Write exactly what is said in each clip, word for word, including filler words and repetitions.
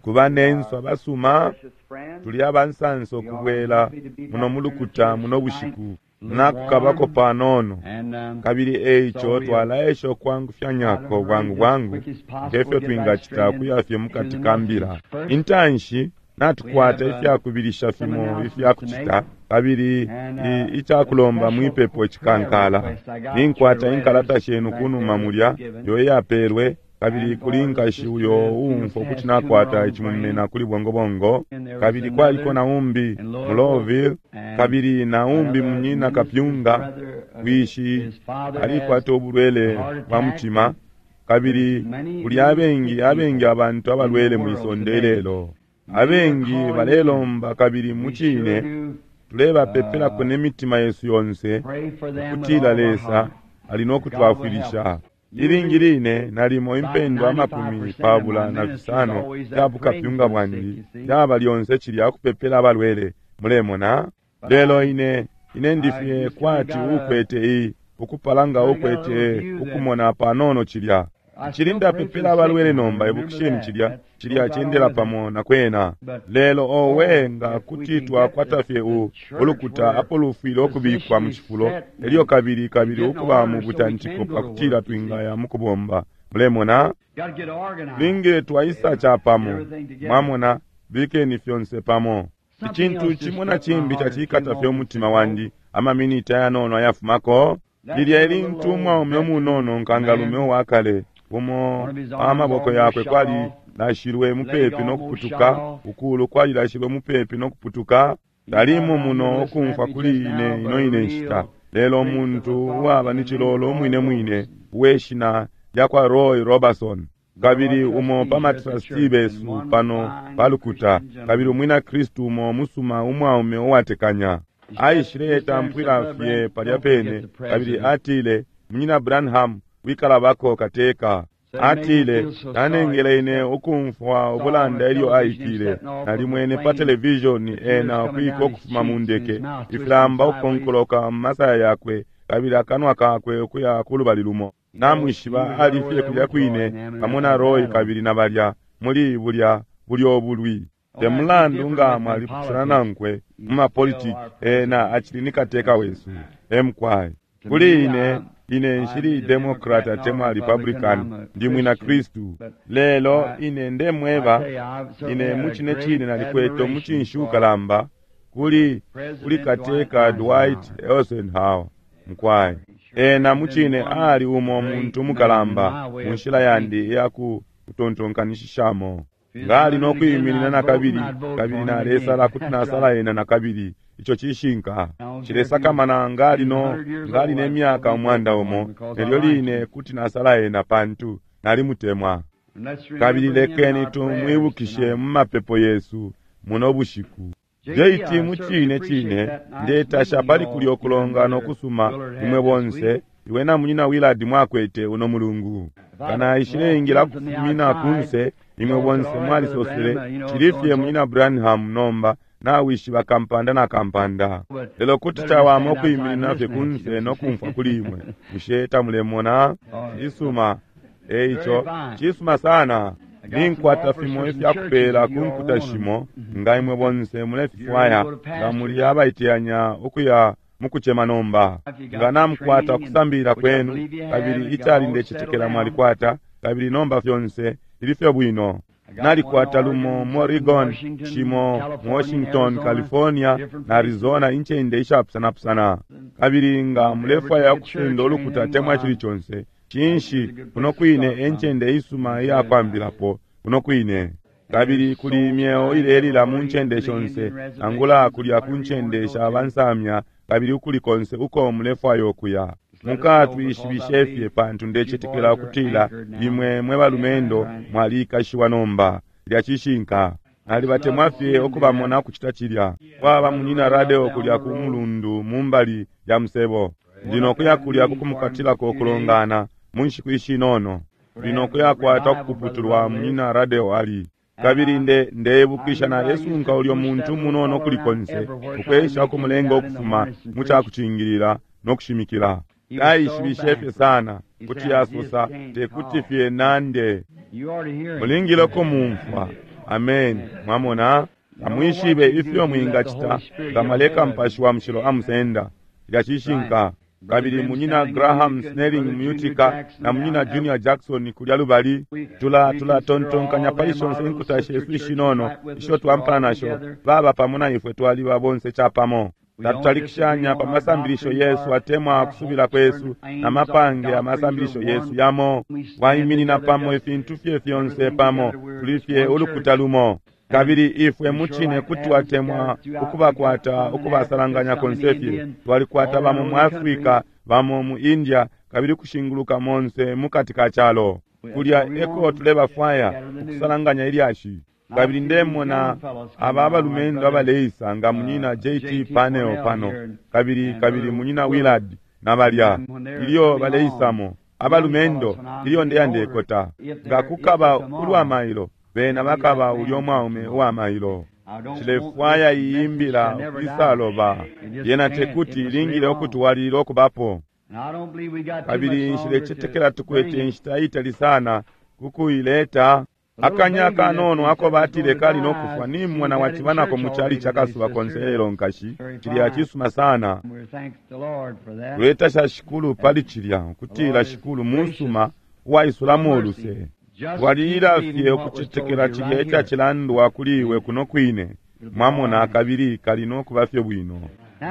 Ku banensu abasuma, tuli abansansa ukubwela muno mulukuta muno bushiku nakukabako panono, kabili eico twalaesha ukwangufyanyako bwangu bwangu ngefyo twingacita ukuya fye mukati ka mbila. Intanshi natukwata ifyakubilisha fimo ifyakucita, kabili icakulomba mwipepo icikankala. Ninkwata inkalata shenu kunuma mulya iyo iyapelwe, kabili kuli nkashi uyo uumfwa ukuti nakwata icimumena kuli bongobongo, kabili kwaliko na umbi mu Louisville, kabili na umbi munyina kapyunga, wishi alikwata ubulwele bwa mutima, kabili kuli abengi abengi abantu abalwele mwisonde ilelo. Abengi balelomba, kabili mucine tulebapepelako ne mitima yesu yonse ukutila Lesa ali no kutwafwilisha. Ilingi line nalimo impendwa amakumi pabula na fisano ya bukapyunga bwandi yaba lyonse cilya kupepela abalwele, mulemona. Lelo ine ine ndifye kwati ukwete i ukupala nga ukwete ukumona panono cilya. Cili ndapepela abalwele nomba, ibukisheni cilya cilya cendela pamo na kwena. Lelo owe, nga kuti twakwata fye u ulukuta apo lufwile ukubikwa mu cifulo, elyo kabili kabili ukuba mu butantiko pakutila twingaya mukubomba, mulemona. Tulingile twaisa capamo, mwamona, bikeni fyonse pamo. Icintu cimo na cimbi cacikata fye umutima wandi amaminiti ayanono ayafumako. Lilya ilintu umwaume umunono nkangalume uwakale, umo amaboko yakwe kwali lashilwe mupepi no kuputuka, ukulu kwali lashilwe mupepi no kuputuka. Talimo muno ukumfwa kuli ine ino ine nshita, lelo umuntu uwaba ni cilolo umwine mwine uwe shina lya kwa Roy Robertson, kabili umo pa matrasti besu pano palukuta, kabili umwina Kristu umo musuma umwaume uwatekanya. Aishile tampwila fye palya pene, kabili atile, "Munyina Branham, wikalabako kateka." Atile, "Nanengele ine ukumfwa ubulanda ilyo aikile. Nalimwene pa televishoni ena ukwika ukufuma mu ndeke, ifilamba ukukonkoloka mu masaya yakwe, kabili akanwa kakwe ukuya ku lubali lumo. Namwishiba, ali fye kulya kwine pamo na Roy kabili na balya muli bulya bulyo bulwi. Te mulandu nga mwalipusana nankwe mu mapolitiki, ena acili ni kateka wesu." Emkwai. Kuli ine, ine nshili Democrat atemwa Republican, ndi mwina Kristu. Lelo ine ndemweba, ine mucine cine nalikwete umucinshi ukalamba kuli kuli kateka Dwight Eisenhower, mkwai. Ena mucine ali umo muntu mukalamba mu nshila yandi iya kutontonkanishishamo. Nga ali no kwiminina nakabili, kabili nalesala kuti nasala ena nakabili. Ico cishinka. Cilesakamana nga ali no nga ali ne myaka umwanda umo, nelyo line kuti nasala ena pantu nalimutemwa. Kabili lekeni tumwibukishe mu mapepo yesu muno bushiku. J T, mucine cine ndetasha pali kulya ukulongana ukusuma imwe bonse, iwe na munyina Willard, mwakwete uno mulungu. Kana ishileingila kufumina kunse, imwe bonse mwalisosele, "Cili fye munyina Branham nomba nawishiba kampanda na kampanda." Lelo kuti cawama ukwiminina fye kunse no kumfwa kuli imwe. Bushe tamulemona? Cisuma. Eico cisuma sana. Ninkwata fimo ifyakupela ku nkuta shimo nga imwe bonse mulefifwaya, nga muli abaiteyanya ukuya mukucema nomba. Nga namukwata ukusambilila kwenu, kabili icali ndecetekela mwalikwata, kabili nomba fyonse fili fye bwino. Nalikwata lumo mu Oregon, shimo mu Washington, California na Arizona, incende ishapusanapusana. Kabili nga mulefwaya ukusenda ulukuta atemwa cili conse, cinshi, kuno kwine encende isuma iyakwambilapo, kuno kwine. Kabili kuli imyeo ilelila mu ncende shonse, nangula kulya ku ncende sha bansamya, kabili ukuli konse uko mulefwaya ukuya, mukatwishibishe fye, pantu ndecetekela ukutila imwe mwe balumendo mwalikashiwa nomba. Lya cishinka. Nalibatemwa fye ukubamona ukucita cilya. Kwaba munyina Radio kulya ku mulundu mu mbali ya musebo. Ndi nokuya kulya kukumukatilako ukulongana mu nshiku ishinono. Ndi nokuyakwata ukupuputulwa munyina Radio ali. Kabili nde ndeibukisha nalesunka ulyo muntu munono kuli konse, ukwesha ukumulenga ukufuma mu cakucingilila no kushimikila. Taishibishe fye sana, kuti asosa tekuti fye nande. Mulingile ukumumfwa. Amen. Mwamona, tamwishibe ifyo mwingacita nga mwaleka Mupashi wa Mushilo amusenda. Cilya cishinka. Kabili munyina Graham Snelling mu Utica na munyina Junior Jackson kulya lubali, tula tulatontonkanya pali shonse inkuta shesu ishinono isho twampana nasho, baba pamo na ifwe twaliba bonse capamo. Tatutalikishanya pa masambilisho yesu atemwa kusubila kwesu na mapange amasambilisho yesu yamo. Waiminina pamo ifintu fye fyonse pamo, tuli fye ulukuta lumo. Kabili ifwe mucine kuti twatemwa ukubakwata ukubasalanganya konse fye. Twalikwata bamo mu Afrika, bamo mu India, kabili kushinguluka monse mukati ka calo. Kulya eko tulebafwaya ukusalanganya ilyashi. Kabili ndemona aba abalumendo abaleisa nga munyina J T Panel pano, kabili kabili munyina Willard na balya ilyo baleisamo abalumendo ilyo ndeya ndekota. Nga kukaba ulwa mailo, bena bakaba ulyo mwaume uwa mailo. Cilefwaya iyimbila ukwisaloba yena tekuti ilingile okutwalilila okubapo. Kabili nshilecetekela tukwete inshita itali sana kukuileta. Akanya kanono ako batile kali nokufwa ni mwana wacibanako mu chali chakasuba konse lelo nkashi. Cilya cisuma sana. Tuletasha Shikulu pali cilya, kutila Shikulu musuma uwaisulamo uluse. Twalila fye ukucetekela cilya icacilandwa kuli iwe kuno kwine. Mwamona, kabili kali nokuba fye bwino.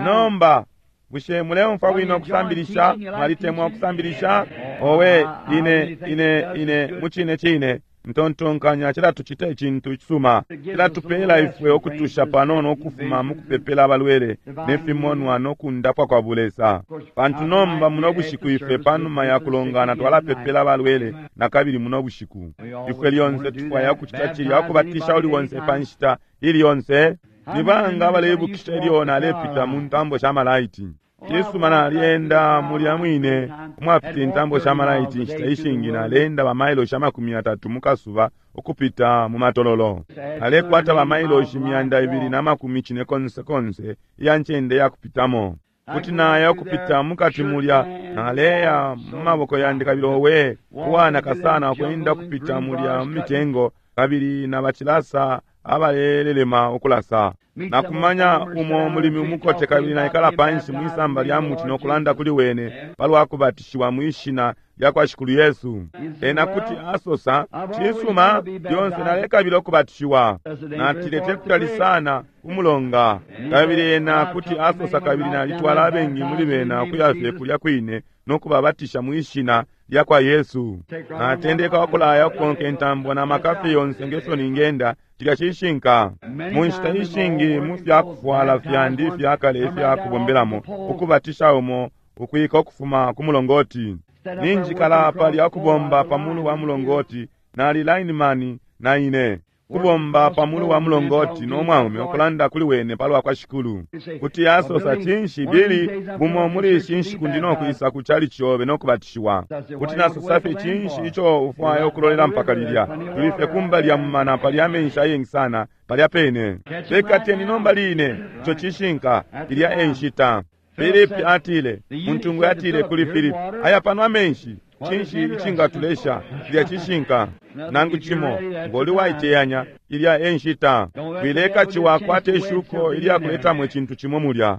Nomba bushe muleumfwa bwino ukusambilisha? Mwalitemwa ukusambilisha? Owe, ine ine ine mucine cine ntontonkanya cilatucita icintu icisuma. Cilatupela ifwe okutusha panono okufuma mukupepela abalwele nefimonwa nokundapwa kwa bulesa. Pantu nomba muno bushiku ifwe panuma ya kulongana twalapepela abalwele na kabili muno bushiku. Ifwe lyonse tufwaya okucita cilya, okubatisha uli wonse pa nshita ili yonse. Ni banga abaleibukisha ilyo nalepita mu ntambo sha malaiti? Cisuma, nalyenda mulya mwine umwapita intambo sha malaiti inshita ishingi. Nalenda bamailoshi amakumi atatu mukasuba ukupita mu matololo. Nalekwata bamailoshi myanda ibili na makumi cine konse konse iya ncende ya kupitamo. Kuti naya ukupita mukati mulya, naleya mu maboko yandi kabili owe uwanaka sana ukwenda kupita mulya mu mitengo, kabili na bacilasa abalelelema ukulasa. Nakumanya umo mulimi umukote kabili naikala panshi mwisamba lya muti nokulanda kuli wene palwa kubatishiwa mwishina lya kwa Shikulu Yesu. Ena kuti asosa, cisuma, lyonse nalekabila okubatishiwa. Natile tekutali sana umulonga. Kabili ena kuti asosa, kabili nalitwala abengi muli bena ukuya fye kulya kwine nokubabatisha mwishina lya kwa Yesu. Natendeka ukulaya ukukonka intambo na makafi yonse ngefyo ningenda. Cilya cishinka. Mu nshita ishingi mu fyakufwala fyandi fyakale ifyakubombelamo ukubatisha umo ukwika ukufuma ku mulongoti. Ninjikala palya ukubomba pamulu wa mulongoti, nali lineman na ine kubomba pamulu wa mulongoti no mwaume ukulanda kuli wene palwa kwa Shikulu. Kuti asosa, cinshi Bili, bumo muli ishi nshiku ndi nokwisa ku chali chobe nokubatishiwa. Kuti nasosa fye, cinshi ico ufwaya ukulolela mpaka lilya? Tuli fye kumbali ya mumana palya amenshi ayengi sana palya pene. Bekateni nomba line. Ico cishinka. Ilya e nshita. Filipi atile, muntungwi atile kuli Filipi, aya pano amenshi, cinshi icingatulesha? Ilya cishinka. Nangu cimo, ngoli waiteyanya, ilya e nshita. Wileka ciwakwate ishuko ilya kuletamo icintu cimo mulya.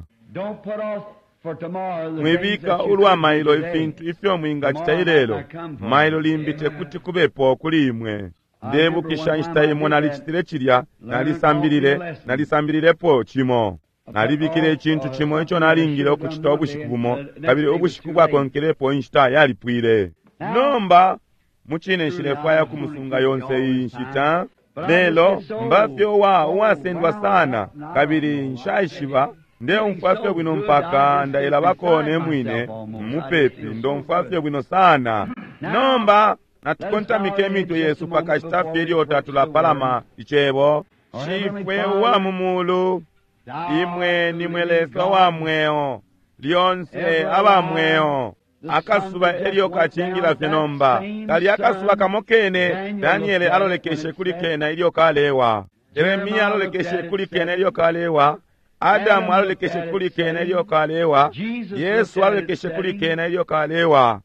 Mwibika ulwa mailo ifintu ifyo mwingacita ilelo, mailo limbi tekuti kubepo kuli imwe. Ndebukisha inshita imo nalicitile cilya, nalisambilile, nalisambililepo cimo. Nalibikile icintu cimo ico nalingile ukucita ubushiku bumo, kabili ubushiku bwakonkelepo inshita yalipwile. Nomba mucine nshilefwaya kumusunga yonse iyi nshita, lelo mbafye uwa uwasendwa sana, kabili nshaishiba ndeumfwa fye bwino mpaka ndailabako ne mwine mupepi, ndomfwa fye bwino sana. Nomba natukontamike imitwe yesu pakashita fye ilyo tatulapalama icebo. Shifwe uwa mu mulu, imwe nimwe Lesa wa mweo, lyonse aba mweo. Akasuba elyo kacingila fye nomba, kali akasuba kamo kene Daniele alolekeshe kuli kena ilyo kalewa, Yeremia alolekeshe kuli kena ilyo kalewa, Adamu alolekeshe kuli kena ilyo kalewa, Yesu alolekeshe kuli kena ilyo kalewa.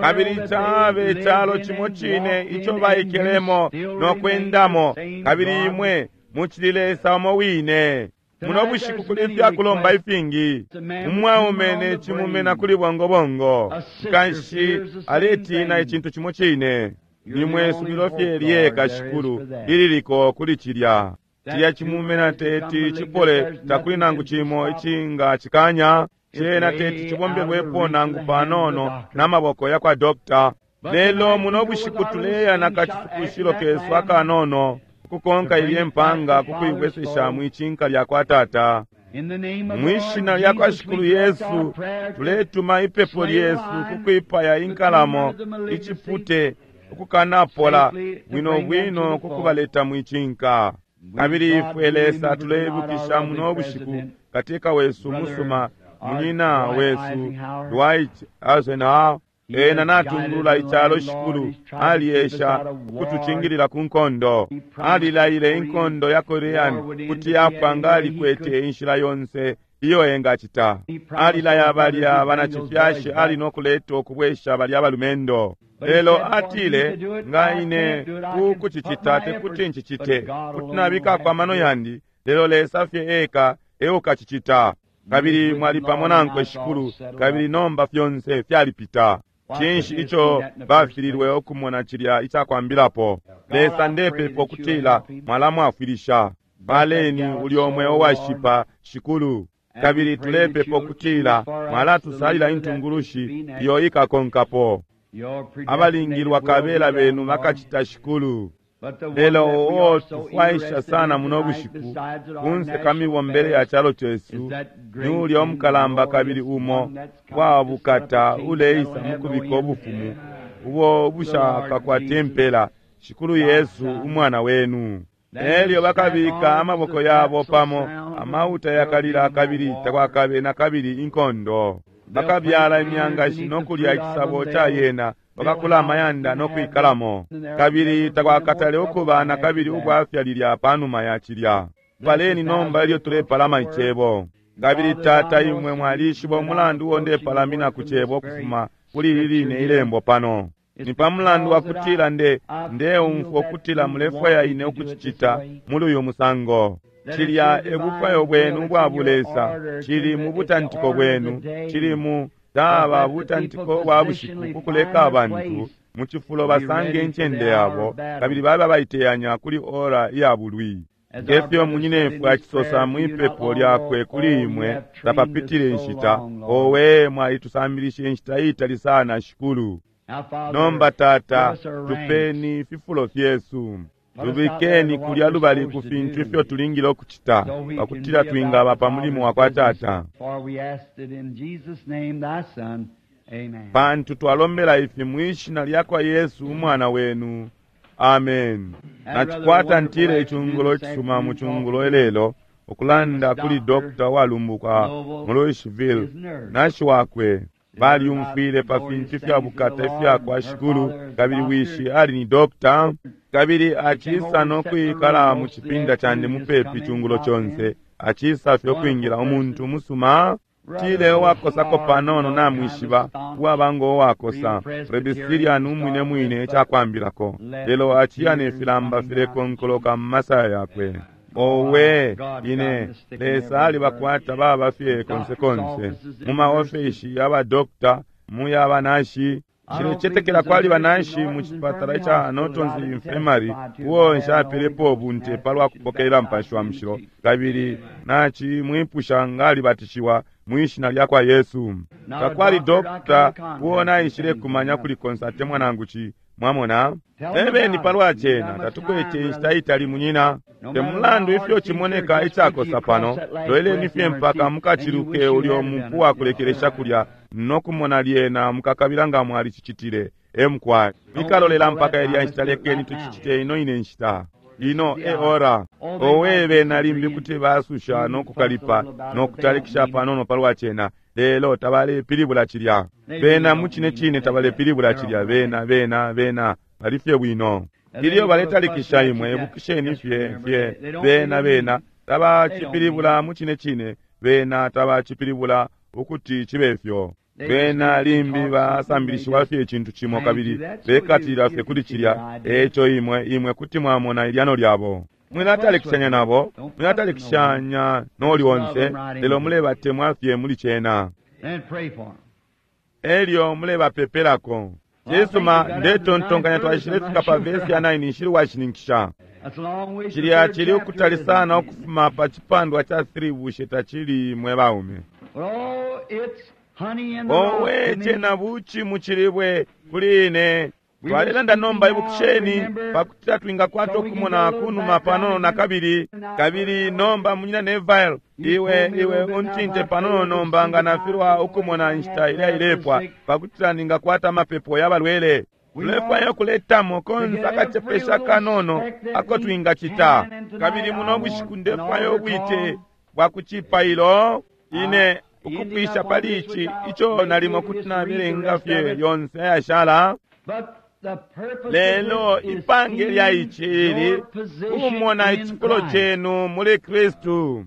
Kabili cabe icalo cimo cine ico baikelemo no kwendamo, kabili imwe mucili Lesa umo wine. Muno bushiku kuli ifyakulomba ifingi. Umwaume ne cimumena kuli bongobongo, nkanshi aletina icintu cimo cine. Nimwe subilo fye lyeka Shikulu ililiko kuli cilya. Cilya cimumena teti cipole, takuli nangu cimo icinga cikanya. Cena teti cibombelwepo nangu panono n'amaboko ya kwa dokita. Lelo muno bushiku tuleya na kacifukushilo kesu akanono ukukonka ilye mpanga kukuibwesesha mwicinka lya kwa Tata. Mwishina lya kwa Shikulu Yesu tuletuma ipepo lyesu kukwipaya inkalamo icipute ukukanapola bwino bwino kukubaleta mwicinka. Kabili ifwe Lesa tuleibukisha muno bushiku kateka wesu musuma munyina wesu Dwight Eisenhower. Ena natungulula icalo Shikulu, aliesha ukutucingilila ku nkondo. Alilaile inkondo ya Korean kuti yapwa nga alikwete inshila yonse iyo engacita. Alilaya balya banacifyashi ali no kuleta ukubwesha balya balumendo. Lelo atile, nga ine ku kucicita tekuti ncicite, kuti nabikako amano yandi, lelo Lesa fye eka eukacicita. Kabili mwali pamo nankwe Shikulu, kabili nomba fyonse fyalipita. Cinshi ico bafililwe okumona cilya icakwambilapo? Lesa ndepepa ukutila mwalamwafwilisha. Paleni ulyo mweo washipa Shikulu, kabili tulepepa ukutila mwalatusalila intungulushi iyo ikakonkapo. Abalingilwa kabela benu bakacita Shikulu. Lelo oo tufwaisha sana muno bushiku kunse ka mibombele ya calo cesu ni ulya umukalamba kabili umo wa bukata uleisa mukubika ubufumu ubo bushakakwate impela, Shikulu Yesu umwana wenu. Elyo bakabika amaboko yabo pamo, amauta yakalila kabili takwakabe na kabili inkondo. Bakabyala imyangashi no kulya icisabo ca yena, bakakula amayanda no kwikalamo. Kabili takwakatale ukuba na kabili ubwafya lilya panuma ya cilya. Paleni nomba ilyo tulepalama icebo. Kabili Tata, imwe mwalishiba umulandu uo ndepalamina ku cebo ukufuma kuli ili line ilembo pano. Ni pa mulandu wa kutila nde ndeumfwa ukutila mulefwaya ine ukucicita muli uyu musango. Cilya e bufwayo bwenu ubwa bulesa, cili mu butantiko bwenu, cili mu taba butantiko bwa bushiku kukuleka abantu mu cifulo basange incende yabo, kabili babe baiteyanya kuli ora iya bulwi. Ngefyo munyinefwe acisosa mwipepo lyakwe kuli imwe tapapitile inshita, owe mwalitusambilisha inshita iitali sana Shikulu. Nomba Tata, tupeni fifulo fyesu, tubikeni kulya lubali ku fintu ifyo tulingile okucita pakutila twingaba pa mulimo wa kwa Tata. Pantu twalombela ifi mwishina lya kwa Yesu umwana wenu. Amen. Nacikwata ntile icungulo icisuma mu cungulo ilelo ukulanda kuli dokta walumbuka mu Louisville nashi wakwe. Balyumfwile pa fintu ifya bukata ifya kwa Shikulu, kabili wishi ali ni dokta, kabili acisa no kwikala mu cipinda candi mupepi cungulo conse, acisa fye ukwingila umuntu musuma. Tile uwakosako panono namwishiba, uwaba ngo uwakosa Presbyterian umwine mwine icakwambilako, lelo aciya ne filamba filekonkoloka mu masaya yakwe. Owe ine Lesa alibakwata baba fye konse konse mu maofeshi y'abadokta, mu y'abanashi. Nshilecetekela kwali banashi mu cipatala ica Norton's Infirmary uo nshapelepo ubunte palwa kupokelela Mupashi wa Mushilo, kabili nacimwipusha nga alibatishiwa mwishina lya kwa Yesu. Takwali dokta uo naishile kumanya kuli konse atemwa nangu ci. Mwamona, ebeni palwa cena, tatukwete inshita itali munyina. Te mulandu ifyo cimoneka icakosa pano, lweleni fye mpaka mukaciluke ulyo mupu wa kulekelesha kulya nokumona lyena mukakabila nga mwalicicitile. Emukwa ikalolela mpaka ilya nshita, lekeni tucicite ino ine nshita ino e ora. Owe bena limbi kuti basusha nokukalipa nokutalikisha panono palwa cena, lelo tabalepilibula cilya. Bena mucine cine tabalepilibula cilya. Bena bena bena bali fye bwino. Ilyo baletalikisha imwe, ibukisheni fye fye bena bena Tabacipilibula mucine cine, bena tabacipilibula ukuti cibe fyo. Bena limbi basambilishiwa fye icintu cimo kabili bekatilila fye kuli cilya. Eco imwe imwe kuti mwamona ilyano lyabo. Mwilatalikishanya nabo, mwilatalikishanya noli onse, lelo mulebatemwa fye muli cena, elyo mulebapepelako. Cisuma, ndetontonkanya twaishile fika pa vesi ya nine, nshili washininkisha. Cilya cili ukutali sana ukufuma pa cipandwa ca three, bushe tacili, mwe baume? Owe, cena buci mucilibwe kuli ine. Twalelanda nomba, ibukisheni, pakutila twingakwata ukumona kunuma panono na kabili. Kabili nomba, Munyina Neville, iwe iwe untinte panono nomba nga nafilwa ukumona inshita ilya ilepwa, pakutila ningakwata amapepo ya balwele. Tulefwaya ukuletamo konse akacepesha kanono ako twingacita. Kabili muno bushiku ndefwaya ubwite bwa kucipailo ine ukupwisha pali ici ico nalimo kuti nabelenga fye yonse ayashala. Lelo ipange lya ici ili kumona icifulo cenu muli Kristu,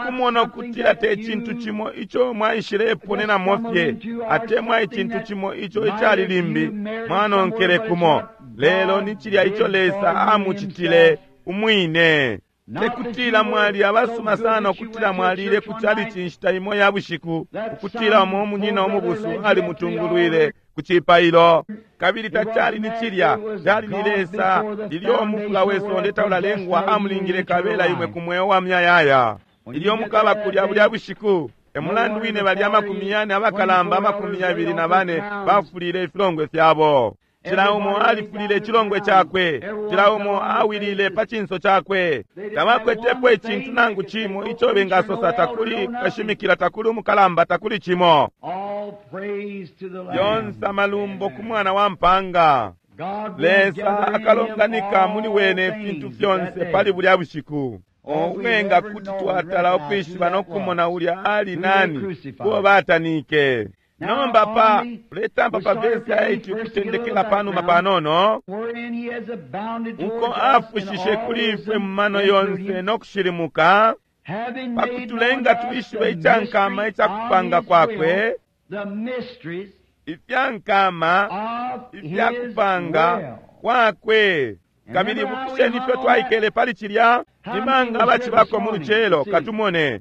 kumona ukutila te cintu cimo ico mwaishileponenamo fye, atemwa icintu cimo ico icali limbi mwanonkele kumo, lelo ni cilya ico Lesa amucitile umwine. Tekutila mwali abasuma sana ukutila mwalile ku chalichi inshita imo ya bushiku, ukutila umo munyina umubusu alimutungulwile ku cipailo. Kabili tacali ni cilya, cali ni Lesa ilyo umufula we sonde taulalengwa amulingile kabela imwe ku mweo wa myayaya. Ilyo mukaba kulya bulya bushiku, emulandu wine balya amakumi yane abakalamba amakumi yabili na bane bafulile ifilongwe fyabo. Cila umo alifulile icilongwe cakwe, cila umo awilile pa cinso cakwe. Tabakwetepo icintu nangu cimo ico bengasosa, takuli kashimikila, takuli umukalamba, takuli cimo. Yonse amalumbo ku mwana wa mpanga. Lesa akalonganika muli wene ifintu fyonse pali bulya bushiku. Owe, nga kuti twatala ukwishiba no kumona ulya ali nani uo batanike. Nomba pa uletampa pa vesi ya eight ukutendekela panuma panono, uko afushishe kuli ifwe mu mano yonse no kushilimuka, pakutulenga twishibe icankama icakupanga kwakwe, ifyankama ifyakupanga kwakwe. Kabili ibukisheni ifyo twaikele pali cilya, imanga abacibako mu lucelo, katumone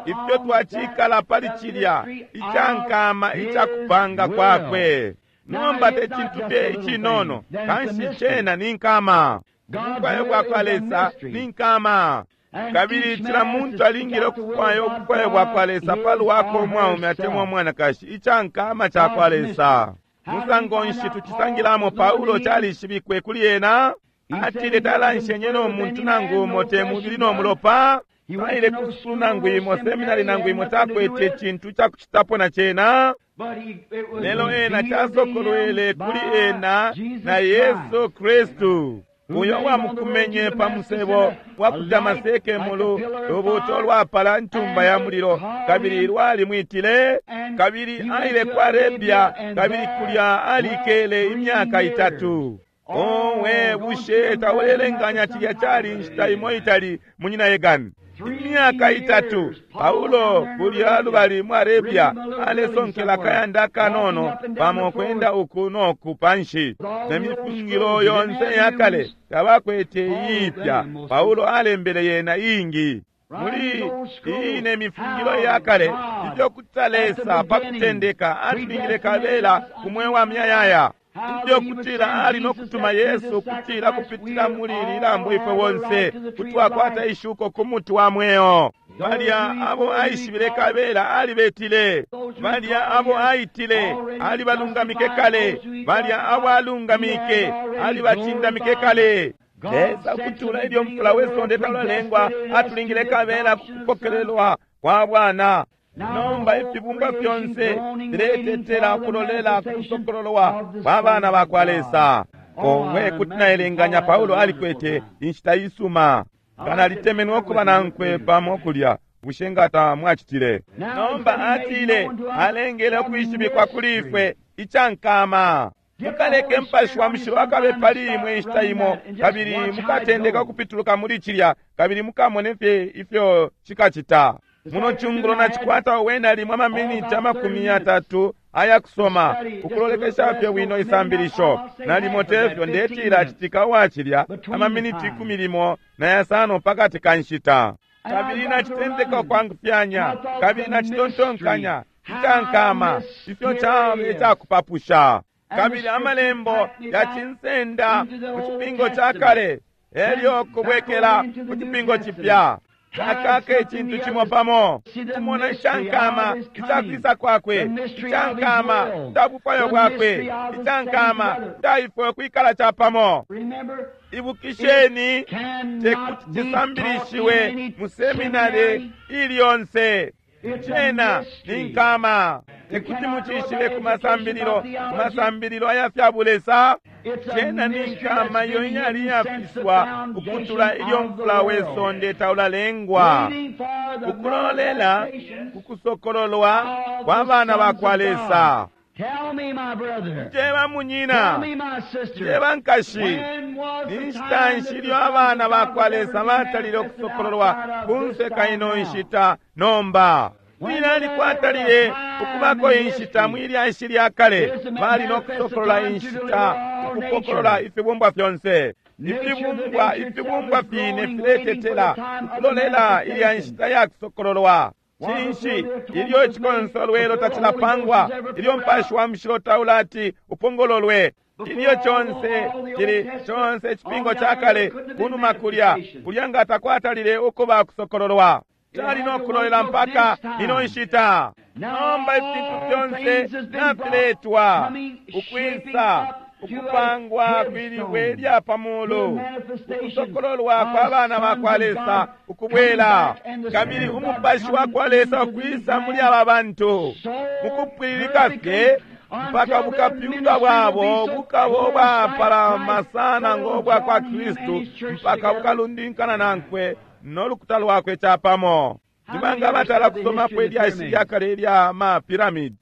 ifyo twacikala pali cilya icankama icakupanga kwakwe. Nomba te cintu fye icinono, kanshi cena ni nkama. Ubufwayo bwa kwa Lesa ni nkama, kabili cila muntu alingile ukufwaya ubufwayo bwa kwa Lesa palwako, umwaume atemwa umwanakashi, icankama ca kwa Lesa. Musango nshi tucisangilamo? Paulo calishibikwe kuli ena, atile talanshenye no muntu nangu umo, te mubili no mulopa. Aile ku sukulu nangu imo, seminari nangu imo, takwete cintu cakucitapo na cena, lelo ena casokolwele kuli ena na Yesu Kristu, uyo wamukumenye pa musebo wa ku Damaseke mulu lubuuto lwapala ntumba ya mulilo, kabili lwalimwitile, kabili aile ku Arabia, kabili kulya alikele imyaka itatu. Owe, bushe taulelenganya cilya cali inshita imo itali, Munyina Yegani? Imyaka itatu Paulo kulya lubali mu Arabia, alesonkela akayanda akanono pamo, kwenda uku noku panshi ne mifungilo yonse yakale, tabakwete iipya. Paulo alembele yena iingi muli iyi ne mifungilo yakale, ifyo kutila Lesa pa kutendeka atulingile kabela ku mweo wa myayaya, ifyo kutila ali no kutuma Yesu, kutila kupitila muli ili lambo ifwe bonse kutwakwata ishuko ku muti wa mweo. Balya abo aishibile kabela alibetile, balya abo aitile alibalungamike kale, balya abo alungamike alibacindamike kale. Lesa kutula ilyo mfula we sonde taulalengwa atulingile kabela kupokelelwa kwa bwana. Nomba ifibumbwa fyonse filetetela kulolela kusokololwa kwa bana ba kwa Lesa. Owe, kuti naelenganya Paulo alikwete inshita isuma. Nga nalitemenwe ukuba nankwe pamo kulya, bushe nga tamwacitile? Nomba atile alengele ukwishibikwa kuli ifwe icankama. Mukaleke Mupashi wa Mushilo akabe pali imwe inshita imo, kabili mukatendeka ukupituluka muli cilya, kabili mukamone fye ifyo cikacita. Muno cungulo nacikwata wena limwe amaminiti amakumi yatatu aya kusoma, ukulolekesha fye bwino isambilisho. Nalimo tefyo ndetila citika uwacilya amaminiti ikumi limo na yasano pakati ka nshita. Kabili nacitendeka ukwangufyanya, kabili nacitontonkanya icankama ifyo cabe icakupapusha. Kabili amalembo yacinsenda mu Cipingo ca Kale elyo kubwekela mu Cipingo Cipya. Akaka icintu cimo pamo, kumona icankama icakwisa kwakwe, icankama icabufwayo bwakwe, icankama icaifwe kwikala capamo. Ibukisheni, tekuti cisambilishiwe mu seminari ili yonse. Cena ni nkama, tekuti mucishibe ku masambililo, ku masambililo aya fya bulesa. Cena ni nkama iyo iyali iyafiswa ukutula ilyo mfula we sonde taulalengwa, ukulolela kukusokololwa kwa bana ba kwa Lesa. Njeba munyina, njeba nkashi, ni nshita nshi ilyo abana ba kwa Lesa batalile ukusokololwa kunse ka ino nshita nomba? Lilali kwatalile ukubako inshita mwilyashi lya kale bali no kusokolola inshita, ukupokolola ifibumbwa fyonse. Ifibumbwa, ifibumbwa fine filetetela ukulolela ilya nshita ya kusokololwa. Cinshi ilyo icikonsolwelo tacilapangwa, ilyo Mupashi wa Mushilo taulati upongololwe, ilyo conse cili conse icipingo ca kale kunuma kulya kulya nga takwatalile ukuba kusokololwa, cali no kulolela mpaka ino nshita. Nomba ifintu fyonse nafiletwa ukwisa ukupangwa kwilibwe lya pamulu, ukusokololwa kwa bana ba kwa Lesa ukubwela, kabili umupashi wa kwa Lesa ukwisa muli aba bantu mukupwililika fye mpaka bukapyunga bwabo bukabo bwapalama sana ngo bwa kwa Kristu, mpaka bukalundinkana nankwe no lukuta lwakwe capamo. Ndibanga batala kusomapo ilyashi lya kale ilya ma piramidi.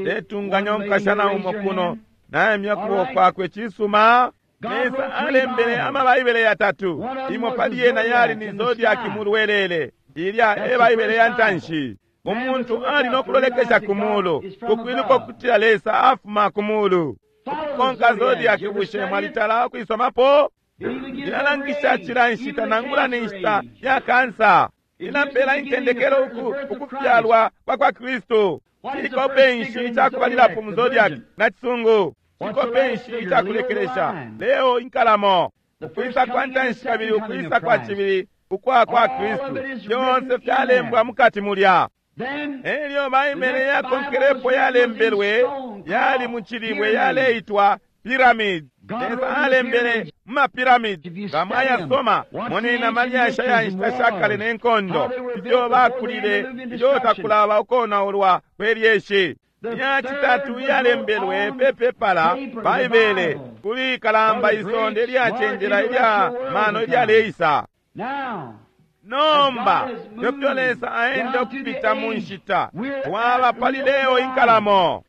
Letunganya umukashana umo kuno naemya kuboko kwakwe. Cisuma, Lesa alembele amabaibele yatatu, imo pali yena yali ni zodiaki mulwelele, ilya e Baibele ya ntanshi. Umuntu ali no kulolekesha ku mulu kukwiluka ukutila Lesa afuma ku mulu. Ukukonka zodiaki, bushe mwalitala ukwisomapo? Ilalangisha cila nshita nangula ni nshita ya kansa. Ilapela intendekelo uku ukufyalwa kwa kwa Kristu. Cikope nshi icakubalilapo mu zodiaki na cisungu? Cikope nshi icakulekelesha? Leo inkalamo. Ukwisa kwa ntanshi kabili ukwisa kwa cibili ukwa kwa Kristu, fyonse fyalembwa mukati mulya. Elyo Baibele yakonkelepo yalembelwe yali mu cilibwe yaleitwa piramidi. Lesa alembele mu mapiramidi. Nga mwayasoma, moneni amalyashi aya nshita sha kale ne nkondo ifyo bakulile ilyo takulaba ukonaulwa kwe lyeshi. Ya citatu iyalembelwe pe pepala Baibele kuli kalamba isonde ilyacenjela ilya mano ilyaleisa. Nomba ifyo Lesa aenda ukupita mu nshita, twaba pali leo inkalamo.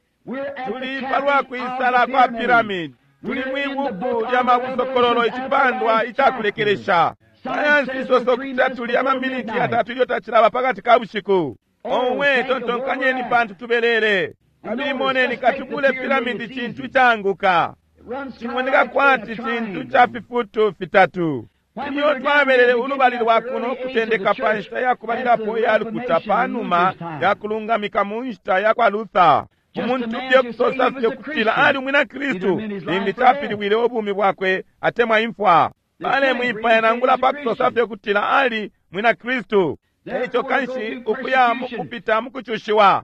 Tuli palwa kwisala kwa piramidi. Tuli mwibuku lya mabusokololo icipandwa icakulekelesha. Sayansi isoso kutila tuli amaminiti yatatu ilyo tacilaba pakati ka bushiku. Owe, tontonkanyeni pantu tubelele. Kabili moneni katubule piramidi cintu icaanguka, cimoneka kwati cintu ca fifutu fitatu. Ilyo twabelele ulubali lwa kuno ukutendeka pa nshita ya kubalilapo iya lukuta panuma ya kulungamika mu nshita ya kwa Luther, umuntu fye kusosa fye kutila ali umwina Kristu limbi capilibwile ubumi bwakwe atemwa imfwa. Balemwipaya nangula pa kusosa fye kutila ali mwina Kristu. Eico kanshi ukuya mukupita mukucushiwa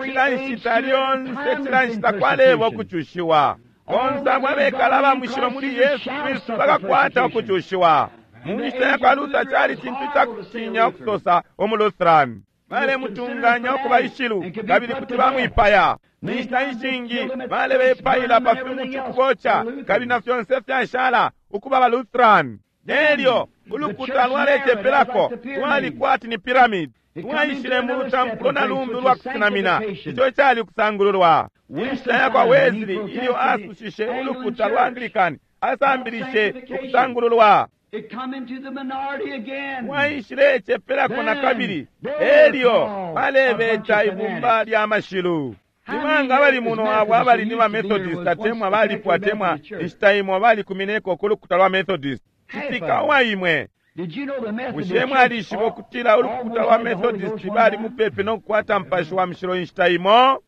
cila nshita lyonse, cila nshita kwaleba ukucushiwa. Bonse abo abekala aba mushilo muli Yesu Kristu bakakwata ukucushiwa. Mu nshita ya kwa Luther cali cintu cakutinya ukusosa umu Lutheran. Balemutunganya ukuba ishilu kabili kuti bamwipaya. Ninshita ishingi balebepaila pa fimuti ukuboca kabili na fyonse fyashala ukuba ba Lutheran. Nelyo ulukuta lwalecepelako lwali kwati ni piramidi. Twaishile mu lutampulo na lumbi ulwa kusenamina, ico cali kusangululwa. Inshita yakwa Wesley ilyo asushishe ulukuta lwa Anglican, asambilishe ukusangululwa. Mwaishile cepelako na kabili, elyo balebeta ibumba lya mashilu. Nibanga abali muno abo abali ni ba Methodist atemwa balipwa atemwa inshita imo balikumineko ku lukuta lwa Methodist? Citika uwa imwe. Bushe mwalishiba ukutila ulukuta lwa Methodist bali mupepi no kukwata Mupashi wa Mushilo inshita imo?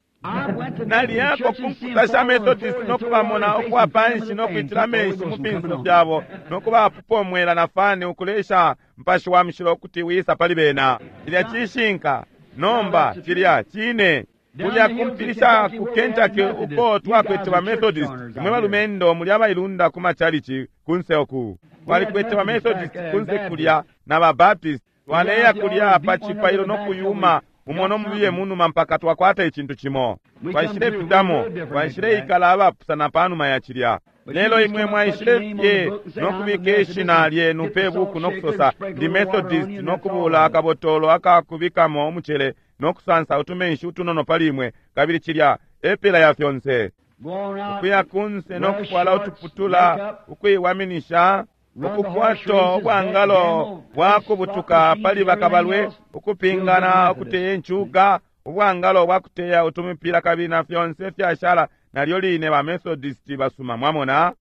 Naliyako ku nkuta sha Methodist no kubamona ukuwa panshi no kwitila amenshi mu finso fyabo no kubapupa umwela na fani ukulesha Mupashi wa Mushilo ukuti wisa pali bena. Cilya cishinka. Nomba cilya cine. Kulya kumpilisha ku Kentucky uko twakwete ba Methodist, imwe balumendo muli abailunda ku machalichi kunse oku. Twalikwete ba Methodist kunse kulya na ba Baptist. Twaleya kulya pa cipailo no kuyuma umo mubiye munuma mpaka twakwata icintu cimo. Twaishile pitamo, twaishile ikala abapusana panuma ya cilya. Lelo imwe mwaishile fye no kubika ishina lyenu pe buku no kusosa ndi Methodist no kubula akabotolo akakubikamo umucele no kusansa utumenshi utunono pali imwe, kabili cilya epela ya fyonse. Ukuya kunse no kufwala utuputula, ukuiwaminisha, ukukwato ubwangalo bwa kubutuka pali bakabalwe, ukupingana, ukuteya incuga, ubwangalo bwa kuteya utumipila kabili na fyonse fyashala. Nalyo line ba Methodist basuma, mwamona.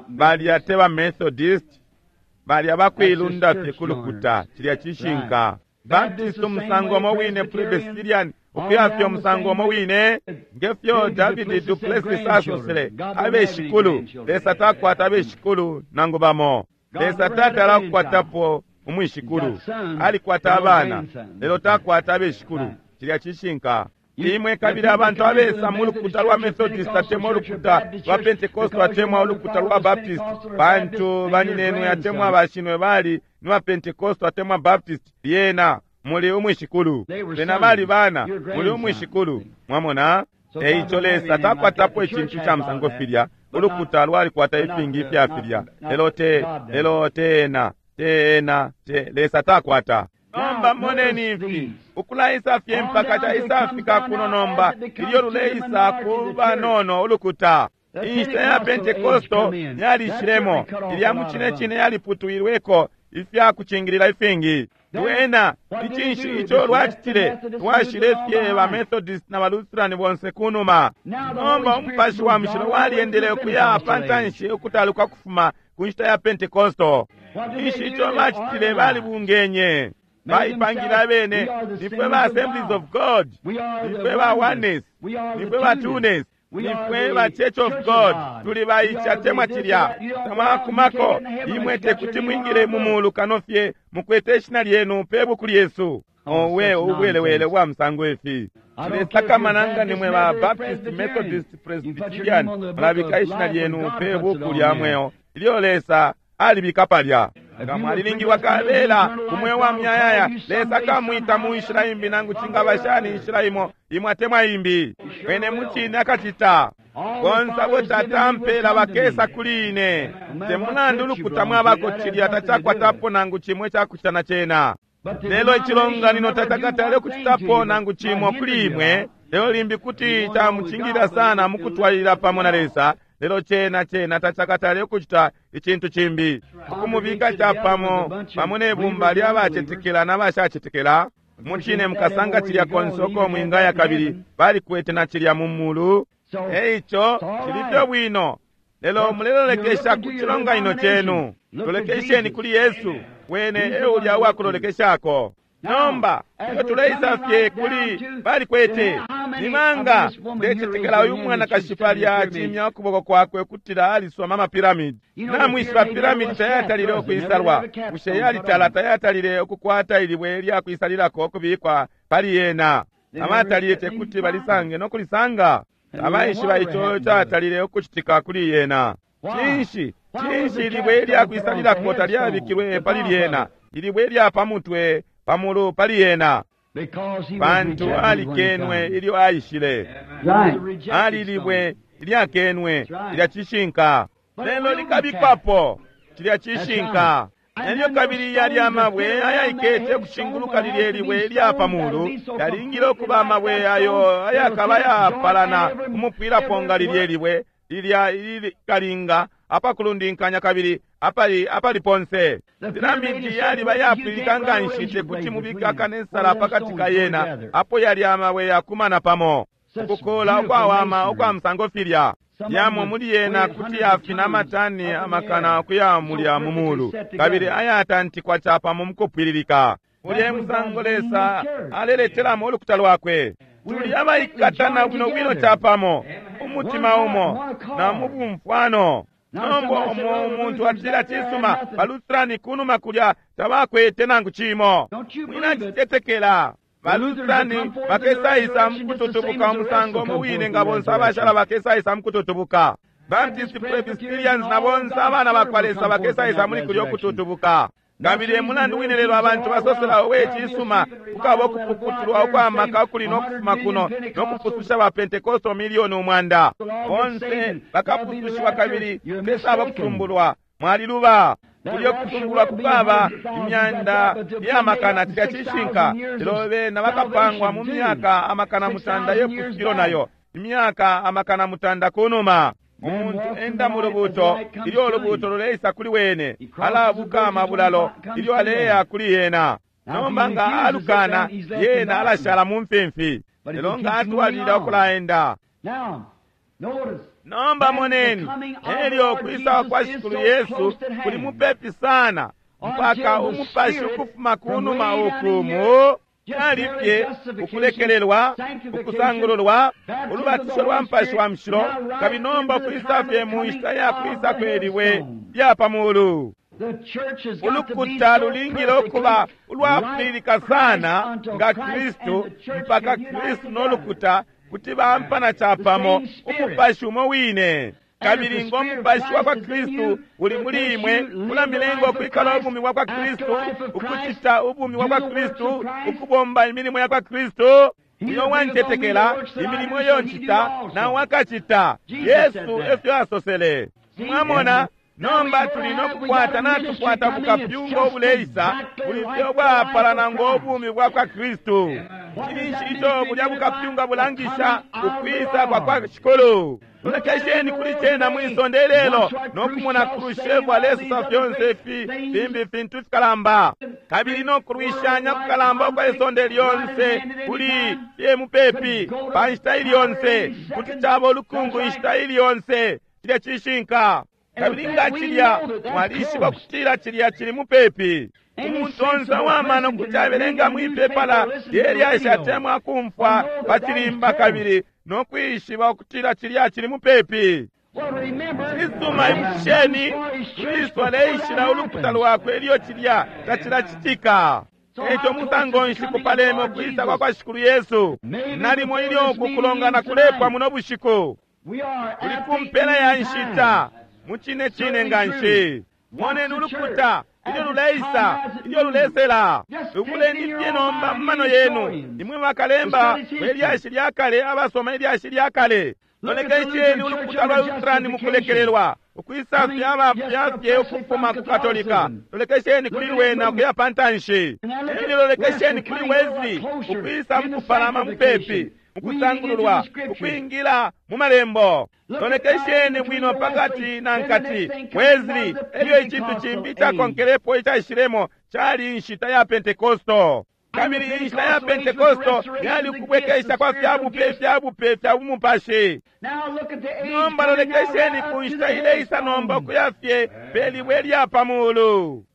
Balya te ba Methodist, balya bakuilunda fye kulukuta. Cilya cishinka. Baptist umusango umo wine, Presbyterian ukuya fye umusango umo wine, ngefyo David du Plessis asosele, abeshikulu Lesa takwata abeshikulu nangu bamo. Lesa tatala kukwatapo umwishikulu, alikwata abana lelo takwata abeshikulu. Cilya cishinka. Imwe kabili abantu abesa mu lukuta lwa Methodist atemwa ulukuta lwa Pentecost atemwa ulukuta lwa Baptist, pantu baninenwe atemwa bashinwe bali ni ba Pentecost atemwa Baptist, lyena muli umwishikulu. Bena bali bana, muli umwishikulu. Mwamona? Eico Lesa takwatapo icintu ca musango filya. Ulukuta lwalikwata ifingi ifya filya, lelo te lelo tena tena te Lesa takwata. Nomba moneni ifi ukulaisa fye mpaka caisafika kuno nomba, ilyo luleisa ku banono ulukuta. Inshita ya Pentekosto yalishilemo, ilya mu cine cine yaliputwilweko ifya kucingilila ifingi. Lwena icinshi ico lwacitile? Lwashile fye ba Methodist na ba Lutheran bonse kunuma. Nomba Umupashi wa Mushilo walyendele ukuya pantanshi ukutaluka kufuma ku nshita ya Pentekosto. Ishi ico bacitile? Balibungenye, baipangile abene, nifwe ba Assemblies of God, nifwe ba Oneness, nifwe ba Twoness, nifwe ba Church of God, tuli baicha temwa cilya. Tamwakumako imwe tekuti mwingile mu mulu kano fye mukwete ishina lyenu pe buku lyesu. Owe ubwelewele bwa musango ifi. Tulesakamana nimwe ba Baptist, Methodist, Presbyterian, mulabika ishina lyenu pe buku lya mweo ilyo Lesa alibika palya. Nga mwalilingilwa kabela kumwe wa myayaya, Lesa kamwita mu nshila imbi nangu cingaba shani inshila imo imwe atemwa imbi. Wene mucine akacita. Bonse abo Tata ampela bakesa kuli ine. Te mulandu ulukuta mwabako cilya tacakwatapo nangu cimwe cakucita na cena. Lelo icilonganino tacakatale kucitapo nangu cimo kuli imwe, lelo limbi kuti camucingilila sana mukutwalilila pamo na Lesa. Lelo cena cena tacakatale kucita icintu cimbi, ukumubika capamo pamo ne bumba lya bacetekela na bashacetekela. Mucine mukasanga cilya konse uko mwingaya, kabili balikwete na cilya mu mulu. Eico cili fye bwino, lelo mulelolekesha ku cilonganino cenu. Lolekesheni kuli Yesu, wene e ulya uwakulolekeshako. Nomba ilyo tuleisa fye kuli balikwete nimanga, ndecetekela uyu mwanakashi palya acimya ukuboko kwakwe ukutila alisoma amapiramidi. Namwishiba piramidi tayatalile ukwisalwa. Bushe yalitala tayatalile ukukwata ilibwe lya kwisalilako ukubikwa pali yena? Abatalile tekuti balisange no kulisanga. Abaishiba ico catalile ukucitika kuli yena. Cinshi cinshi ilibwe lya kwisalilako talyabikilwe pali lyena, ilibwe lya pamutwe pamulu pali yena? Pantu alikenwe ilyo aishile. Ali libwe ilyakenwe, ilya cishinka, lelo likabikwapo. Cilya cishinka. Elyo kabili yali amabwe ayaikete ukushinguluka lilye libwe ilya pa mulu, yalingile ukuba amabwe ayo ayakaba yapalana umupwilapo nga lilye libwe lilya ilikalinga apakulundinkanya kabili apali apali ponse. Piramidi yaliba yapwilika nga nshi tekuti mubike akanesala pakati ka yena, apo yali amabwe yakumana pamo ukukola ukwawama ukwa musango filya. Yamo muli yena kuti yafina amatani amakana ukuya mulya mu mulu, kabili ayatantikwa capamo mukupwililika. Ulye musango Lesa aleletelamo ulukuta lwakwe. Tuli abaikatana bwino bwino capamo, umutima umo na mu bumfwano. Nomba umo umuntu atila cisuma, baLutherani kunuma kulya tabakwete nangu cimo. Mwinacitetekela. BaLutherani bakesaisa mukututubuka umusango muwine nga bonse abashala bakesaisa mukututubuka. Baptist, Presbyterians na bonse abana bakwa Lesa bakesaisa muli kulya ukututubuka. Kabili emulandu wine lelo abantu basosela owe cisuma kukaba ukupukutulwa ukwamaka ukuli nokufuma kuno nokupususha ba Pentekosto milioni umwanda. Bonse bakapusushiwa kabili pesaba kusumbulwa. Mwaliluba. Kulyo kusumbulwa kukaba imyanda yamakana cilya cishinka, lelo bena bakapangwa mu myaka amakana mutanda yepusukilo nayo imyaka amakana mutanda kunuma. Umuntu enda mu lubuto ilyo ulubuto luleisa kuli wene, alabuka amabulalo ilyo aleya kuli yena. Nomba nga alukana yena alashala mu mfimfi, lelo nga atwalilila ukulaenda. Nomba moneni, elyo kwisa kwa Shikulu Yesu kuli mupepi sana mpaka umupashi ukufuma kunuma ukumu alipye ukulekelelwa, ukusangululwa, ulubatisho lwa Mupashi wa Mushilo, kabili nomba kwisa fye mu nshita ya kwisa kweliwe lya pa mulu. Ulukuta lulingile ukuba ulwapwililika sana nga Kristu mpaka Kristu no lukuta kuti bampana capamo umupashi umo wine. Kabili ngo mupashi wa kwa Kristu uli muli imwe, ulamilenga ukwikala ubumi bwa kwa Kristu, ukucita ubumi bwa kwa Kristu, ukubomba imilimo ya kwa Kristu. Uyo wantetekela imilimo iyo ncita na wakacita. Yesu efyo asosele. Mwamona, nomba tuli nokukwata natukwata bukapyunga obuleisa buli fye bwapalana ngo bumi bwa kwa Kristu. Cilinshi ico bulya bukapyunga bulangisha ukwisa kwa kwa Shikulu. Lolekesheni kuli cena mwisonde lelo nokumona Khrushchev alesosa fyonse ifi fimbi fintu fikalamba, kabili nokulwishanya kukalamba ukwa isonde lyonse kuli fye mupepi pa nshita ili yonse, kuti caba ulukungu inshita ili yonse. Cilya cishinka. Kabili nga cilya mwalishiba kutila cilya cili mupepi. Umuntu onse uwamano kuti abelenga mwipepala lyelyashi atemwa kumfwa pa cilimba kabili nokwishiba ukutila cilya cili mupepi. Cisuma, ibukisheni, Kristu aleishila ulukuta lwakwe ilyo cilya tacilacitika. Eco musango nshi kupaleme ukwisa kwa kwa Shikulu Yesu? Nalimo ilyo ukukulongana kulepwa muno bushiku, kuli kumpela ya nshita mucine cine nga nshi. Moneni ulukuta ilyo luleisa, ilyo lulesela. Lubuleni fye nomba mu mano yenu, imwe bakalemba belyashi lya kale, abasoma ilyashi lya kale. Lolekesheni ulukuta lwa Lutherani mukulekelelwa, ukwisa fya fye ukufuma ku Katolika. Lolekesheni kuli wena ukuya pantanshi. Elyo lolekesheni kuli Wesley ukwisa mukupalama mupepi, mukusangululwa, ukwingila mu malembo. Lolekesheni bwino pakati na nkati Wesley. Elyo icintu cimbi cakonkelepo icaishilemo cali inshita ya Pentekosto. Kabili inshita ya Pentekosto yali ukubwekesha kwa fyabupe fyabupe fya bumupashi. Nomba lolekesheni ku nshita ileisa nomba ukuya fye pelibwe lya pa mulu.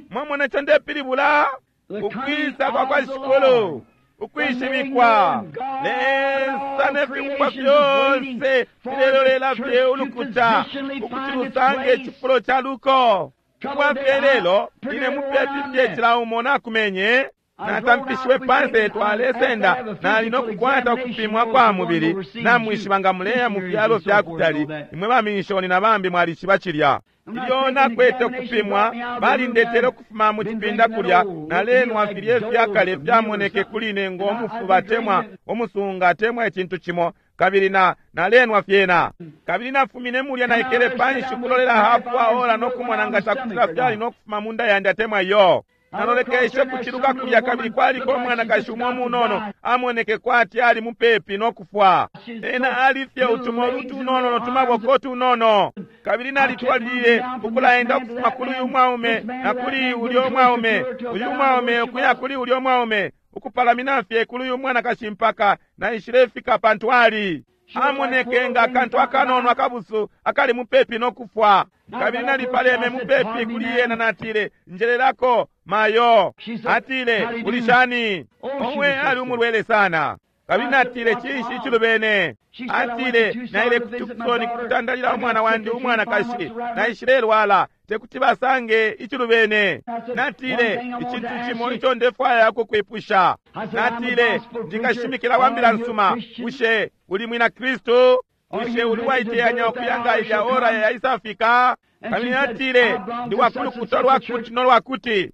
Mwamona ico ndepilibula? Ukwisa kwa kwa Shikulu, ukwishibikwa Lesa ne fibumbwa fyonse filelolela fye ulukuta ukuti lusange icifulo ca luko. Ubwa fye lelo ine mupepi fye cila umo nakumenye natampishiwe panse twalesenda nali nokukwata ukupimwa kwa mubili. Namwishiba nga muleya mu fyalo fya kutali, imwe baminshoni na bambi mwalishiba cilya. Ilyo nakwete ukupimwa balindetele ukufuma mu cipinda kulya, nalenwa filye fyakale fyamoneke kuli ine ngo mufuba temwa umusunga temwa icintu cimo, Kabili na nalenwa fyena. Kabili nafumine mulya naikele panshi kulolela hafu wa ora no kumona nga cakutila fyali no kufuma munda yandi atemwa yo. Nalolekeshe kuciluka kulya kabili kwaliko umwanakashi umo munono amoneke kwati ali mupepi no kufwa. Ena alifye utumolu tunono no tumaboko tunono. Kabili nalitwalilile ukulaenda ukufuma kuli uyu mwaume na kuli ulyo mwaume, uyu mwaume ukuya kuli ulyo mwaume, ukupalamina fye kuli uyu mwanakashi mpaka naishilefika pantu ali amoneke nga akantu akanono akabusu akali mupepi no kufwa. Kabili nalipaleme mupepi kuli yena natile, njelelako mayo. Atile, ulishani? Omwe ali umulwele sana. Kabili natile, cinshi icilubene? Atile, naile ku Tucson kutandalila umwana wandi umwanakashi, naishilelwala, tekuti basange icilubene. Natile, icintu cimo ico ndefwaya kukwipusha. Natile, ndikashimikila wa mbila nsuma, bushe uli mwina Kristu? Bushe uli waiteyanya ukuyanga ilya ora yaisafika? Kabili natile, ndi wakulukuta lwakuti no lwakuti.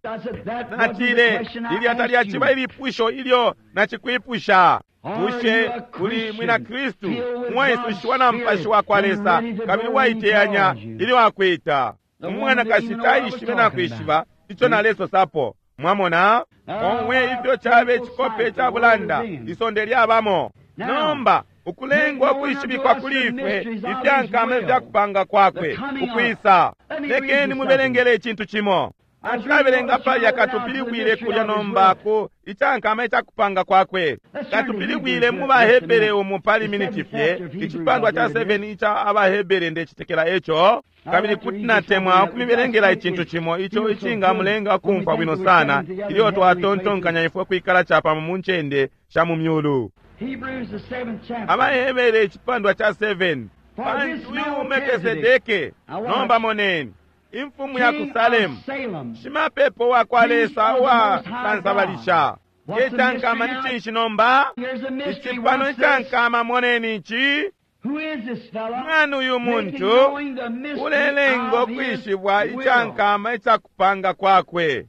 Natile, lilya talyaciba ilipusho ilyo nacikwipusha. Bushe uli mwina Kristu umwaisushiwa na Mupashi wa kwa Lesa kabili waiteyanya ilyo akwita? Umwanakashi taishibe na kwishiba ico nalesosapo. Mwamona? Omwe ifyo cabe cikope ca bulanda isonde lyabamo. Nomba ukulengwa ukwishibikwa kuli ifwe ifyankama ifyakupanga kwakwe ukwisa. Lekeni mubelengele icintu cimo. Natulabelenga palya katupilibwile kulya nomba ku icankama icakupanga kwakwe. Katupilibwile mu baHebere umu pali miniti fye, icipandwa ca seven ica abaHebere ndecitekela eco. Kabili kuti natemwa ukumibelengela icintu cimo ico icingamulenga kumfwa bwino sana ilyo twatontonkanya ifwe kwikala capamo mu ncende sha mu myulu. AbaHebere icipandwa ca seven. Pantu uyu Melkisedeke, nomba moneni, imfumu ya ku Salemu, shimapepo wa kwa Lesa uwa sansabalisha. Icankama ni cinshi nomba? Icipano icankama, moneni ici. Mwana uyu muntu ulelenga ukwishibwa icankama icakupanga kwakwe.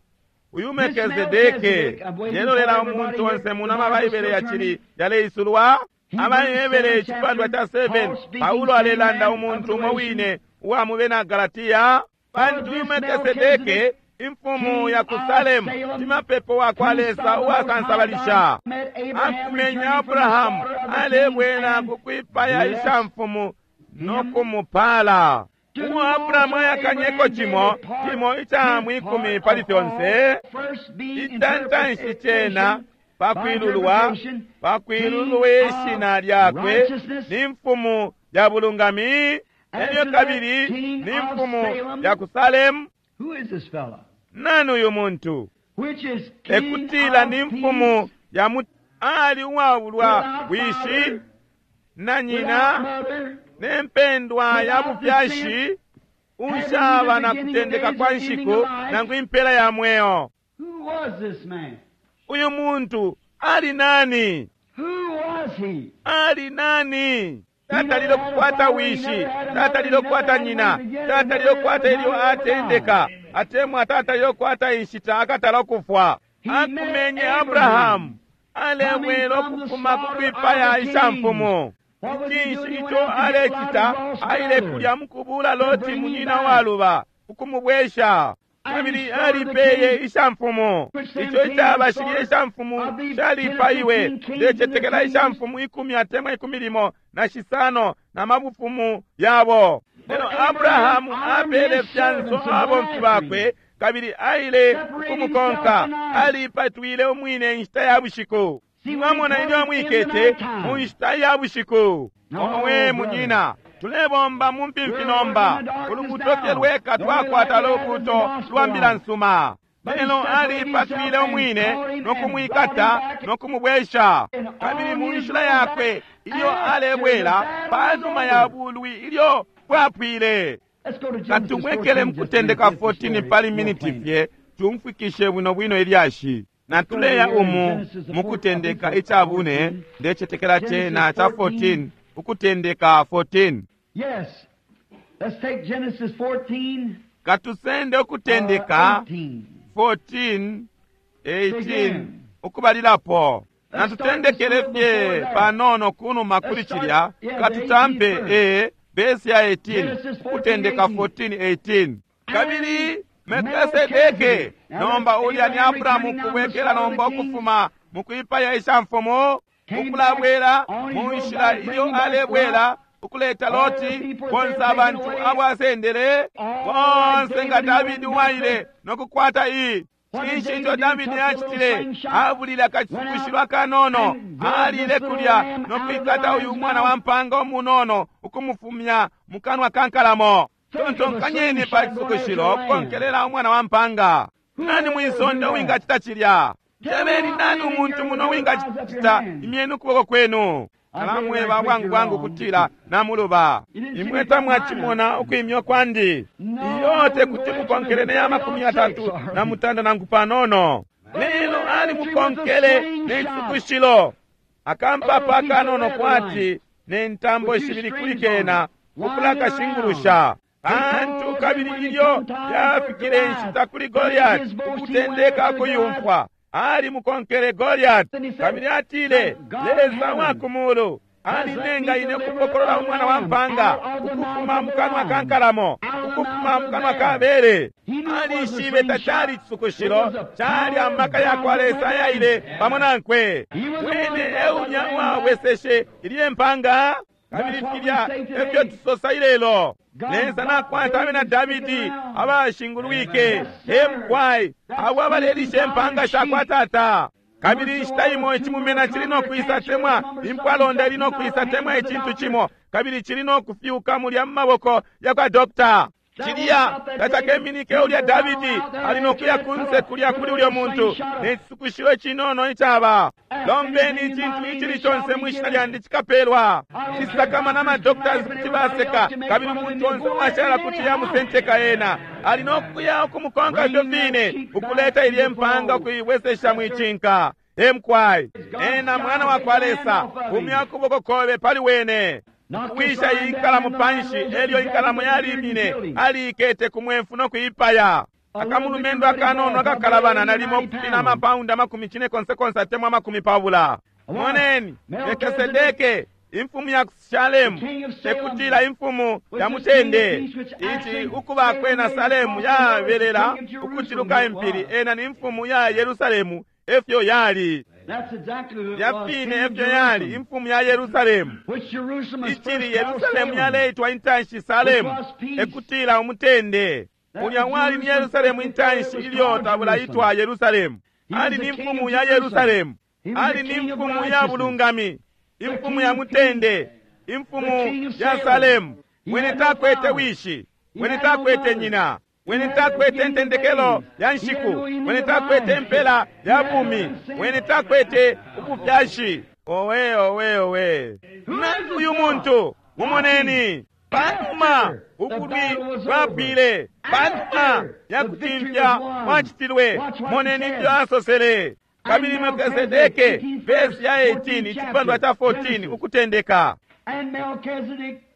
Uyu Melkisedeke yelolela umuntu onse muno amabaibele yacili yaleisulwa. AbaHebere icipandwa ca seven, Paulo alelanda umuntu umo wine uwa mu bena Galatia. Pantu uyu Melkisedeke imfumu ya ku Salemu, shimapepo wa kwa Lesa uwasansabalisha, akumenye Abrahamu alebwela ku kwipaya ishamfumu no kumupala. Umo Abrahamu ayakanyeko cimo cimo ica mwikumi pali fyonse, icantanshi cena pakwilulwa pakwilulwa ishina lyakwe ni mfumu ya bulungami, elyo kabili ni mfumu ya ku Salemu. Nani uyu muntu? Ekutila ni mfumu ya mu ali uwabulwa wishi na nyina ne mpendwa ya bufyashi unshaba na kutendeka kwa nshiku nangu impela ya mweo. Uyu muntu ali nani? Ali nani? Tatalile kukwata wishi, tatalile kukwata nyina, tatalile kukwata ilyo atendeka, atemwa tatalile kukwata inshita akatala kufwa. Akumenye Abrahamu alebwela ukufuma ku kwipaya ishamfumu. Icinshi ico alecita? Aile kulya mukubula Loti munyina waluba ukumubwesha. Kabili alipeye ishamfumu. Ico icabashilye ishamfumu calipaiwe. Ndecetekela ishamfumu ikumi atemwa ikumi limo na shisano na mabufumu yabo. Lelo Abrahamu apele fyanso abomfi bakwe kabili aile kumukonka. Alipatwile umwine inshita ya bushiku. Mwamona ilyo amwikete mu nshita ya bushiku. Omwe munyina, tulebomba mu mpimfi nomba. Ulubuto fye lweka twakwata lubuto lwa mbila nsuma. Lelo alipatwile umwine no kumwikata no kumubwesha. Kabili mu nshila yakwe ilyo alebwela panuma ya bulwi ilyo bwapwile. Katumwekele mukutendeka fourteen pali miniti fye tumfwikishe bwino bwino ilyashi. Natuleya umu mukutendeka icabune ndecetekela cena ca fourteen ukutendeka fourteen. Yes. Let's take Genesis fourteen. Katusende ukutendeka fourteen eighteen ukubalilapo. Natutendekele fye panono kunuma kuli cilya, katutampe e vesi ya eighteen ukutendeka fourteen eighteen. Kabili Melkisedeke, nomba ulya ni Abrahamu kubwekela nomba ukufuma mukwipaya ishamfumu, ukulabwela mu nshila ilyo alebwela ukuleta Loti, bonse abantu abo asendele bonse nga Davidi waile nokukwata iyi. Cinshi ico Davidi acitile? Abulile akacisukushilo akanono, alile kulya nokwikata uyu mwana wa mpanga umunono ukumufumya mukanwa ka nkalamo. Tontonkanyeni pa cisukushilo kukonkelela umwana wa mpanga. Nani mwisonde uwingacita cilya? Tebeni nani umuntu muno uwingacita? Imyeni ukuboko kwenu. Alamweba bwangu bwangu kutila namuluba. Imwe tamwachimona ukwimya kwandi. Iyo tekuti mukonkele ne ya makumi atatu na mutanda nangu panono. Lelo ali mukonkele ne cisukushilo. Akampapa akanono kwati ne ntambo shibili kuli kena ukulakashingurusha. Pantu kabili ilyo yafikile inshita kuli Goliath ukutendeka kuyumfwa, ali mukonkele Goliath. Kabili atile, Lesa wa kumulu alinenga ine ukupokolola umwana wa mpanga ukufuma mukanwa ka nkalamo, ukufuma mukanwa ka bere. Alishibe tacali cisukushilo, cali amaka ya kwa Lesa yaile pamo nankwe. Wene eulya wabweseshe ilye mpanga. Kabili filya efyo tusosa ilelo. Lesa nakwata abena Davidi abashingulwike emkwai abo abalelisha empanga shakwa tata. Kabili inshita imo icimumena cili no kwisa temwa impwalonda ili no kwisa temwa icintu cimo, kabili cili no kufyuka mulya mu maboko ya kwa dokta. Cilya tacakeminike ulya Davidi ali no kuya kunse kulya kuli ulyo muntu ne cisukushilo icinono icaba. Lombeni icintu icili conse mwishina lyandi cikapelwa. Cisakama na madoctors kuti baseka, kabili umuntu onse uwashala kuti yamusenteka ena. Ali no kuya ukumukonka ifyo fine, ukuleta ilye mpanga ukuibwesesha mwicinka. Emkwai ena mwana wa kwa Lesa, umya kuboko kobe pali wene. Kuwisha iyi nkalamo panshi, elyo inkalamo yalimine, aliikete ku mwefu no kuipaya. Akamulumendo akanono akakalabana nalimo kupina amapaundi amakumi cine konse konse atemwa amakumi pabula. Moneni Melkisedeke imfumu ya Salemu, tekutila imfumu ya mutende. Ici ukuba kwena Salemu yabelela ukuciluka impili, ena ni imfumu ya Yerusalemu efyo yali. Yapine efyo yali imfumu ya Yerusalemu. Icili Yerusalemu yaleitwa intanshi Salemu, ekutila umutende. Ulya wali ni Yerusalemu intanshi ilyo tabulaitwa Yerusalemu. Ali ni mfumu ya Yerusalemu, ali ni mfumu ya bulungami, imfumu ya mutende, imfumu ya Salemu. Wene takwete wishi, wene takwete nyina, wene takwete ntendekelo ya nshiku, wene takwete mpela ya bumi, wene takwete ubufyashi. Owe owe owe, nani uyu muntu? Mumoneni. Panuma ubulwi bwapwile, panuma ya kutimfya kwacitilwe, moneni ifyo asosele. Kabili Melkisedeke, vesi ya eighteen icipandwa ca fourteen ukutendeka.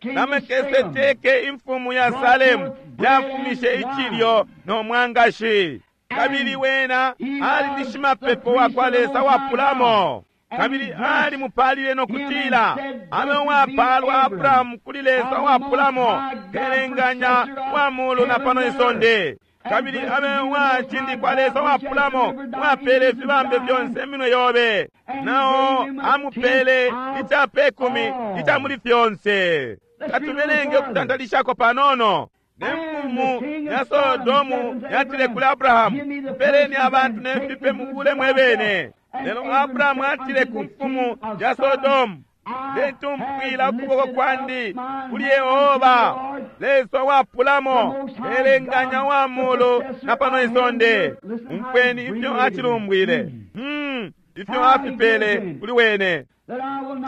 Na Melkisedeke imfumu ya Salemu yafumishe icilyo no mwangashi. Kabili wena ali ni shimapepo wa kwa Lesa wapulamo. Kabili ali mupalile no kutila, abe wapalwa Abrahamu kuli Lesa wapulamo, kelenganya wa mulu na pano isonde. Kabili abe wacindikwa Lesa wapulamo, wapele ifibambe fyonse minwe yobe. Nao amupele icapekumi ica muli fyonse. Katubelenge ukutantalishako panono. Ne mfumu ya Sodomu yatile kuli Abrahamu, mpeleni abantu ne fipe mubule mwebene. Lelo Abrahamu atile ku mfumu ya Sodomu, ndetumpwila ukuboko kwandi kuli Yehova Lesa wapulamo, elenganya wa mulu na pano isonde. Umfweni ifyo acilumbwile, hmm, ifyo afipele kuli wene.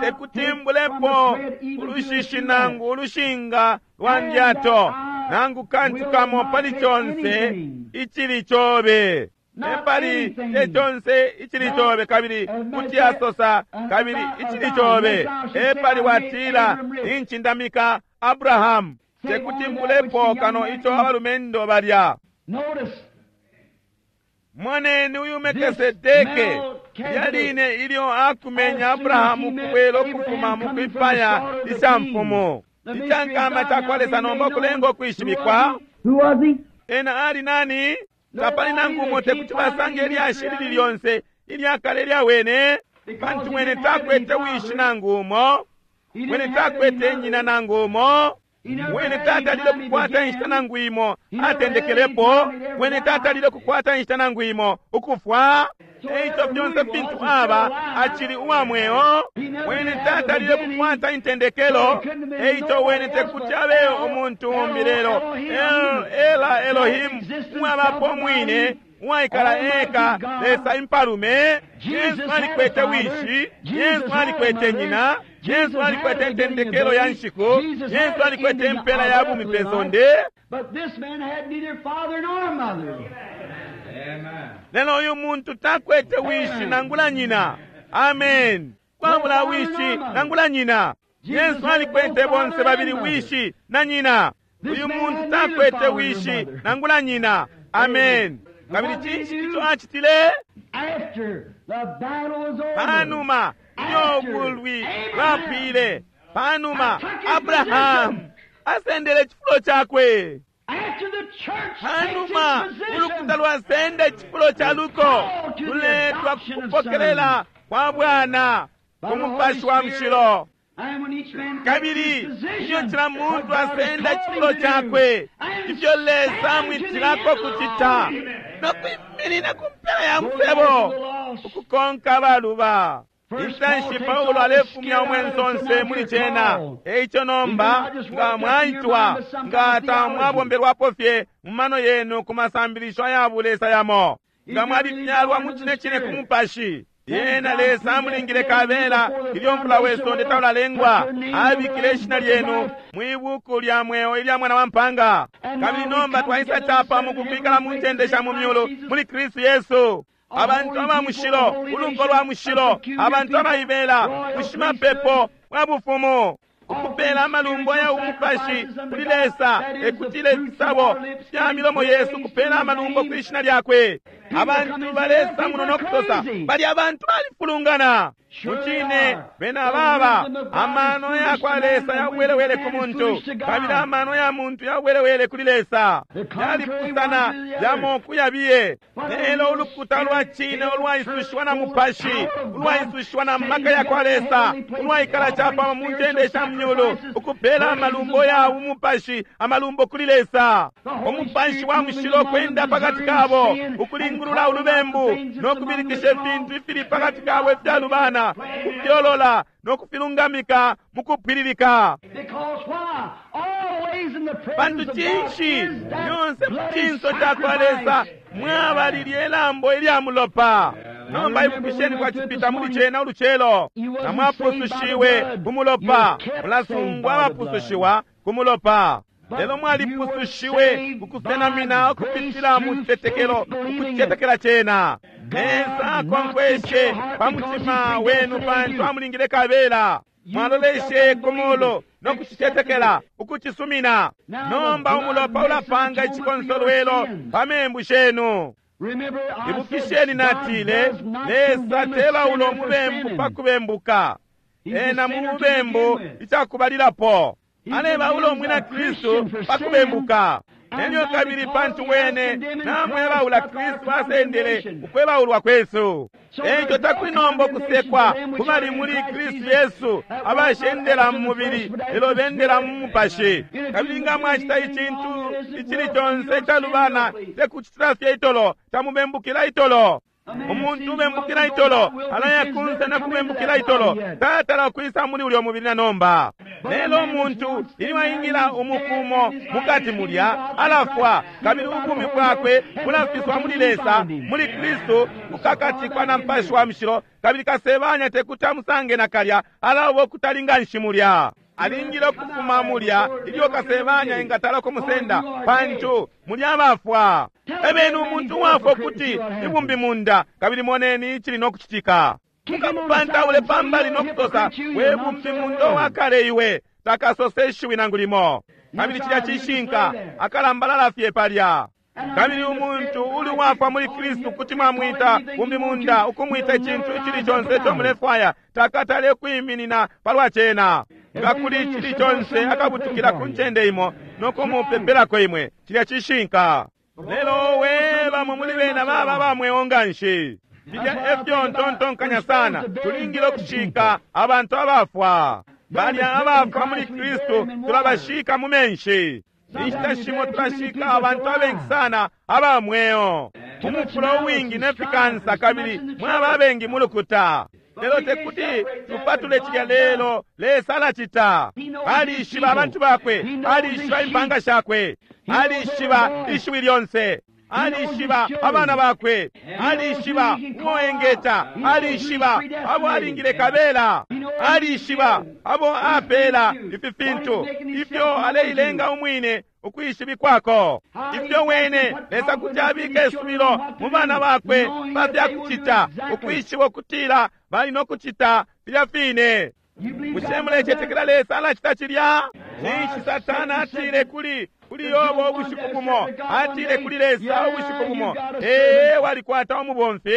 Tekutimbulepo ulushishi nangu ulushinga lwa ndyato nangu kantu kamo pali conse icili cobe. Epali te conse icili cobe, kabili kuti asosa kabili icili cobe. Epali watila inchindamika Abrahamu, tekuti mbulepo kano ico abalumendo balya. Moneni uyu Melkisedeke Lilya line ilyo akumenya Abrahamu kubwela ukufuma mu kwipaya ishamfumu, icankama cakwa Lesa nomba ukulenga ukwishibikwa. Ena ali nani? Tapali nangu umo tekuti basange ilyashi lili lyonse ilyakale lya wene, pantu wene takwete wishi nangu umo, wene takwete nyina nangu umo, wene tatalile kukwata inshita nangu imo atendekelepo, wene tatalile kukwata inshita nangu imo ukufwa. Eico fyonse fintu aba acili uwa mweo, wene tatalile kukwata intendekelo. Eico wene tekuti abe umuntu umbi lelo El, Ela Elohim uwabapo mwine uwaikala eka Lesa impalume. Yesu alikwete wishi, Yesu alikwete nyina, Yesu alikwete intendekelo ya nshiku, Yesu alikwete impela ya bumi pe sonde. Lelo uyu muntu takwete wishi nangula nyina. Amen. Kwabula wishi nangula nyina. Yesu alikwete bonse babili wishi na nyina. Uyu muntu takwete wishi nangula nyina. Amen. Kabili cinshi ico acitile? Panuma ilyo bulwi bwapwile, panuma Abrahamu asendele icifulo cakwe, panuma ulukuta lwasenda icifulo ca luko, luletwa kupokelela kwa Bwana ku Mupashi wa Mushilo. Kabili ilyo cila muntu asenda icifulo cakwe, ifyo Lesa amwitilako kucita, no kwiminina ku mpela ya musebo ukukonka abaluba. Intanshi Paulo alefumya umwenso onse muli cena. Eico nomba nga mwaitwa, nga tamwabombelwapo fye mu mano yenu ku masambilisho aya bulesa yamo, nga mwalifyalwa mu cine cine ku Mupashi, yena Lesa amulingile kabela ilyo mfula we sonde taulalengwa, abikile ishina lyenu mwi buku lya mweo ilya Mwana wa Mpanga. Kabili nomba twaisa capamo kukwikala mu ncende sha mu myulu muli Kristu Yesu. Abantu aba mushilo, uluko lwa mushilo, abantu abaibela, bushimapepo bwa bufumu, ukupela amalumbo ya umupashi kuli Lesa, ekutile ifisabo fya milomo yesu kupela amalumbo kwi shina lyakwe. Abantu balesa muno no kusosa bali abantu balifulungana. Mucine bena baba amano ya kwa Lesa yawelewele ku muntu, kabili amano ya muntu yawelewele kuli Lesa, yalipusana yamo kuyabiye. Lelo ulukuta lwa cine ulwaisushiwa na Mupashi, ulwaisushiwa na maka ya kwa Lesa, ulwaikala capamo mu ncende sha myulu, ukupela amalumbo ya umupashi, amalumbo kuli Lesa. Umupashi wa mushilo kwenda pakati kabo, ukulingulula ulubembu no kubilikisha ifintu ifili pakati kabo ifyalubana, kufyolola no kufilungamika mu kupwililika. Pantu cinshi lyonse mu cinso ca kwa Lesa mwaba lilye lambo ilya mulopa. Nomba ibukisheni kwa cipita muli cena ulucelo, na mwapusushiwe ku mulopa, mulasungwa abapusushiwa ku mulopa. Lelo mwalipusushiwe kukusenamina ukupitila mu citetekelo, ukucetekela cena. Lesa akonkweshe pa mutima wenu pantu amulingile kabela. Mwaloleshe ku mulu no kucicetekela, ukucisumina. Nomba umulopa ulapanga icikonsolwelo pa membu shenu. Ibukisheni natile, Lesa tebaula umubembu pa kubembuka. Ena mu mubembu icakubalilapo alebaula umwina Kristu pa kubembuka. Nelyo kabili pantu wene namwebaula Kristu asendele ukwebaulwa kwesu. Eico takuli nomba ukusekwa kubali muli Kristu Yesu abashendela mu mubili lelo bendela mu mupashi. Kabili nga mwacita icintu icili conse icalubana, tekucitila fye itolo, tamubembukila itolo. Umuntu ubembukila itolo alaya kunse na kubembukila itolo, tatala ukwisa muli ulyo mubili na nomba. Lelo umuntu ilyo aingila umukumo mukati mulya alafwa, kabili ubumi bwakwe bulafiswa muli Lesa, muli Kristu, kukakatikwa na Mupashi wa Mushilo, kabili kasebanya tekuti amusange nakalya, alaba ukutalinga nshi mulya. Alingile ukufuma mulya ilyo kasebanya engatala kumusenda, pantu mulya abafwa. Ebeni umuntu uwafwa ukuti ibumbi munda, kabili moneni icili no kucitika. Mukamupantaule pambali no kusosa, we bumbi munda wakale iwe, takasose ishiwi nangu limo. Kabili cilya cishinka, akalambalala fye palya. Kabili umuntu uli wafwa muli Kristu kuti mwamwita bumbimunda, ukumwita icintu icili conse ico mulefwaya, takatale kwiminina palwa cena. Nga kuli icili conse akabutukila ku ncende imo nokumupepelako imwe, cilya cishinka. Lelo we bamwe muli bena baba bamweo nganshi. Filya efyo ntontonkanya sana, tulingile ukushika abantu abafwa. Balya abafwa muli Kristu tulabashika mu menshi. Inshita shimo tulashika abantu abengi sana aba mweo umufula uwingi ne fikansa, kabili mwaba abengi mu lukuta. Lelo tekuti tupatule cilya, lelo Lesa alacita. Alishiba abantu bakwe, alishiba impanga shakwe, alishiba ishiwi lyonse, alishiba abana bakwe, alishiba uo engeta, alishiba abo alingile kabela, alishiba abo apela ifi fintu, ifyo aleilenga umwine ukwishibikwako, ifyo wene Lesa kuti abika isubilo mu bana bakwe pa fya kucita, ukwishiba ukutila bali no kucita filya fine. Bushe mulecetekela Lesa alacita cilya? Cinshi Satana atile kuli kuli Yobo ubushiku bumo, atile kuli Lesa ubushiku bumo, ee walikwata umubomfi.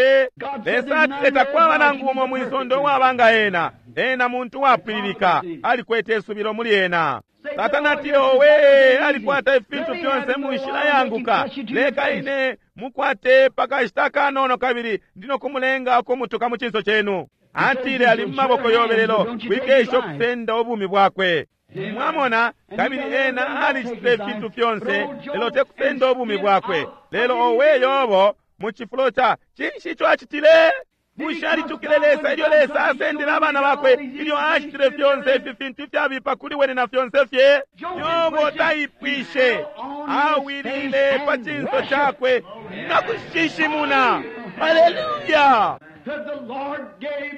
Lesa atile takwaba nangu umo mwisondo uwaba nga ena, ena muntu wapwililika, alikwete isubilo muli ena. Satana atile owe alikwata ifintu fyonse mu nshila yanguka, leka ine mukwate pakashita kanono kabili ndino kumulenga ukumutuka mu cinso chenu. Atile ali mu maboko yobe, lelo wikesha ukusenda ubumi bwakwe. Mwamona, kabili ena alicitile ifintu fyonse, lelo tekusenda ubumi bwakwe. Lelo owe Yobo mu cifulo ca cinshi ico acitile? Bushe alitukile Lesa ilyo Lesa asendele abana bakwe, ilyo acitile fyonse ifi fintu ifyabipa kuli wene na fyonse fye? Yobo taipwishe, awilile pa cinso cakwe na kushishimuna. Haleluya!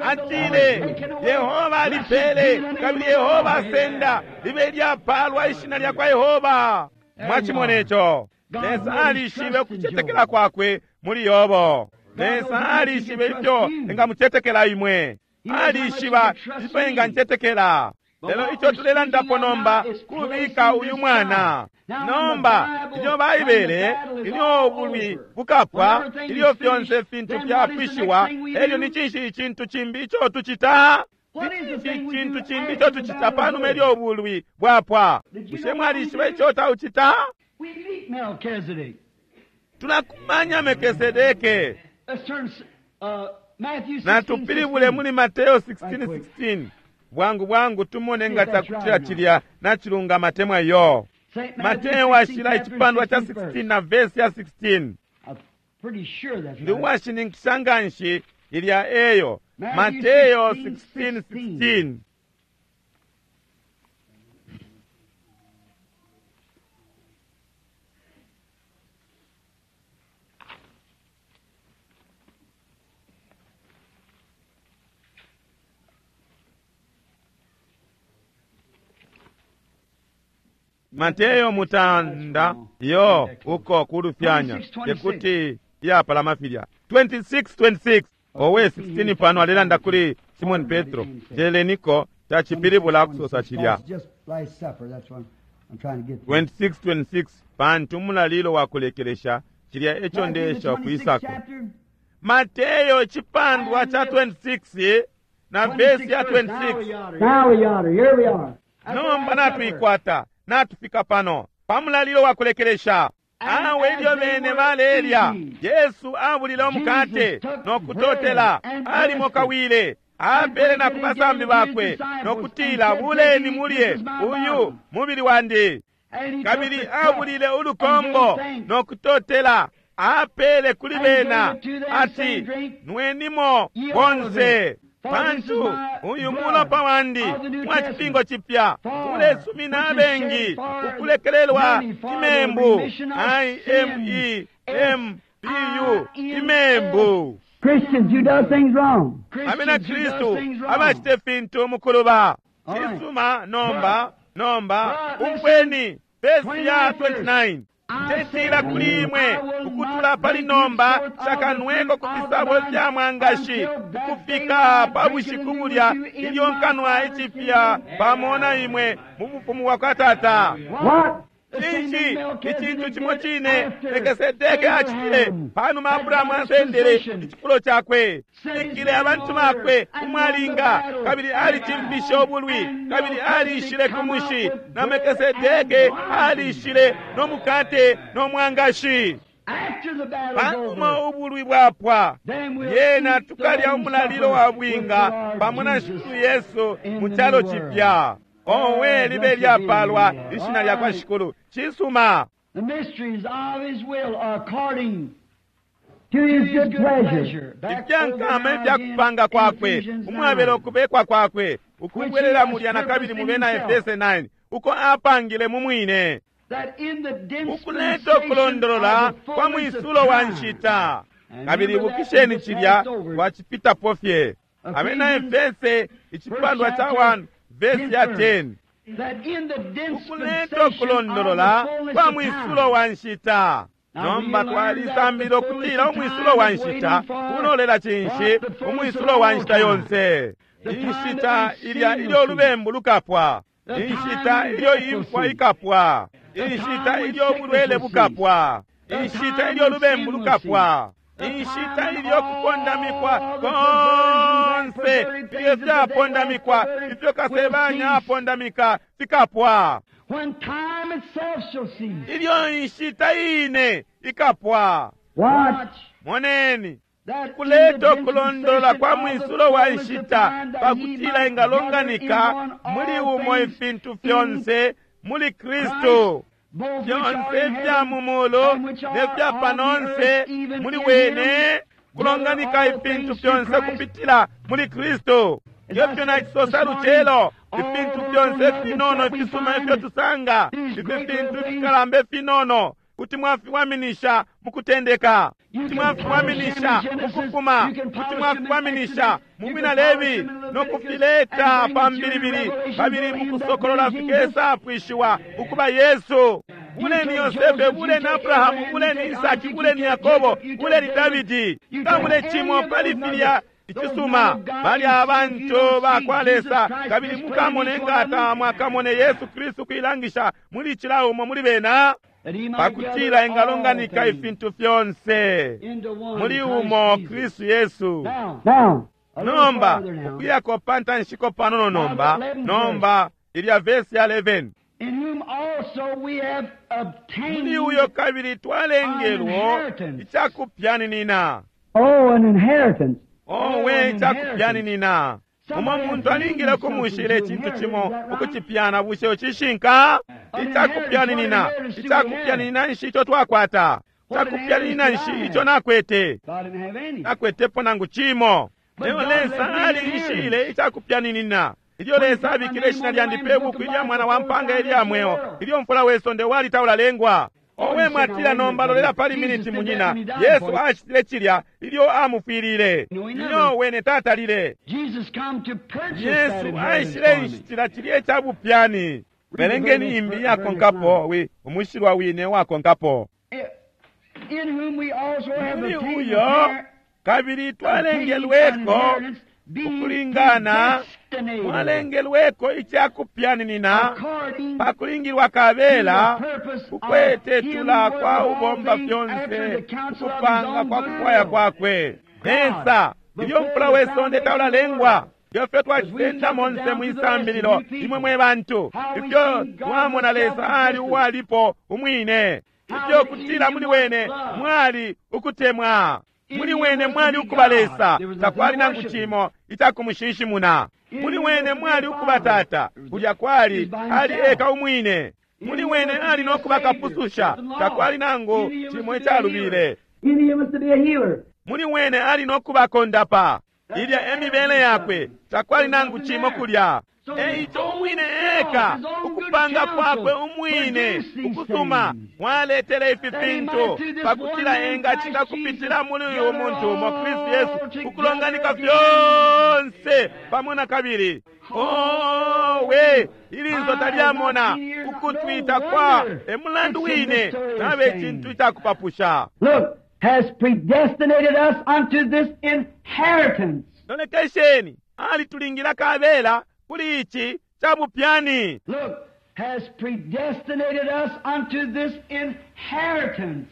Atile Yehova alipele kabili Yehova asenda, libe lyapalwa ishina lya kwa Yehova. Mwachimona ico? Lesa alishibe ukucetekela kwakwe muli Yobo. Lesa alishibe ifyo engamucetekela imwe, alishiba ifyo engancetekela. Lelo ico tulelandapo nomba kubika uyu mwana. Nomba ilyo Baibele, ilyo ubulwi bukapwa, ilyo fyonse fintu fyapwishiwa, elyo ni cinshi icintu cimbi ico tucita? Ni cinshi icintu cimbi ico tucita panuma ilyo ubulwi bwapwa? Bushe mwalishiba ico taucita? Tulakumanya Melkisedeke. Natupilibule muli Mateo sixteen sixteen. Bwangu bwangu tumone nga takutila cilya nachilungama temwa yo. Mateo ashila icipandwa cha sixteen na verse ya sixteen. Ndi uwashininkisha nganshi ilya eyo. Mateo sixteen sixteen. Mateo mutanda yo uko kulufyanya tekuti yapalama filya twenty-six twenty-six. Owe sixteen pano alelanda kuli Simon Petro, jeleniko tachipilibula kusosa chilya twenty-six twenty-six pantu mulalilo wakulekelesha chilya echo ndesha kuisako. Mateo chipandwa cha twenty-six na verse ya twenty-six. Now we are, here we are. Nomba natuikwata, natufika pano pamulalilo wakulekelesha. Awe ilyo bene balelya, Yesu abulile umukate nokutotela, alimo kawile apele na kubasambi bakwe nokutila, buleni mulye, uyu mubili wandi. Kabili abulile ulukombo nokutotela, apele kuli bena ati, nwenimo bonse, pantu uyu mulopa wandi mwa cipingo cipya ulesumina abengi ukulekelelwa imembu. I M E M B U, imembu. Christians who does things wrong. Amena Kristu abacite fintu mukuluba. Cisuma nomba nomba umfweni verse ya twenty-nine. Ndetila kuli imwe ukutula pali nomba shakanweko ku fisabo fya mwangashi ukufika pa bushiku bulya ilyo nkanwa icipya pamo na imwe mu bufumu bwa kwa Tata. Cinshi icintu cimo cine Melkisedeke acitile panuma Abrahamu asendele icifulo cakwe, ikile abantu bakwe umwalinga, kabili alicimfishe ubulwi, kabili alishile ku mushi, na Melkisedeke alishile no mukate no mwangashi. Panuma ubulwi bwapwa, yena tukalya umulalilo wa bwinga pamo na Shikulu Yesu mu calo cipya. Owe libe lyapalwa ishina lya kwa Shikulu. Cisuma. The mysteries of his will according to his good pleasure. Ifyankama ifyakupanga kwakwe, umwabela ukubekwa kwakwe, ukubwelela mulya na kabili mu bena Efese nine, uko apangile mu mwine, ukuleta ukulondolola kwa mwisulo wa nshita. Kabili ibukisheni cilya twacipitapo fye. Abena Efese icipandwa ca one verse ya ten, ukuleta ukulondolola kwa mwisulo wa nshita. Nomba twalisambila ukutila umwisulo wa nshita ulolela cinshi? Umwisulo wa nshita yonse, inshita ilya ilyo ulubembu lukapwa, inshita ilyo imfwa ikapwa, inshita ilyo ubulwele bukapwa, inshita ilyo ulubembu lukapwa, inshita ilyo kupondamikwa konse ilyo fyapondamikwa ifyo kasebanya apondamika fikapwa, ilyo inshita ine ikapwa. Moneni kuleta ukulondolola kwa mwisulo wa nshita pakutila ingalonganika muli umo ifintu fyonse muli Kristu, fyonse ifya mu mulu ne fya panonse muli wene, kulonganika ifintu fyonse kupitila muli Kristu. Ifyo nacisosa lucelo, ifintu fyonse finono ifisuma ifyo tusanga, ifi fintu fikalamba ifinono kuti mwafiwaminisha mukutendeka, kuti mwafiwaminisha mukufuma, kuti mwafiwaminisha mu Bwina Lebi no kufileta pa mbilibili, kabili mukusokolola fikesa pwishiwa ukuba Yesu. Buleni Yosefe, buleni Abrahamu, buleni Isaki, buleni Yakobo, buleni Davidi, kamule cimo pali filya icisuma bali abantu bakwa Lesa, kabili mukamone ngata mwakamone Yesu Kristu kuilangisha muli cila umo muli bena, pakutila ingalonganika ifintu fyonse muli umo Kristu Yesu. Nomba ukuyako pantanshiko panono nomba, nomba ilya verse ya eleven, muli uyo kabili twalengelwo icakupyaninina. Oh, an inheritance. Owe icakupyaninina. Umo muntu alingile kumushila icintu cimo ukucipyana, bushe cishinka? Icakupyaninina. Icakupyaninina nshi ico twakwata? Icakupyaninina nshi ico nakwete? Nakwetepo nangu cimo. Lelo Lesa alinshile icakupyaninina. Ilyo Lesa abikile ishina lyandi pe buku ilya mwana wa mpanga ilya mweo, ilyo mfula we sonde wali taulalengwa. Owe mwatila nomba lolela pali miniti munyina. Yesu acitile cilya ilyo amufwilile, ilyo wene tatalile. Yesu aishile inshitila cilya icabupyani. Belengeni imbi yakonkapo, wi umushilwa wine wakonkapo. Muli uyo kabili twalengelweko ukulingana, mwalengelweko icakupyaninina pakulingilwa kabela kukwetetula kwa ubomba fyonse ukupanga kwa kufwaya kwakwe. Lesa ilyo mfula we sonde taulalengwa, ifyo twacisenda monse mwisambililo imwe mwe bantu, ifyo twamona Lesa ali uwalipo umwine, ifyo kutila muli wene mwali ukutemwa, muli wene mwali ukuba Lesa, takwali nangu cimo icakumushinshimuna. Muli wene mwali ukuba Tata, kulya kwali ali eka umwine. Muli wene ali nokuba Kapususha, takwali nangu cimo icalubile. Muli wene ali nokuba Kondapa, ilya emibele yakwe, takwali nangu cimo kulya. Eico umwine eka ukupanga kwakwe umwine ukusuma mwaletele ifi fintu pakutila engacita kupitila muli uyu muntu umo Kristu Yesu ukulonganika fyonse pamo na kabili. Owe ilinso talyamona ukutwita kwa emulandu wine nabe icintu icakupapusha. Look, has predestinated us unto this inheritance. Lolekesheni, alitulingila kabela kuli ichi cha bupyani. Look, has predestinated us unto this inheritance.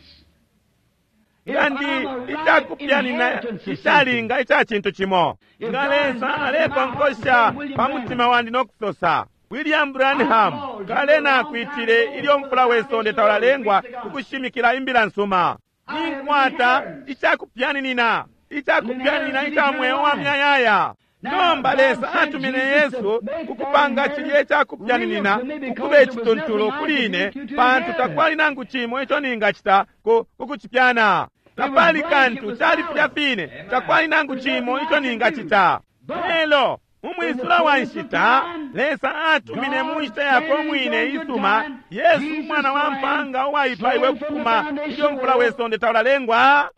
Kandi icakupyanina icalinga ica cintu cimo nga Lesa alekonkosha pa mutima wandi nokusosa, William Branham, kale nakwitile ilyo mfula we sonde taulalengwa ukushimikila imbila nsuma. Ninkwata icakupyaninina, icakupyaninina ica mweo wa myayaya. Nomba Lesa atumine Yesu kukupanga cilye icakupyaninina ukuba icituntulu kuli ine, pantu takwali nangu cimo ico ningacita ku kucipyana. Tapali kantu, cali filya fine, takwali nangu cimo ico ningacita. Lelo mumwisula wa nshita, Lesa atumine mu nshita yakwe umwine isuma Yesu umwana wa mpanga uwaipaiwe kufuma ilyo mfula we sonde taulalengwa.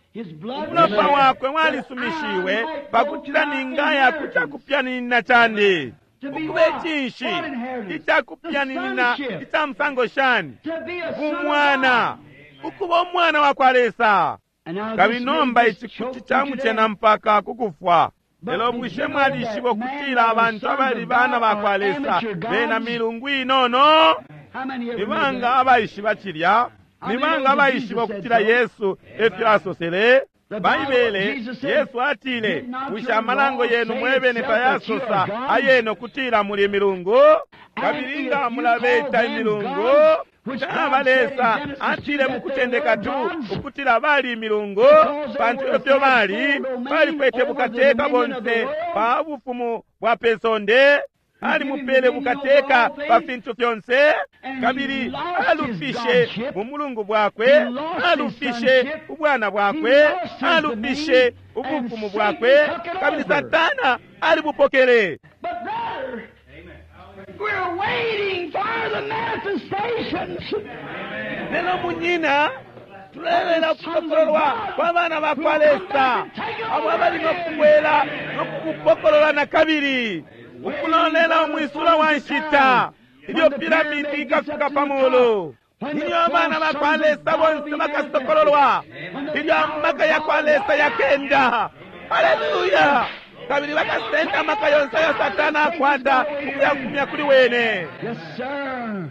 Umulopa wakwe walisumishiwe pakutila ningaya ku cakupyaninina candi. Ukuba icinshi icakupyaninina ica musango shani? Bumwana, ukuba umwana wa kwa Lesa. Kabili nomba ici kuti camucena mpaka kukufwa. Lelo bushe mwalishiba ukutila abantu abali bana ba kwa Lesa bena milungu inono? Ni banga abaishiba cilya? Ni banga abaishiba ukutila Yesu efyo asosele? Baibele, Yesu atile, bushe amalango yenu mwebene tayasosa ayene ukutila muli milungu? Kabili nga mulabeta imilungu, caba Lesa atile mukutendeka tu ukutila bali imilungu, pantu efyo bali balikwete bukateka bonse pa bufumu bwa pesonde. Alimupele bukateka pa fintu fyonse, kabili alufishe bumulungu bwakwe, alufishe ubwana bwakwe, alufishe ubufumu bwakwe, kabili Satana alibupokele. We're waiting for the manifestations. Lelo munyina, tulelela ukupokololwa kwa bana ba kwa Lesa abo abali nokubwela nokukupokolola na kabili, ukulolela umwisula wa nshita ilyo piramidi ikafika pa mulu, ilyo abana ba kwa Lesa bonse bakasokololwa, ilyo amaka ya kwa Lesa yakenda. Haleluya! Kabili bakasenda amaka yonse ayo Satana akwata ukuyafumya kuli wene. Yes, sir.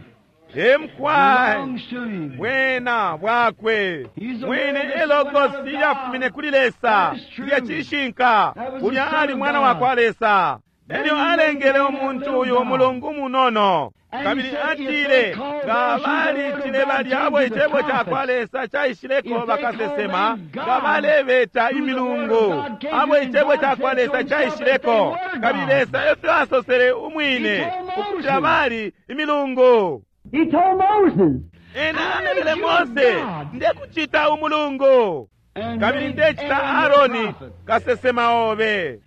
Emkwai Belongs to him. bwena bwakwe mwine elogosi yafumine kuli Lesa ilya cishinka, ulya ali mwana wa kwa Lesa. Elyo alengele umuntu uyu umulungu munono. Kabili atile nga balitile balya abo icebo ca kwa Lesa caishileko bakasesema, nga balebeta imilungu abo icebo ca kwa Lesa caishileko. Kabili Lesa efyo asosele umwine ukutila bali imilungu. He told Moses. Ena alebele Mose, ndekucita umulungu, And kabili made ndecita Aaron Aaroni the prophet. kasesema obe.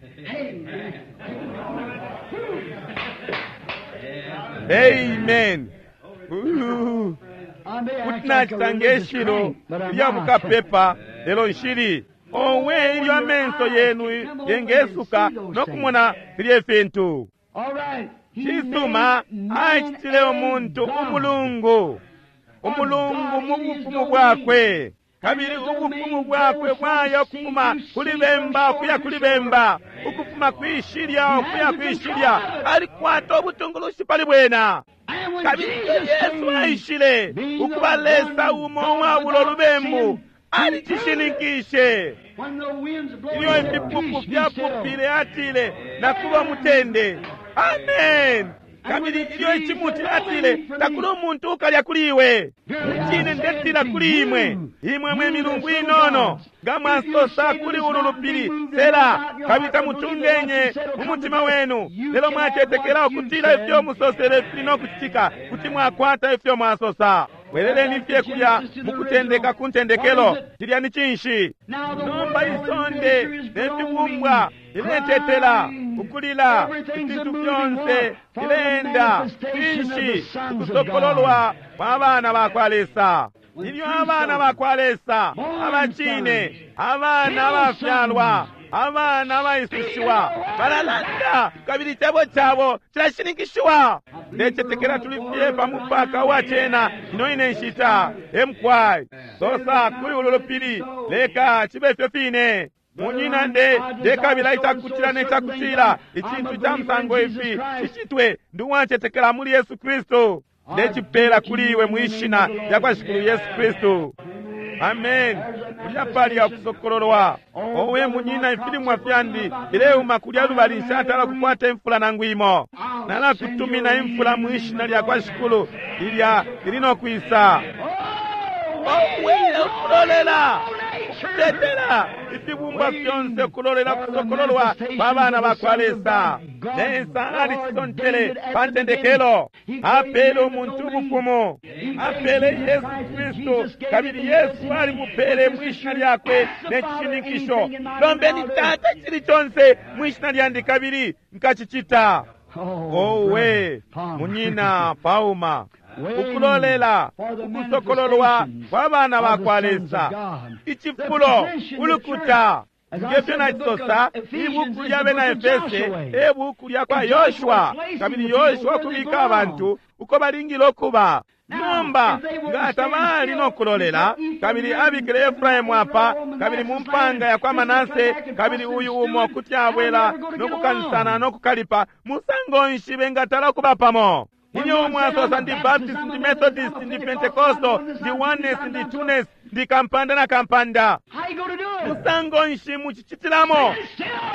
Amen. Ooh. I may Kuti act like a nacita religious ngeshilo crank, but I'm lya not. bukapepa lelo nshili. Owe ilyo amenso yenu yengesuka nokumona filye fintu. All right. He Cisuma made man acitile a umuntu god. umulungu, umulungu mu bufumu bwakwe. Kabili ubufumu bwakwe bwaya ukufuma kuli bemba ukuya kuli bemba, ukufuma kwishilya ukuya kwishilya. Alikwata ubutungulushi pali bwena. And when Kabili Jesus Yesu came, aishile ukuba Lesa umo uwabulo lubembu, alicishininkishe. when the winds blow, Ilyo he said, ifipupu "Peace, be still." fyapupile atile, nakuba mutende. Amen. Kabili ilyo icimuti atile, takuli umuntu ukalya kuli iwe. Mucine ndetila kuli imwe, imwe mwe milungu inono, nga mwasosa kuli ulu lupili, sela, kabili tamutungenye mu mutima wenu, lelo mwacetekela ukutila ifyo musosele fili no kucitika, kuti mwakwata ifyo mwasosa. Bweleleni fye kulya mukutendeka ku ntendekelo, cilya ni cinshi? Nomba isonde ne fibumbwa liletetela, ukulila, ifintu fyonse fileenda, finshi ukusokololwa kwa bana ba kwa Lesa. Ilyo abana ba kwa Lesa abacine, abana abafyalwa, abana abaisushiwa balalanda, kabili icebo cabo cilashininkishiwa. Ndecetekela tuli fye pa mupaka wa cena ino ine nshita. Emkwai sosa kuli ulu lupili, leka cibe fyo fine. Munyina nde ndekabila icakutila necakutila icintu ca musango ifi cicitwe, ndi uwacetekela muli Yesu Kristu. Ndecipela kuli iwe mwishina lya kwa Shikulu Yesu Kristu. Amen. Kulya pali akusokololwa. Owe munyina, ifilimwa fyandi bileuma kulya lubali, nshatala kukwata imfula nangu imo. Nalakutumina imfula mwishina lya kwa Shikulu ilya ili no kwisa. Owe ukulolela, ukutetela ifibumba fyonse, ukulolela kusokololwa kwa bana ba kwa Lesa. Lesa alichisontele pa ntendekelo, apele umuntu ubufumu, apele Yesu Kristu, kabili Yesu alimupele mwishina lyakwe nechishininkisho. Lombeni Tata chili chonse mwishina lyandi kabili nkachicita. Owe munyina pauma, ukulolela ukusokololwa kwa bana ba kwa Lesa, ichifulo ulukuta. Ngefyo nacisosa, ibuku lya bena Efese e buku lya kwa Yoshua, kabili Yoshua kubika abantu uko balingile okuba. Nomba nga tabali no kulolela, kabili abikile Efraimu apa, kabili mu mpanga ya kwa Manase, kabili uyu umo kuti abwela no kukansana no kukalipa, musango nshi bengatala kuba pamo? Ilyo umwe asosa ndi Baptist, ndi Methodist, ndi Pentecostal, ndi Oneness, ndi Twoness, ndi kampanda na kampanda. Musango nshi muchichitilamo?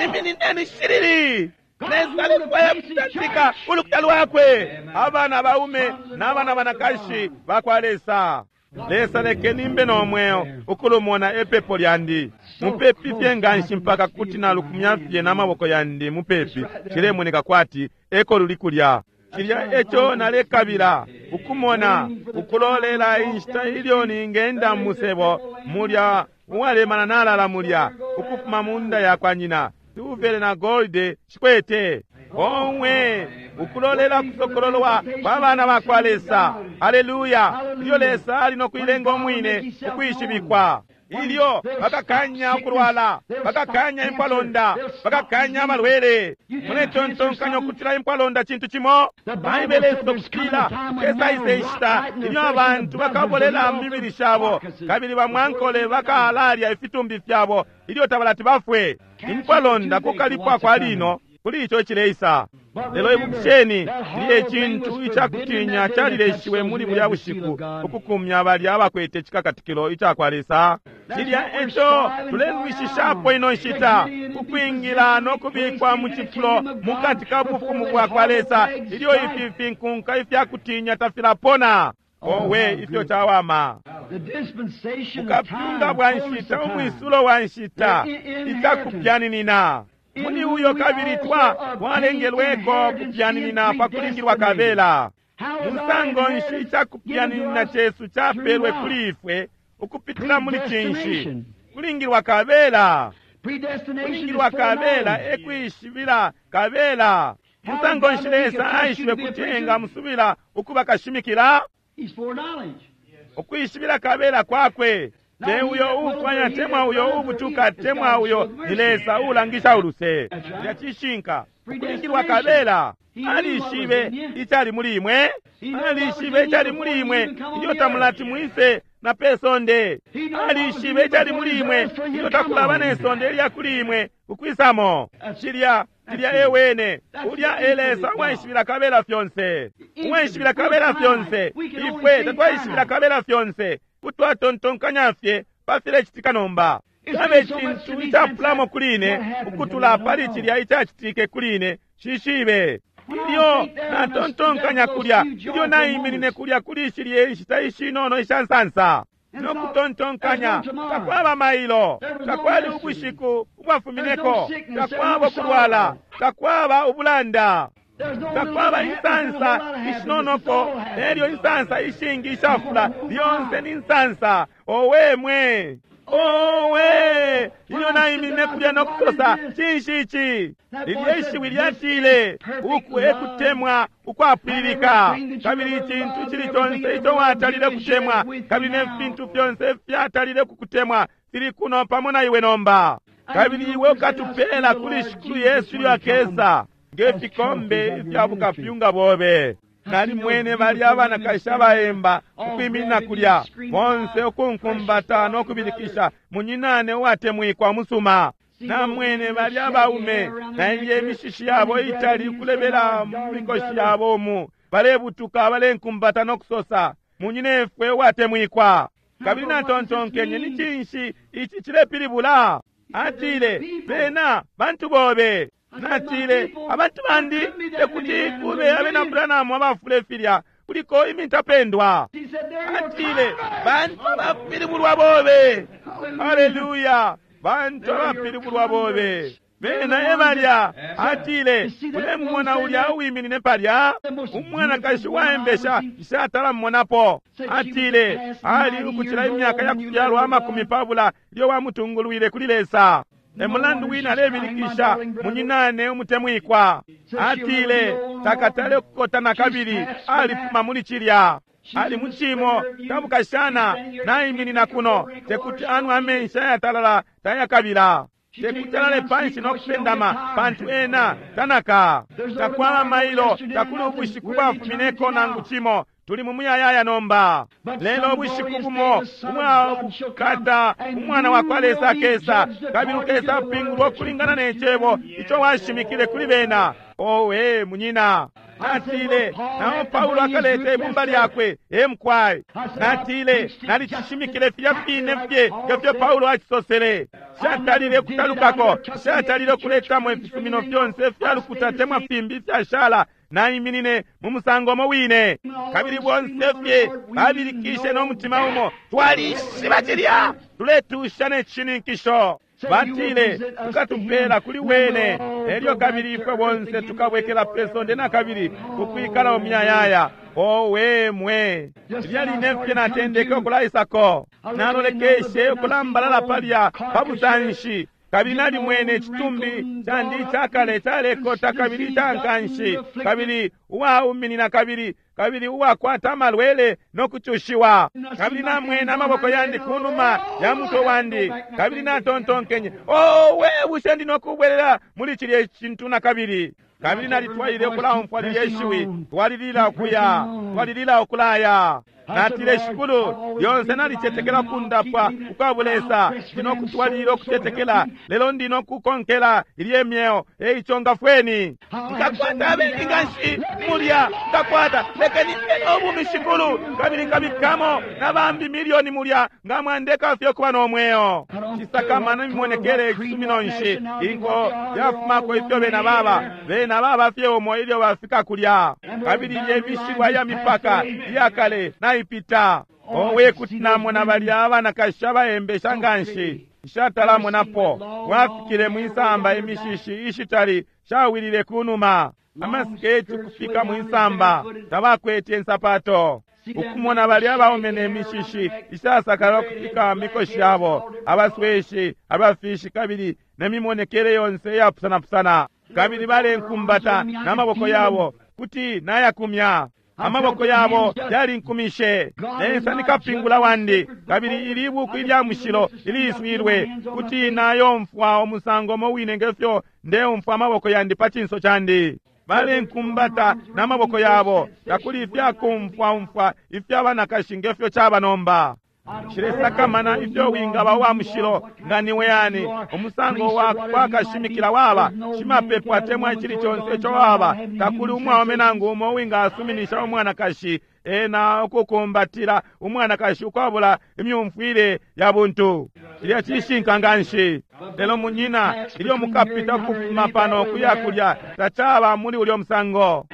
Iminineni shiriri. Lesa alefwaya kutantika ulukuta lwakwe, abana baume n'abana banakashi bakwa Lesa. Lesa lekeni mbe nomweo ukulumona epepo lyandi. Mupepi fye nganshi mpaka kuti nalukumya fye n'amaboko yandi mupepi, cilemoneka kwati eko luli kulya. Cilya eco nalekabila ukumona, ukulolela inshita ilyo ningenda musebo mulya uwalemana nalala mulya ukufuma munda ya kwa nyina, silvere na golide shikwete. Omwe ukulolela kusokololwa kwa bana ba kwa Lesa. Haleluya! Ilyo Lesa ali no kuilenga umwine ukwishibikwa, ilyo bakakanya ukulwala, bakakanya impwalonda, bakakanya amalwele. Muletontonkanya ukutila impwalonda cintu cimo? Baibele isokutila kesaise inshita ilyo abantu bakabolela mu mibili shabo, kabili bamwankole bakalalya ifitumbi fyabo ilyo tabalati bafwe. Impwalonda kukalipwa kwa lino kuli ico cileisa. Lelo ibukisheni, lilye icintu icakutinya calileshiwe muli bulya bushiku ukukumya balya abakwete cikakatikilo ica kwa Lesa. Cilya eco tulelwishishapo ino nshita, ukwingila no kubikwa mu cifulo mukati ka bufumu bwa kwa Lesa, ilyo ifi finkunka ifyakutinya tafilapona. Owe ifyo cawama! Bukapyunga bwa nshita, umwisulo wa nshita, icakupyaninina muli uyo kabili twa twalengelweko kupyaninina pa kulingilwa kabela. Musango nshi icakupyaninina cesu capelwe kuli ifwe ukupitila muli cinshi? Kulingilwa kabela. Kulingilwa kabela ekwishibila kabela. Musango nshi Lesa aishibe kuti engamusubila ukuba kashimikila? Ukwishibila kabela kwakwe. Te uyo ufwanya temwa uyo ubutuka temwa uyo ni Lesa ulangisha uluse. Lya cishinka ukulingilwa kabela. Alishibe icali muli imwe, alishibe icali muli imwe ilyo tamulati mwise na pesonde. Alishibe icali muli imwe ilyo takulaba ne sonde ilya kuli imwe ukwisamo. Cilya cilya ewene ulya elesa uwaishibila kabela fyonse, uwaishibila kabela fyonse. Ifwe tatwaishibila kabela fyonse, kutwatontonkanya fye pafilecitika nomba. Cabe cintu icapulamo kuli ine ukutula pali cilya icacitike kuli ine shishibe. Ilyo natontonkanya kulya, ilyo naiminine kulya kuli shilye inshita ishinono isha nsansa no kutontonkanya, takwaba mailo, takwali ubushiku ubwafumineko, takwaba kulwala, takwaba ubulanda, takwaba insansa ishinonoko nelyo insansa ishingi ishafula, lyonse ni nsansa. Owe mwe, owe! Ilyo naiminine kulya no kusosa, cinshi ici? Lilye ishiwi lyatile, uku ekutemwa ukwapwililika, kabili icintu cili conse ico watalile kutemwa, kabili ne fintu fyonse fyatalile kukutemwa fili kuno pamo na iwe nomba. Kabili iwe ukatupela kuli Shikulu Yesu ilyo akesa nge fikombe ifya bukapyunga bobe. Nalimwene balya abanakashi abaemba ukwiminina kulya bonse ukunkumbata no kubilikisha, munyinane uwatemwikwa musuma. Namwene balya abaume na ilye imishishi yabo itali ukulebela mu mikoshi yabo umu, Balebutuka balenkumbata no kusosa, munyinefwe uwatemwikwa. Kabili natontonkenye, ni cinshi ici cilepilibula? Atile, bena bantu bobe. Natile, abantu bandi tekuti kube abena Branham abafule filya, kuliko imintapendwa. Atile, bantu abapilibulwa bobe. Haleluya, bantu abapilibulwa bobe. Bena ebalya. Atile, ulemumona ulya uwiminine palya, umwanakashi waembesha nshatala mmonapo. Atile, ali ukucila imyaka ya kufyalwa amakumi pabula ilyo wamutungulwile kuli Lesa. Emulandu wina alebilikisha, munyinane umutemwikwa. Atile, takatale kukota na kabili, alifuma muli cilya. Ali mucimo tabukashana naiminina kuno, tekuti anwe amenshi ayatalala tayakabila. Tekuti alale panshi no kupendama, pantu ena tanaka. Takwaba mailo, takuli ubushiku bwafumineko nangu cimo. Tuli mu muyayaya nomba. Lelo ubushiku bumo umwabukata umwana wa kwa Lesa akesa, kabili ukesa apingulwa ukulingana ne cebo ico washimikile kuli bena. Owe munyina. Natile, nao Paulo akaleta ibumba lyakwe, emkwai. Natile, nalicishimikile filya fine fye ngefyo Paulo acisosele. Shatalile kutalukako, shatalile kuletamo ifisumino fyonse fyalukuta temwa fimbi fyashala. Naiminine mu musango umo wine, kabili bonse fye babilikishe no mutima umo, twalishiba cilya, tuletusha ne cishininkisho. Batile, tukatupela kuli wene, elyo kabili ifwe bonse tukabwekela pe sonde na kabili kukwikala umuyayaya. Owe mwe, lilya line fye natendeke ukulaisako, nalolekeshe ukulambalala palya pa busanshi, kabili nalimwene icitumbi candi icakale calekota kabili icankanshi, kabili uwauminina kabili kabili uwakwata amalwele no kucushiwa. Kabili namwene amaboko yandi kunuma ya mutwe wandi, kabili natontonkenye, owe, bushe ndi nokubwelela muli cilya cintu na kabili? Kabili nalitwaile ukulaumfwa lilya ishiwi, twalilila ukuya, twalilila ukulaya. Natile, Shikulu, lyonse nalicetekela kundapwa ukwabulesa, ndi nokutwalilila ukutetekela, lelo ndi nokukonkela ilye myeo. Eico ngafweni. Nkakwata abengi nganshi mulya, nkakwata, lekeni mbe nobumi, Shikulu, kabili nkabikamo na bambi milioni mulya, nga mwandeka fye kuba nomweo. Cisakamana imimonekele icisumino nshi, inko yafumako ifyo bena baba, bena baba fye umo ilyo bafika kulya. Kabili ilye mishilwa ya mipaka iyakale naipita. Owe, kuti namona balya abanakashi abaembesha nganshi, nshatalamonapo. Wafikile mwisamba imishishi ishitali shawilile kunuma, amasiketi kufika mwisamba, tabakwete insapato. Ukumona balya abaume ne mishishi ishasakala kufika mikoshi yabo, abasweshi, abafishi, kabili nemimonekele yonse iyapusanapusana. Kabili balenkumbata n'amaboko yabo, kuti nayakumya. Amaboko yabo yalinkumishe. Lesa ni kapingula wandi, kabili ili buku ilya mushilo iliswilwe, kuti nayomfwa umusango umo wine ngefyo ndeumfwa amaboko yandi pa cinso candi. Balenkumbata n'amaboko yabo, takuli ifyakumfwaumfwa ifyabanakashi ngefyo caba nomba. Nshilesakamana ifyo wingaba uwa mushilo nga niwe yani, umusango wa kwakashimikila waba, shimapepo atemwa icili conse ico waba, takuli umwaume nangu umo uwingasuminisha umwanakashi ena ukukumbatila umwanakashi ukwabula imyumfwile ya buntu. Cilya cishinka nganshi. Lelo munyina, ilyo mukapita kufuma pano kuya kulya, tacaba muli ulyo musango.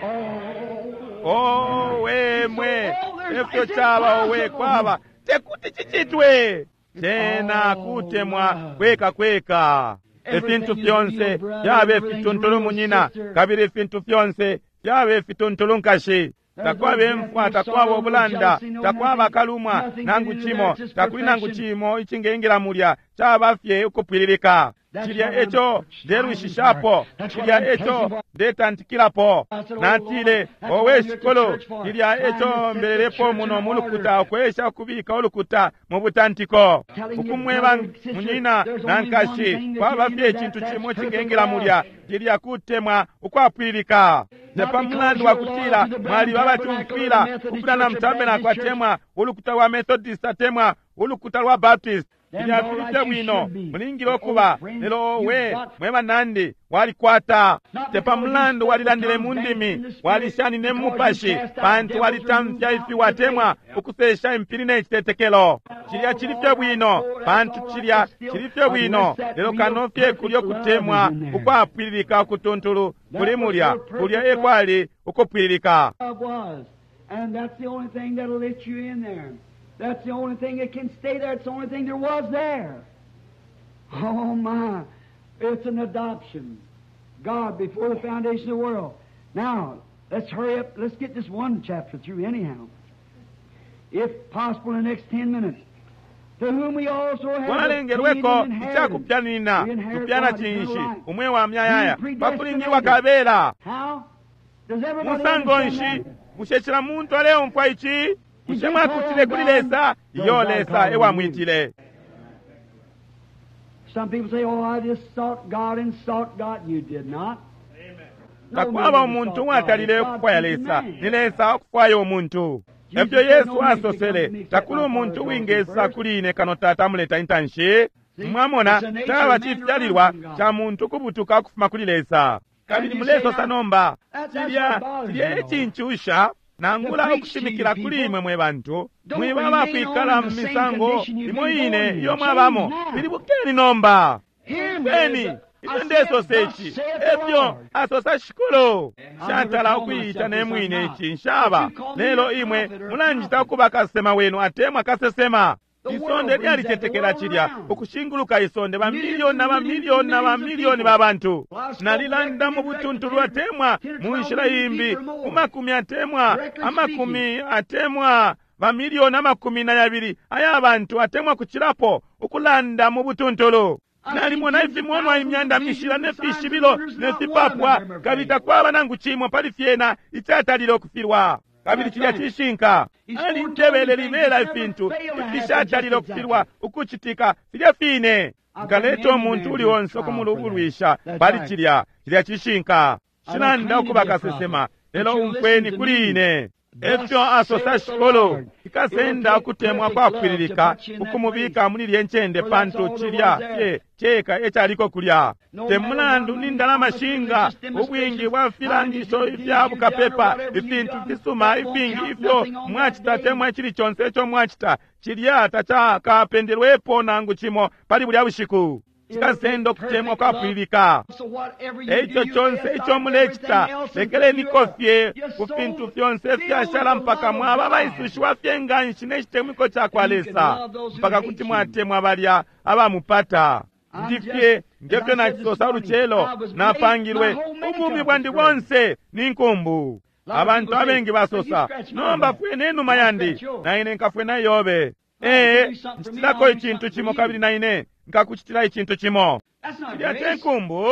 Owe mwe, efyo caba, owe kwaba, tekuti cicitwe. Cena kutemwa kweka kweka. Ifintu fyonse fyabe fituntulu munyina, kabili ifintu fyonse fyabe fituntulu nkashi. Takwaba imfwa, takwaba ubulanda, takwaba kalumwa nangu cimo, takuli nangu cimo icingengela mulya, caba fye ukupwililika. Cilya eco ndelwishishapo, cilya eco ndetantikilapo. Natile, owe Shikulu, cilya eco mbelelepo muno mu lukuta, ukwesha ukubika ulukuta mu butantiko. Ukumweba munyina na nkashi, kwaba fye icintu cimo cingengela mulya, cilya kutemwa ukwapwililika. Tepa mulandu wa kutila mwaliba abacumfwila, ukupitana mutabernacle atemwa ulukuta lwa Methodist atemwa ulukuta lwa Baptist. Filya fili fye bwino, mulingile ukuba. Lelo we mwe banandi, walikwata te pa mulandu walilandile mu ndimi, walishanine mu mupashi, pantu walitamfya ifi watemwa ukusesha impili ne citetekelo. Cilya cili fye bwino, pantu cilya cili fye bwino, lelo kano fye kulyo kutemwa ukwapwililika ukutuntulu kuli mulya, kulya ekwali ukupwililika. And that's the only thing that'll let you in there. That's the only thing that can stay there. It's the only thing there was there. Oh my. It's an adoption. God before the foundation of the world. Now, let's hurry up. Let's get this one chapter through anyhow. If possible, in the next ten minutes. To whom we also have Twalengelweko icakupyanina tupyana cinshi umwe wa myayaya pakulingilwa kabela. How? Does everybody Musango understand nshi that? bushe cila muntu aleumfwa ici? Bushe mwakutile kuli Lesa? Iyo Lesa ewamwitile. Some people say, "Oh, I just sought God and sought God." You did not. No Takwaba man umuntu sought uwatalile God. ukufwaya God Lesa, seeking ni man. Lesa ukufwaya umuntu. Efyo Yesu asosele, takuli umuntu uwingesa kuli ine kano Tata amuleta intanshi. Mwamona, caba cifyalilwa ca muntu kubutuka ukufuma kuli Lesa. Kabili mulesosa nomba, cilya cilya ecincusha nangula ukushimikila kuli imwe mwe bantu, mwiba abakwikala mu misango imo ine iyo mwabamo. Pilibukeni nomba. Hear me. Beni, ifyo ndesosa ici, efyo asosa Shikulu. Nshatala ukuyita ne mwine ici, nshaba. Lelo imwe mulanjita ukuba kasesema wenu atemwa kasesema. Isonde lyalicetekela cilya, ukushinguluka isonde bamiliyoni na bamiliyoni na bamiliyoni ba bantu. Nalilanda mu butuntulu atemwa mu nshila imbi, ku makumi atemwa amakumi atemwa bamiliyoni amakumi na yabili aya bantu atemwa kucilapo ukulanda mu butuntulu. Nalimona ifimonwa imyanda mishila ne fishibilo ne fipapwa, kabili takwaba nangu cimo pali fyena icatalile ukufilwa. Kabili cilya cishinka. Alintebele libela ifintu ifishatalile ukufilwa ukucitika filya fine. Nkaleta umuntu uli onse ukumulubulwisha pali cilya. Cilya cishinka. Shilanda ukuba kasesema, lelo umfweni kuli ine. Efyo asosa Shikulu, ikasenda ukutemwa kwapwililika ukumubika muli lye ncende, pantu cilya fye ceka ecaliko kulya. Te mulandu ni ndalama shinga, ubwingi bwa filangisho ifya bukapepa, ifintu fisuma ifingi ifyo mwacita temwa icili conse ico mwacita, cilya tacakapendelwepo nangu cimo pali bulya bushiku. Cikasenda ukutemwa kwapwililika. So whatever you Eico do, you conse lay ico aside mulecita, everything else and lekeleni fill kofye up. Just ku so fintu fyonse filled ifyashala with the mpaka love of mwaba God. abayisushiwa fye nganshi ne citemwiko ca kwa And you can Lesa, love those who mpaka hate kuti you. mwatemwa balya abamupata. I'm Ndi just- fye ngefyo as I said nacisosa this morning, ulucelo, I was made- napangilwe my whole makeup ubumi was bwandi great. bonse ni nkumbu. A lot of Abantu people say, abengi "Well, you basosa, scratch my nomba back. fwene inuma I'll yandi, scratch yours." na ine nkafwena yobe. Right, Ee, you do something for me, ncitilako I'll do icintu something cimo for you. kabili na ine nkakucitila icintu cimo. That's not Cilya te grace. nkumbu.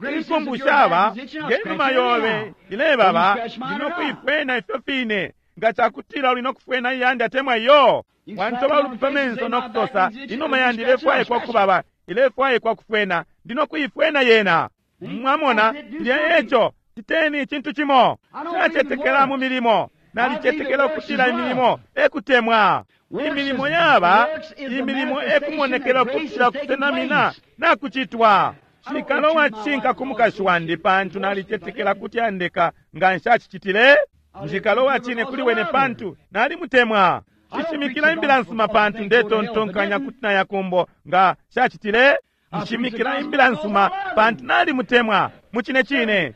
Grace is Inkumbu if your shaba back is itching, I'll ngenuma scratch it yobe anyhow. ilebaba, Will you scratch mine ndino or not? kuifwena ifyo fine. Nga cakutila uli nokufwena iyandi atemwa iyo. You Wantoba slap me on ulupi the face and pamenso say, "My back nokusosa, is itching," inuma will you yandi scratch it? I'll ilefwaikwa scratch it. kubaba, ilefwaikwa kufwena, ndino kuifwena yena. See? Mwamona, That's it. Do cilya something. eco, citeni icintu cimo. I don't believe in Shacetekela mu works. milimo, nalicetekela I believe ukutila that works is imilimo ekutemwa. Works Imilimo is- yaba, works is the imilimo manifestation ekumonekela that grace ukutila is taking kusenamina place. nakucitwa. I don't Shikalo want you my wacinka wife ku mukashi wandi pantu nalicetekela kuti andeka nga nshacicitile. Njikalo wacine kuli wene pantu nalimutemwa. Nshishimikila imbila nsuma pantu ndetontonkanya kuti nayakumbo nga nshacitile. Nshimikila imbila nsuma pantu nalimutemwa mucine cine.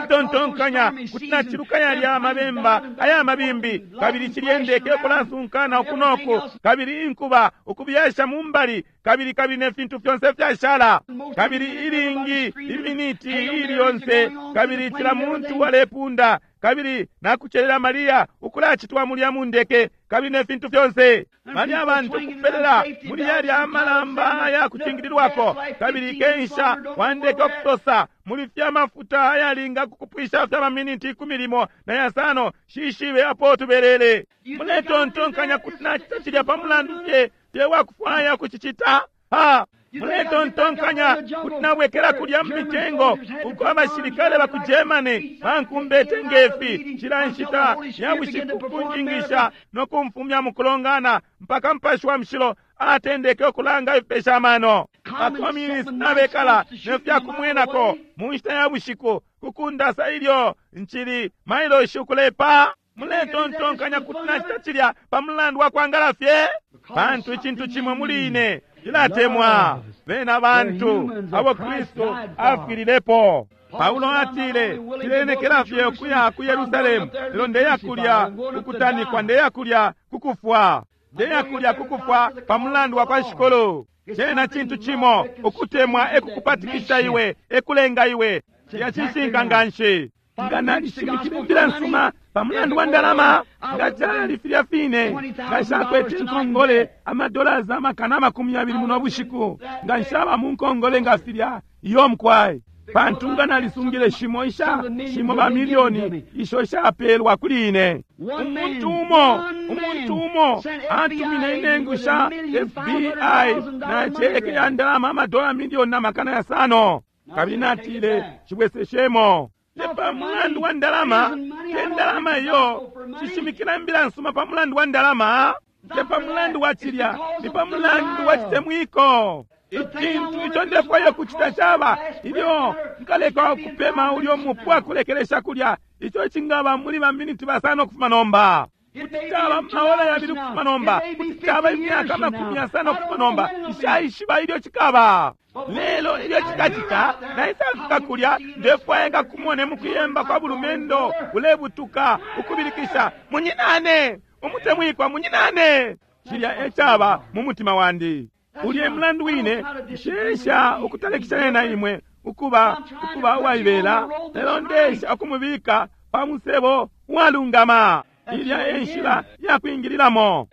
Muletontonkanya kuti naciluka yalya amabemba aya mabimbi, kabili cilyendeke ukulansunkana uku noku, kabili inkuba ukubyasha mu mbali, kabili kabili ne fintu fyonse fyashala, kabili ilingi iminiti ili yonse, kabili cila muntu alepunda, kabili nakucelela Mariya ukulacitwa mulya mu ndeke, kabili ne fintu fyonse. Bali abantu kupelela muli yalya amalamba aya kucingililwako, kabili kensha wandeke okusosa muli fyamafuta ayalinga kukupwisha fya maminiti ikumi limo na yasano shishibe apo tubelele. Muletontonkanya kuti nacita cilya pa mulandu fye fye wakufwaya kucicita? Ha! Muletontonkanya kuti nabwekela kulya mu mitengo uko abashilikale ba ku Germany bankumbete ngefi cila nshita ya bushiku kunjingisha no kumfumya mu kulongana mpaka Mupashi wa Mushilo atendeke ukulanga ifipesha amano. Bakomunist nabekala nefyakumwenako mu nshita ya bushiku kukundasa ilyo nchili mailoshi ukulepa. Muletontonkanya kuti nacita cilya pa mulandu wa kwangala fye, pantu icintu cimwe muli ine cilatemwa bena bantu abo Kristu afwililepo. Paulo atile, cilenekela fye ukuya ku Yerusalemu, lelo ndeya kulya kukutanikwa, ndeya kulya kukufwa, ndeya kulya kukufwa pa mulandu wa kwa Shikulu. Cena cintu cimo ukutemwa ekukupatikisha iwe, ekulenga iwe. Yacishinka nganshi. Nga nalishimikile imbila nsuma pa mulandu wa ndalama, nga cali filya fine, nga nshakwete nkongole amadollars amakana amakumi yabili muno bushiku, nga nshaba mu nkongole nga filya iyo mkwai, pantu nga nalisungile shimo isha shimo ba milioni isho shapelwa kuli ine. Umuntu umo, umuntu umo atumine inengu sha F B I na cheke ya ndalama amadola milioni na makana yasano, kabili natile chibweseshemo. Te pa mulandu wa ndalama, te ndalama iyo chishimikila imbila nsuma pa mulandu wa ndalama, te pa mulandu wa chilya, ni pa mulandu wa chitemwiko. Icintu ico ndefwaya kucita caba ilyo nkaleka kupema ulyo mupu akulekelesha kulya, ico cingaba muli baminiti basano kufuma nomba, kuti caba maola yabili kufuma nomba, kuti caba imyaka amakumi yasano kufuma nomba, nshaishiba ilyo cikaba. Lelo ilyo cikacita naisafika kulya, ndefwaya ngakumone mukuyemba kwa bulumendo ulebutuka ukubilikisha, munyinane umutemwikwa, munyinane. Cilya ecaba mu mutima wandi. Ulye mulandu wine nshesha ukutalekishana na imwe ukuba ukuba uwaibela, lelo ndesha ukumubika pa musebo uwalungama. Ilya enshila yakwingililamo.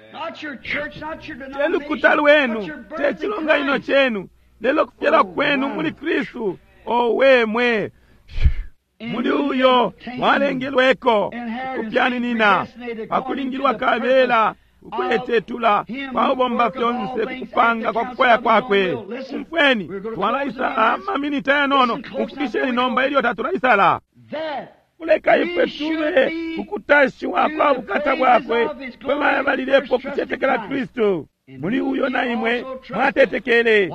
Te lukuta lwenu, te chilonganino chenu, lelo kufyalwa kwenu muli Kristu. Owe mwe, muli uyo mwalengelweko ukupyaninina pakulingilwa kabela ukwetetula kwaubomba fyonse kukupanga kwa kukwaya kwakwe. Umfweni, twalaisala amaminita yanono, umfukisheni nomba ilyo tatulaisala. Kuleka ifwe tube kukutashiwa kwa bukata bwakwe kwe bayabalilepo kucetekela Kristu. Muli uyo na imwe mwatetekele.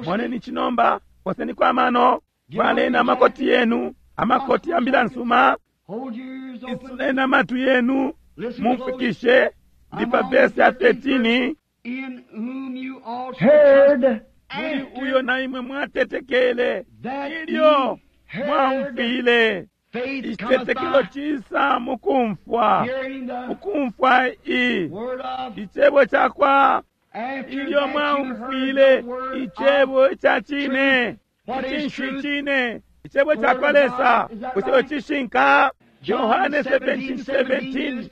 Moneni chinomba, poseni kwa mano, valeni amakoti yenu, amakoti ya mbila nsuma, isuleni amatu yenu, mumfikishe ndi pa verse ya thirteen. Muli uyo na imwe mwatetekele ilyo mwamfile. Icitetekelo cisa mukumfwa, mukumfwa i icebo cakwa ilyo mwaumfwile icebo ca cine. Icinshi cine? Icebo cakwa Lesa bushe cishinka? Yohane seventeen seventeen,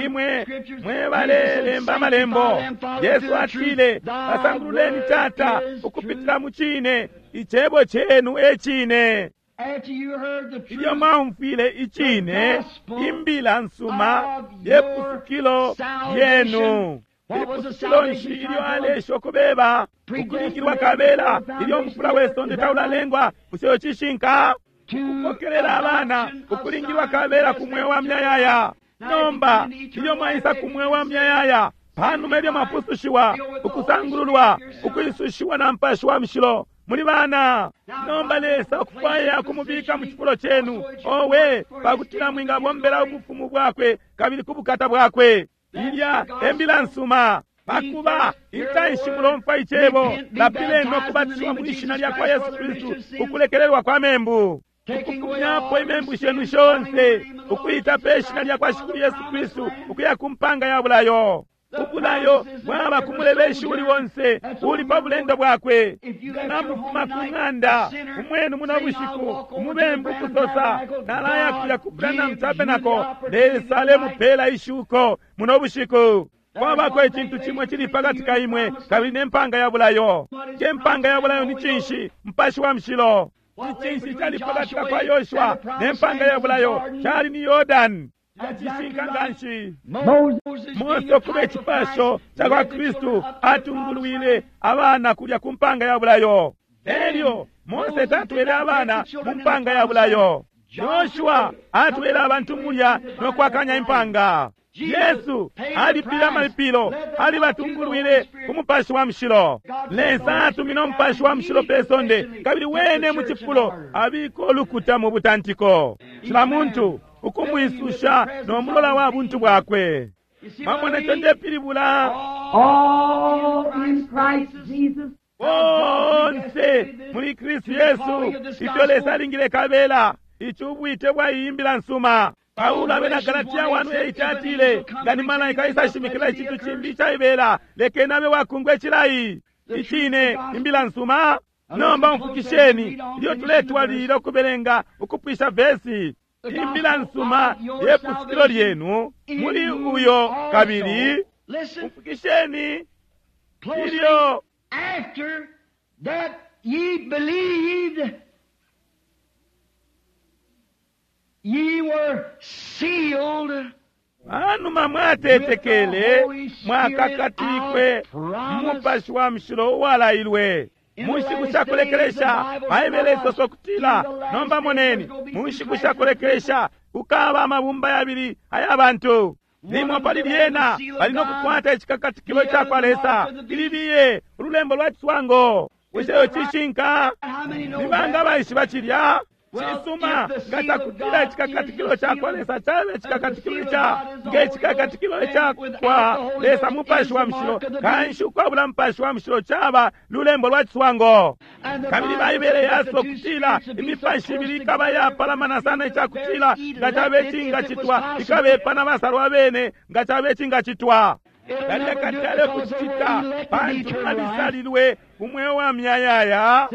imwe mwe balelemba amalembo. Yesu atile, basangululeni Tata ukupitila mu cine, icebo chenu e cine. Ilyo mwaumfwile icine, imbila nsuma yepusukilo yenu. Ipusukilo nshi ilyo alesha ukubeba ukulingilwa kabela ilyo umufula we sonde taulalengwa? Bushe cishinka? Ukupokelela abana ukulingilwa kabela ku mweo wa myayaya. Nomba ilyo mwaisa ku mweo wa myayaya, panuma ilyo mwapusushiwa, ukusangululwa, ukwisushiwa na mpashi wa mushilo, muli bana. Nomba Lesa ukufwaya kumubika mu cifulo chenu, owe, pakutila mwingabombela ubufumu bwakwe kabili ku bukata bwakwe. Ilya embila nsuma. Pakuba intanshi mulomfwa icebo, lapileni no kubatishiwa mu ishina lya kwa Yesu Kristu ukulekelelwa kwa membu, ukufumyapo imembu shenu shonse, ukuita pe shina lya kwa Shikulu Yesu Kristu ukuya ku mpanga ya bulayo. Ubulayo bwaba ku mulebeshi uli wonse uli pa bulendo bwakwe. Namufuma ku ng'anda umwenu muno bushiku, umubembu kusosa nalaya kuya ku Branham Tabernacle, Lesa alemupela ishuko muno bushiku. Kwabako icintu chimwe chili pakati ka imwe kabili ne mpanga ya bulayo. Che mpanga ya bulayo ni cinshi? Mpashi wa mushilo. Icinshi chali pakati ka kwa Yoshua ne mpanga ya bulayo chali ni Yordani. Yacishinka nganshi. Mose okuba icipasho ca kwa Kristu atungulwile abana kulya ku mpanga ya bulayo. Elyo Mose tatwele abana mu mpanga ya bulayo. Yoshua atwele abantu mulya no kwakanya impanga. Yesu alipile amalipilo, alibatungulwile ku Mupashi wa Mushilo. Lesa atumine Umupashi wa Mushilo pe sonde, kabili wene mu cifulo abika ulukuta mu butantiko. Cila muntu ukumwisusha no mulola wa buntu bwakwe. Mwamona ico ndepilibula? All in Christ Jesus. Bonse muli Kristu Yesu, ifyo Lesa alingile kabela ici ubwite bwa iyi mbila nsuma. Paulo abena Galatia one eight atile, nga ni malaika isashimikila icintu cimbi icaibela, lekeni abe wakungwa icilayi. Icine imbila nsuma. Nomba umfukisheni ilyo tuletwalilila ukubelenga ukupwisha vesi. Imbila nsuma ye pusukilo lyenu muli uyo kabili. Umfukisheni ilyo After that ye believed, ye were sealed. Panuma mwatetekele, mwakakatikwe Mupashi wa Mushilo uwalailwe. Mu nshiku shakulekelesha, Baibele isoso kutila, nomba moneni, mu nshiku shakulekelesha kukaba amabumba yabili aya bantu. Limo pali lyena bali no kukwata icikakatikilo ca kwa Lesa, ilibiye ululembo lwa ciswango. Bushe iyo cishinka? Ni banga baishiba cilya? Cisuma, nga cakutila icikakatikilo ca kwa Lesa cabe icikakatikilo ca nge cikakatikilo ca kwa Lesa Mupashi wa Mushilo, kanshi ukwabula Mupashi wa Mushilo caba lulembo lwa ciswango. Kabili Baibele yaso kutila imipashi ibili ikaba yapalamana sana icakutila nga cabe cingacitwa ikabepa na basalwa bene nga cabe cingacitwa. Balekatale kucita pantu balisalilwe umweo wa myayaya.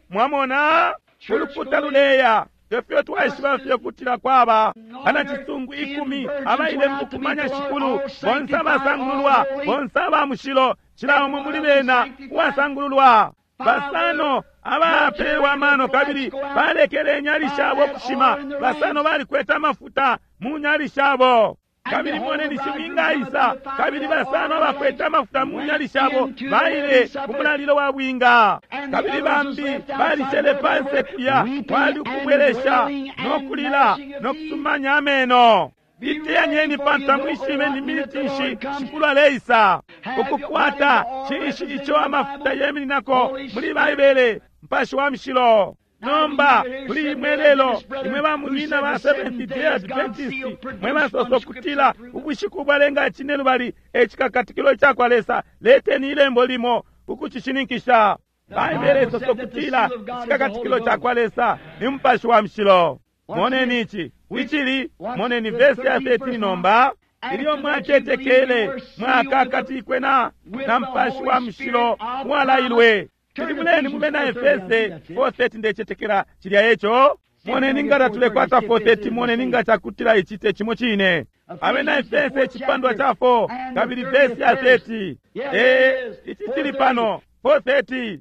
Mwamona? Ulukuta luleya tefyo twaishiba fye kutila kwaba bana cisungu ikumi abaile mukumanya Shikulu, bonse abasangululwa, bonse aba mushilo, cila umo muli bena uwasangululwa. Basano abapeelwa amano kabili balekele inyali shabo kushima, basano balikwete amafuta mu nyali shabo. Kabili moneni shibwinga isa, kabili basano abakwete amafuta mu nyali shabo baile ku mulalilo wa bwinga. Kabili bambi balishele panse kulya, kwali ukubwelesha no kulila no kusumanya ameno. Iteyanyeni pantu tamwishibe ni miniti nshi Shikulu aleisa. Ukukwata cinshi ico amafuta yemininako muli Baibele? Mupashi wa Mushilo. Nomba kuli imwe lelo, imwe bamunyina ba Seventh Day Adventist, mwe basoso kutila ubushiku bwalenga cine lubali ecikakatikilo ca kwa Lesa, leteni ilembo limo ukucishininkisha. Baibele isoso kutila icikakatikilo ca kwa Lesa ni Mupashi wa Mushilo. Moneni ici icili, moneni vesi ya thirteen nomba. Ilyo mwatetekele mwakakatikwe na na Mupashi wa Mushilo uwalailwe. Tilibuleni mube na Efese four thirty, ndecetekela cilya eco. Moneni nga tatulekwata four thirty, moneni nga cakutila ici te cimo cine. Abena Efese icipandwa ca four kabili vesi ya thirty. E, ici cili pano four thirty.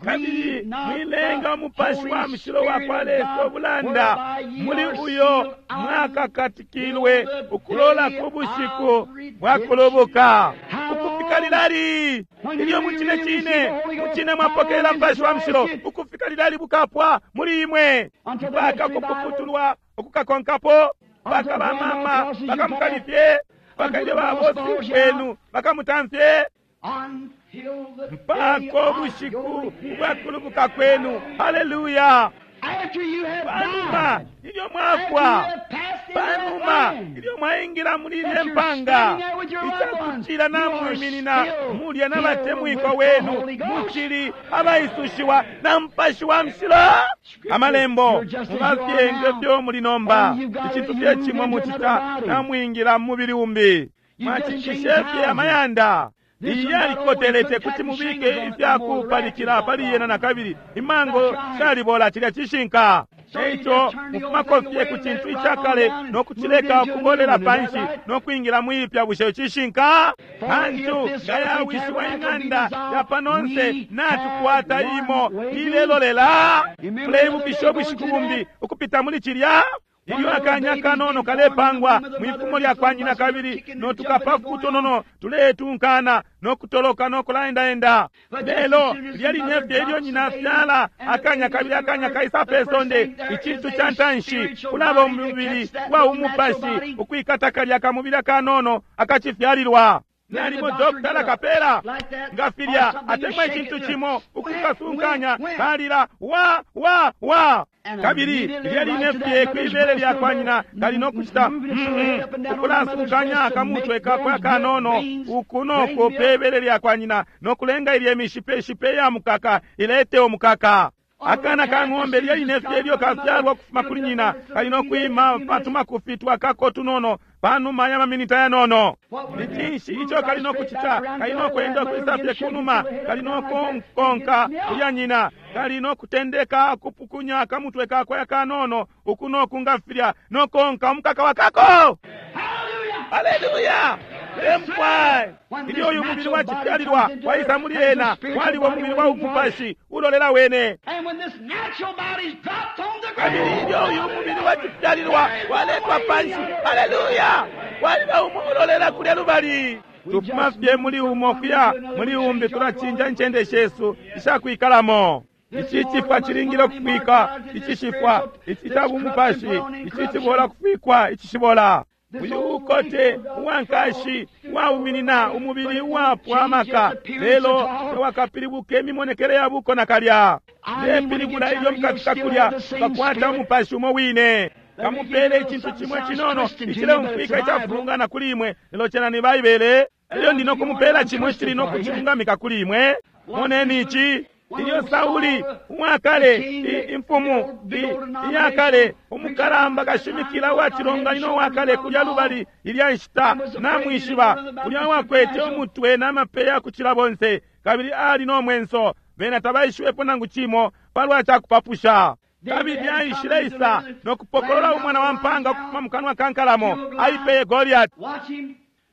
Kabili mwilenga Umupashi wa Mushilo wa kwa Lesa ubulanda, muli uyo mwakakatikilwe ukulola ku bushiku bwa kulubuka. Ukufika lilali? Ilyo mucine cine mucine mwapokelela Mupashi wa Mushilo, ukufika lilali bukapwa muli imwe, mpaka kupuputulwa ukukakonkapo, mpaka bamama bakamukalifye, mpaka ilyo babosi benu bakamutamfye, mpaka ubushiku bwa kulubuka kwenu. Haleluya! Panuma ilyo mwafwa, panuma ilyo mwaingila muli ilye mpanga, icakutila namwiminina mulya n'abatemwikwa wenu, mucili abaisushiwa na Mupashi wa Mushilo. Amalembo mubafye ngefyo muli nomba, icintu fye cimwe mucita, namwingila mu mubili umbi, mwacinjishe fye amayanda. Iyi yalikotelete kuti mubike ifyakupalikila pali yena na kabili imango shalibola, cilya cishinka. Eico mufumako fye ku cintu icakale no kucileka ukubolela panshi no kwingila mwipya. Bushe cishinka? Pantu nga yawishiwa ing'anda ya panonse, natukwata imo ilelolela. Tuleibukisha ubushiku bumbi ukupita muli cilya. Ilyo akanya kanono kalepangwa mwifumo lya kwa nyina kabili notukapafu kutonono tuletunkana nokutoloka nokulaendaenda. Lelo lya line fye ilyo nyina fyala akanya kabili akanya kaisa pe sonde, icintu ca ntanshi kulaba umubili wa umupashi ukwikata kalya kamubili akanono akacifyalilwa. Nalimo dokitala kapela nga filya atemwa icintu cimo ukukasunkanya kalila wa wa wa kabili lya line fye kwibele lya kwa nyina kali nokucita ukulasunkanya akamutwe kakwe akanono uku noko pebele lya kwa nyina nokulenga ilye mishipeshipe ya mukaka ilete omukaka. Akana ka ng'ombe lya line fye ilyo kafyalwa kufuma kuli nyina kali nokwima patumakufi twakako tunono panuma ya maminita yanono. Ni cinshi ico kali nokucita? Kali nokwenda kwisa fye kunuma, kali nokonkonka kulya nyina, kali nokutendeka kupukunya akamutwe kakwe akanono uku noku nga filya nokonka omukaka wakako. Haleluya! Lemkwai ilyo uyu mubili wa cifyalilwa waisa muli ena waliwo umubili wa umupashi ulolela wene. Kabili ilyo uyu mubili wa cifyalilwa waletwa panshi, haleluya, waliba umu ulolela kulya lubali. Tufuma fye muli umo kuya muli umbi, tulacinja incende shesu ishakwikalamo. Ici cifwa cilingile ukufikwa, icishifwa, ici ca bumupashi, ici cibola kufikwa, icishibola. Uyu ukote uwankashi uwauminina umubili uwapwa amaka, lelo tewakapilibuka imimonekele ya buko nakalya. Lepilibula ilyo mukafika kulya bakwata umupashi umo wine. Kamupele icintu cimwe cinono icileumfwika icafulungana kuli imwe, lelo cena ni Baibele. Elyo ndi nokumupela cimwe cili nokucilungamika kuli imwe. Moneni ici. Ilyo Sauli uwakale imfumu iyakale umukalamba kashimikila wa cilonganino uwakale kulya lubali ilya nshita namwishiba, ulya wakwete umutwe n'amapeya kucila bonse kabili ali nomwenso, bena tabaishiwepo nangu cimo palwa cakupapusha. Kabili aishile isa nokupokolola umwana wa mpanga ukufuma mukanwa ka nkalamo, aipeye Goliati.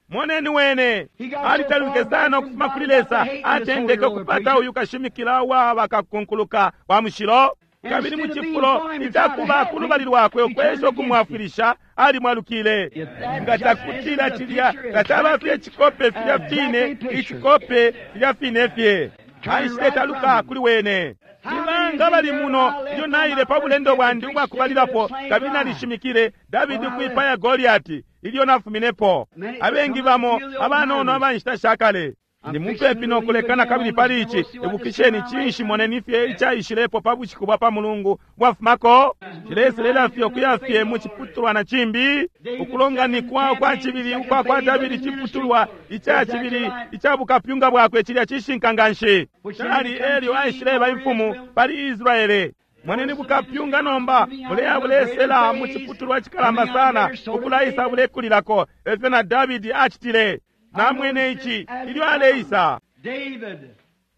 Moneni wene alitaluke sana ukufuma kuli Lesa, atendeke ukupata uyu kashimikila wa bakakunkuluka wa mushilo. Kabili mu cifulo icakuba ku lubali lwakwe ukwesha ukumwafwilisha alimwalukile. Nga cakutila cilya nga caba fye icikope filya fine, icikope filya fine fye, aishile taluka kuli wene. Nibanga bali muno ilyo naile pa bulendo bwandi ubwakubalilapo kabili nalishimikile Davidi ukwipaya Goliati ilyo nafuminepo. Abengi bamo abanono abanshita shakale. Ndi mupepi nokulekana kabili pali ici. Ibukisheni cinshi, moneni fye icaishilepo pa bushiku bwa pa mulungu bwafumako. Cileselela fye ukuya fye mu ciputulwa na cimbi, ukulonganikwa ukwa cibili ukwa kwa Davidi, ciputulwa ica cibili ica bukapyunga bwakwe cilya cishinka nganshi. Cali elyo aishileba imfumu pali Israele. Moneni bukapyunga nomba buleya bulesela mu ciputulwa cikalamba sana, ukulaisa bulekulilako, efyo na Davidi acitile. Namwene ici ilyo aleisa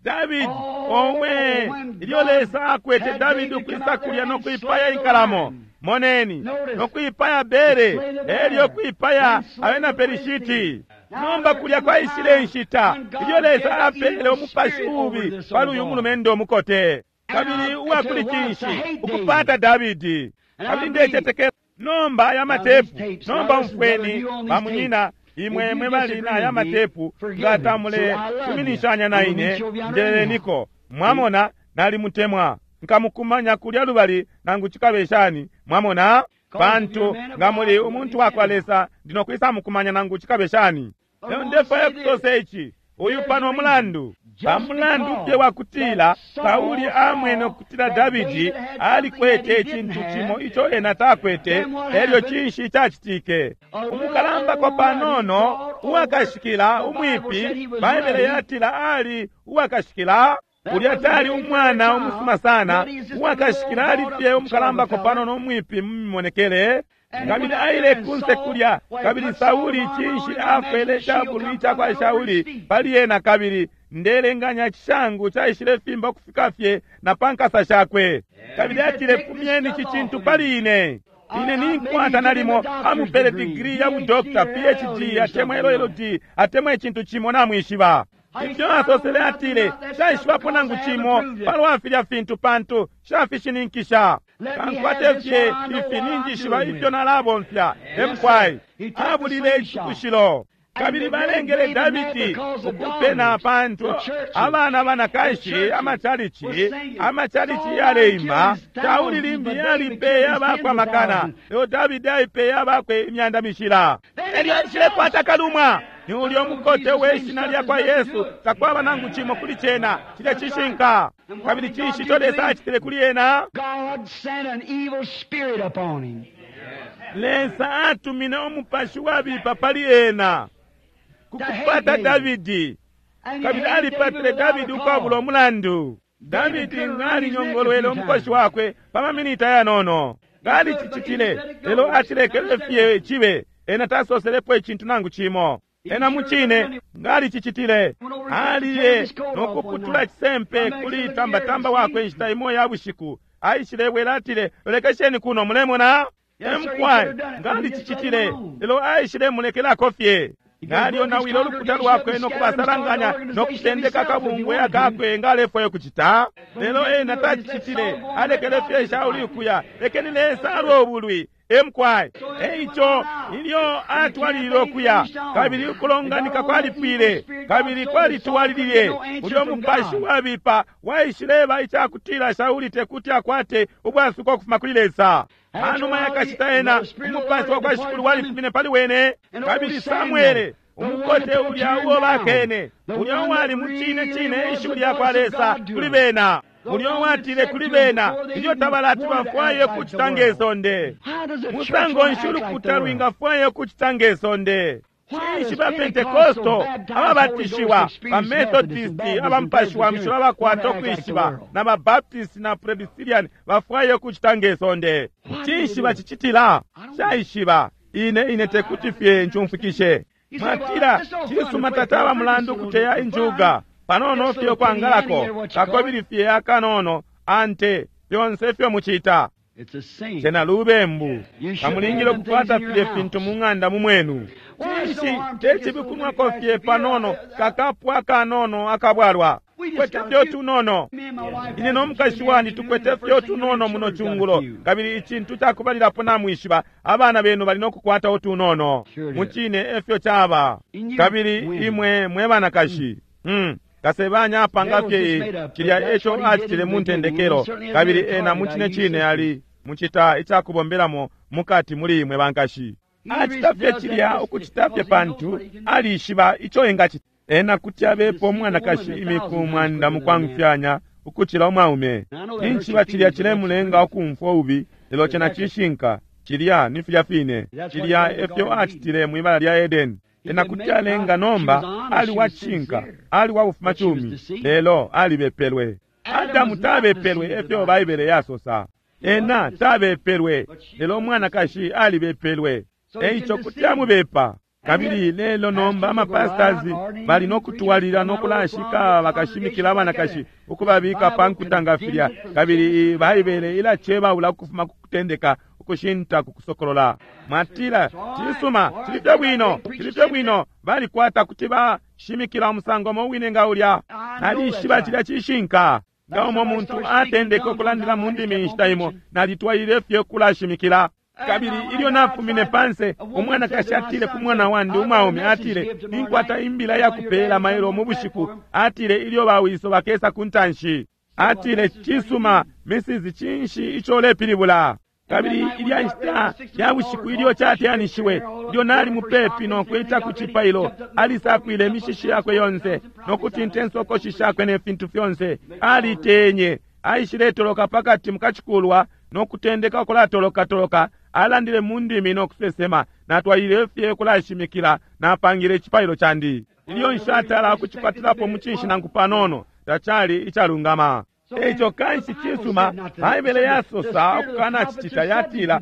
Davidi owe, ilyo Lesa akwete Davidi ukwisa kulya nokwipaya inkalamo, moneni, nokwipaya bere, elyo kwipaya abena Pelishiti. Nomba kulya kwaishile inshita ilyo Lesa apele umupashi ubi pali uyu mulumendo mukote kabili uwakuli cinshi ukupata Davidi. Kabili ndecetekela nomba aya matepu, nomba umfweni bamunyina imwe mwe bali na aya matepu, nga tamulesuminishanya na ine, njeleniko. Mwamona, nalimutemwa, nkamukumanya kulya lubali nangu cikabe shani. Mwamona, pantu nga muli umuntu wakwa Lesa ndinokwisa mukumanya nangu cikabe shani. Lelo ndefwaya kusosa ici, uyu pano mulandu pamulandu fye wakutila Sauli amwene ukutila Davidi alikwete icintu cimo ico ena takwete. Elyo cinshi cacitike? Umukalambako panono uwakashikila umwipi, Baibele yatila ali uwakashikila. Ulya tali umwana umusuma sana, uwakashikila ali fye umukalambako panono umwipi mu mimonekele. Kabili aile kunse kulya, kabili Sauli cinshi afwele icabulwi cakwa Shauli pali ena, kabili ndelenganya cishangu caishile fimba ukufika fye na pa nkasa shakwe. Kabili atile, fumyeni ici cintu pali ine. Ine ninkwata nalimo amupele digiri ya budokta, P H D atemwa L L D atemwa icintu cimo namwishiba. Ifyo asosele atile, shaishibapo nangu cimo palwa filya fintu pantu shafishininkisha. Kankwate fye ifi ninjishiba ifyo nalabomfya. Emkwai abulile icikushilo. Kabili balengele Davidi ukupena pantu abana banakashi amachalichi amachalichi yaleima. Shauli limbi yalipeye abakwe amakana, lelo Davidi aipeye abakwe imyanda mishila. Elyo aishilekwata kalumwa. Ni ulyo mukote we shina lya kwa Yesu, takwaba nangu cimo kuli cena. Cilya cishinka. Kabili cinshi ico Lesa acitile kuli ena? God sent an evil spirit upon him. Lesa atumine umupashi wabipa pali ena kukupata Davidi, kabili alipatile Davidi ukwabula umulandu. Davidi ngalinyongolwele umukoshi wakwe pa maminita yanono, ngalicicitile, lelo acilekele fye cibe. Ena tasoselepo icintu nangu cimo. Ena mucine ngalicicitile. Aliye nokuputula cisempe kuli tambatamba wakwe inshita imo ya bushiku. Aishilebwela atile, lolekesheni kuno, mulemona? Emkwai ngalicicitile, lelo aishile mulekelako fye. Nalionawile ulukuta lwakwe nokubasalanganya nokutendeka kabungwe akakwe ngalefwayo kucita, lelo ena tacicitile. Alekele fye Shauli ukuya. Lekeni Lesa alwe ubulwi. Emkwai. Eico ilyo atwalilile ukuya, kabili ukulonganika kwalipwile, kabili kwalitwalilile. Ulyo mupashi wabipa waishileba icakutila Shauli tekuti akwate ubwasuko ukufuma kuli Lesa. Panuma yakashita ena umupashi wa kwa Shikulu walifumine pali wene, kabili Samuele umukote ulya uo bakene, ulya uwali mu cine cine ishiwi lya kwa Lesa kuli bena, ulya uwatile kuli bena ilyo tabalati bafwaye kucita nge sonde. Musango nshi ulukuta lwingafwaye kucita nge sonde? Cinshi ba Pentekosto ababatishiwa, ba Methodisti abamupashi wa mushilo abakwata ukwishiba, na ba Baptist na Presbyterian bafwaye kucita nge sonde? Cinshi bacicitila? Shaishiba ine ine tekuti fye ncumfwikishe. Mwatila cisuma tataba mulandu kuteya injuga panono fye kwangalako kakobili fye akanono ante fyonse fyo mucita. Cena lubembu. Kamulingile kukwata filye fintu mu ng'anda mu mwenu. Cinshi tecibi kunwako fye panono kakapwa kanono akabwalwa? Tukwete fye utunono. Ine no mukashi wandi tukwete fye utunono muno cungulo, kabili icintu cakubalilapo namwishiba abana benu bali nokukwata utunono. Mucine efyo caba. Kabili imwe mwe banakashi, hmm. Kasebanya apanga fye cilya eco acitile mu ntendekelo, kabili ena mucine cine ali mucita icakubombelamo mukati muli imwe bankashi. Acita fye cilya ukucita fye pantu alishiba ico engacita. Ena kuti abepo umwanakashi imiku mwanda mukwangufyanya ukucila umwaume. Ninshi cilya cilemulenga ukumfwa ubi, lelo cena cishinka. Cilya ni filya fine. Cilya efyo acitile mwibala lya Edeni. Ena kuti alenga nomba ali wacishinka, ali wabufuma cumi, lelo alibepelwe. Adamu tabepelwe efyo Baibele yasosa. Ena tabepelwe, lelo umwanakashi alibepelwe. Eico kuti amubepa. Kabili lelo nomba amapastors bali nokutwalila nokulashika bakashimikila abanakashi ukubabika pa nkuta nga filya, kabili Baibele ilacebaula ukufuma ku kutendeka ukushinta ku kusokolola. Mwatila cisuma, cili fye bwino, cili fye bwino, balikwata kuti bashimikila umusango umo wine nga ulya. Nalishiba cilya cishinka. Nga umo muntu atendeka ukulandila mu ndimi inshita imo, nalitwalile fye kulashimikila. Kabili ilyo nafumine panse, umwanakashi atile ku mwana wandi umwaume, atile, ninkwata imbila yakupela mailo mu bushiku. Atile, ilyo bawiso bakesa ku ntanshi. Atile, cisuma, Missus cinshi ico ulepilibula? Kabili ilya nshita ya bushiku ilyo cateyanishiwe, ilyo nali mupepi nokwita ku cipailo, alisakwile imishishi yakwe yonse nokutinta insokoshi shakwe ne fintu fyonse. Alitenye, aishiletoloka pakati mukacikulwa nokutendeka ukulatolokatoloka. Alandile mu ndimi nokusesema. Natwalile fye kulashimikila, napangile icipailo candi. Ilyo nshatala ukucikwatilapo mucinshi nangu panono, tacali icalungama. Eico kanshi cisuma, Baibele yasosa ukukanacicita, yatila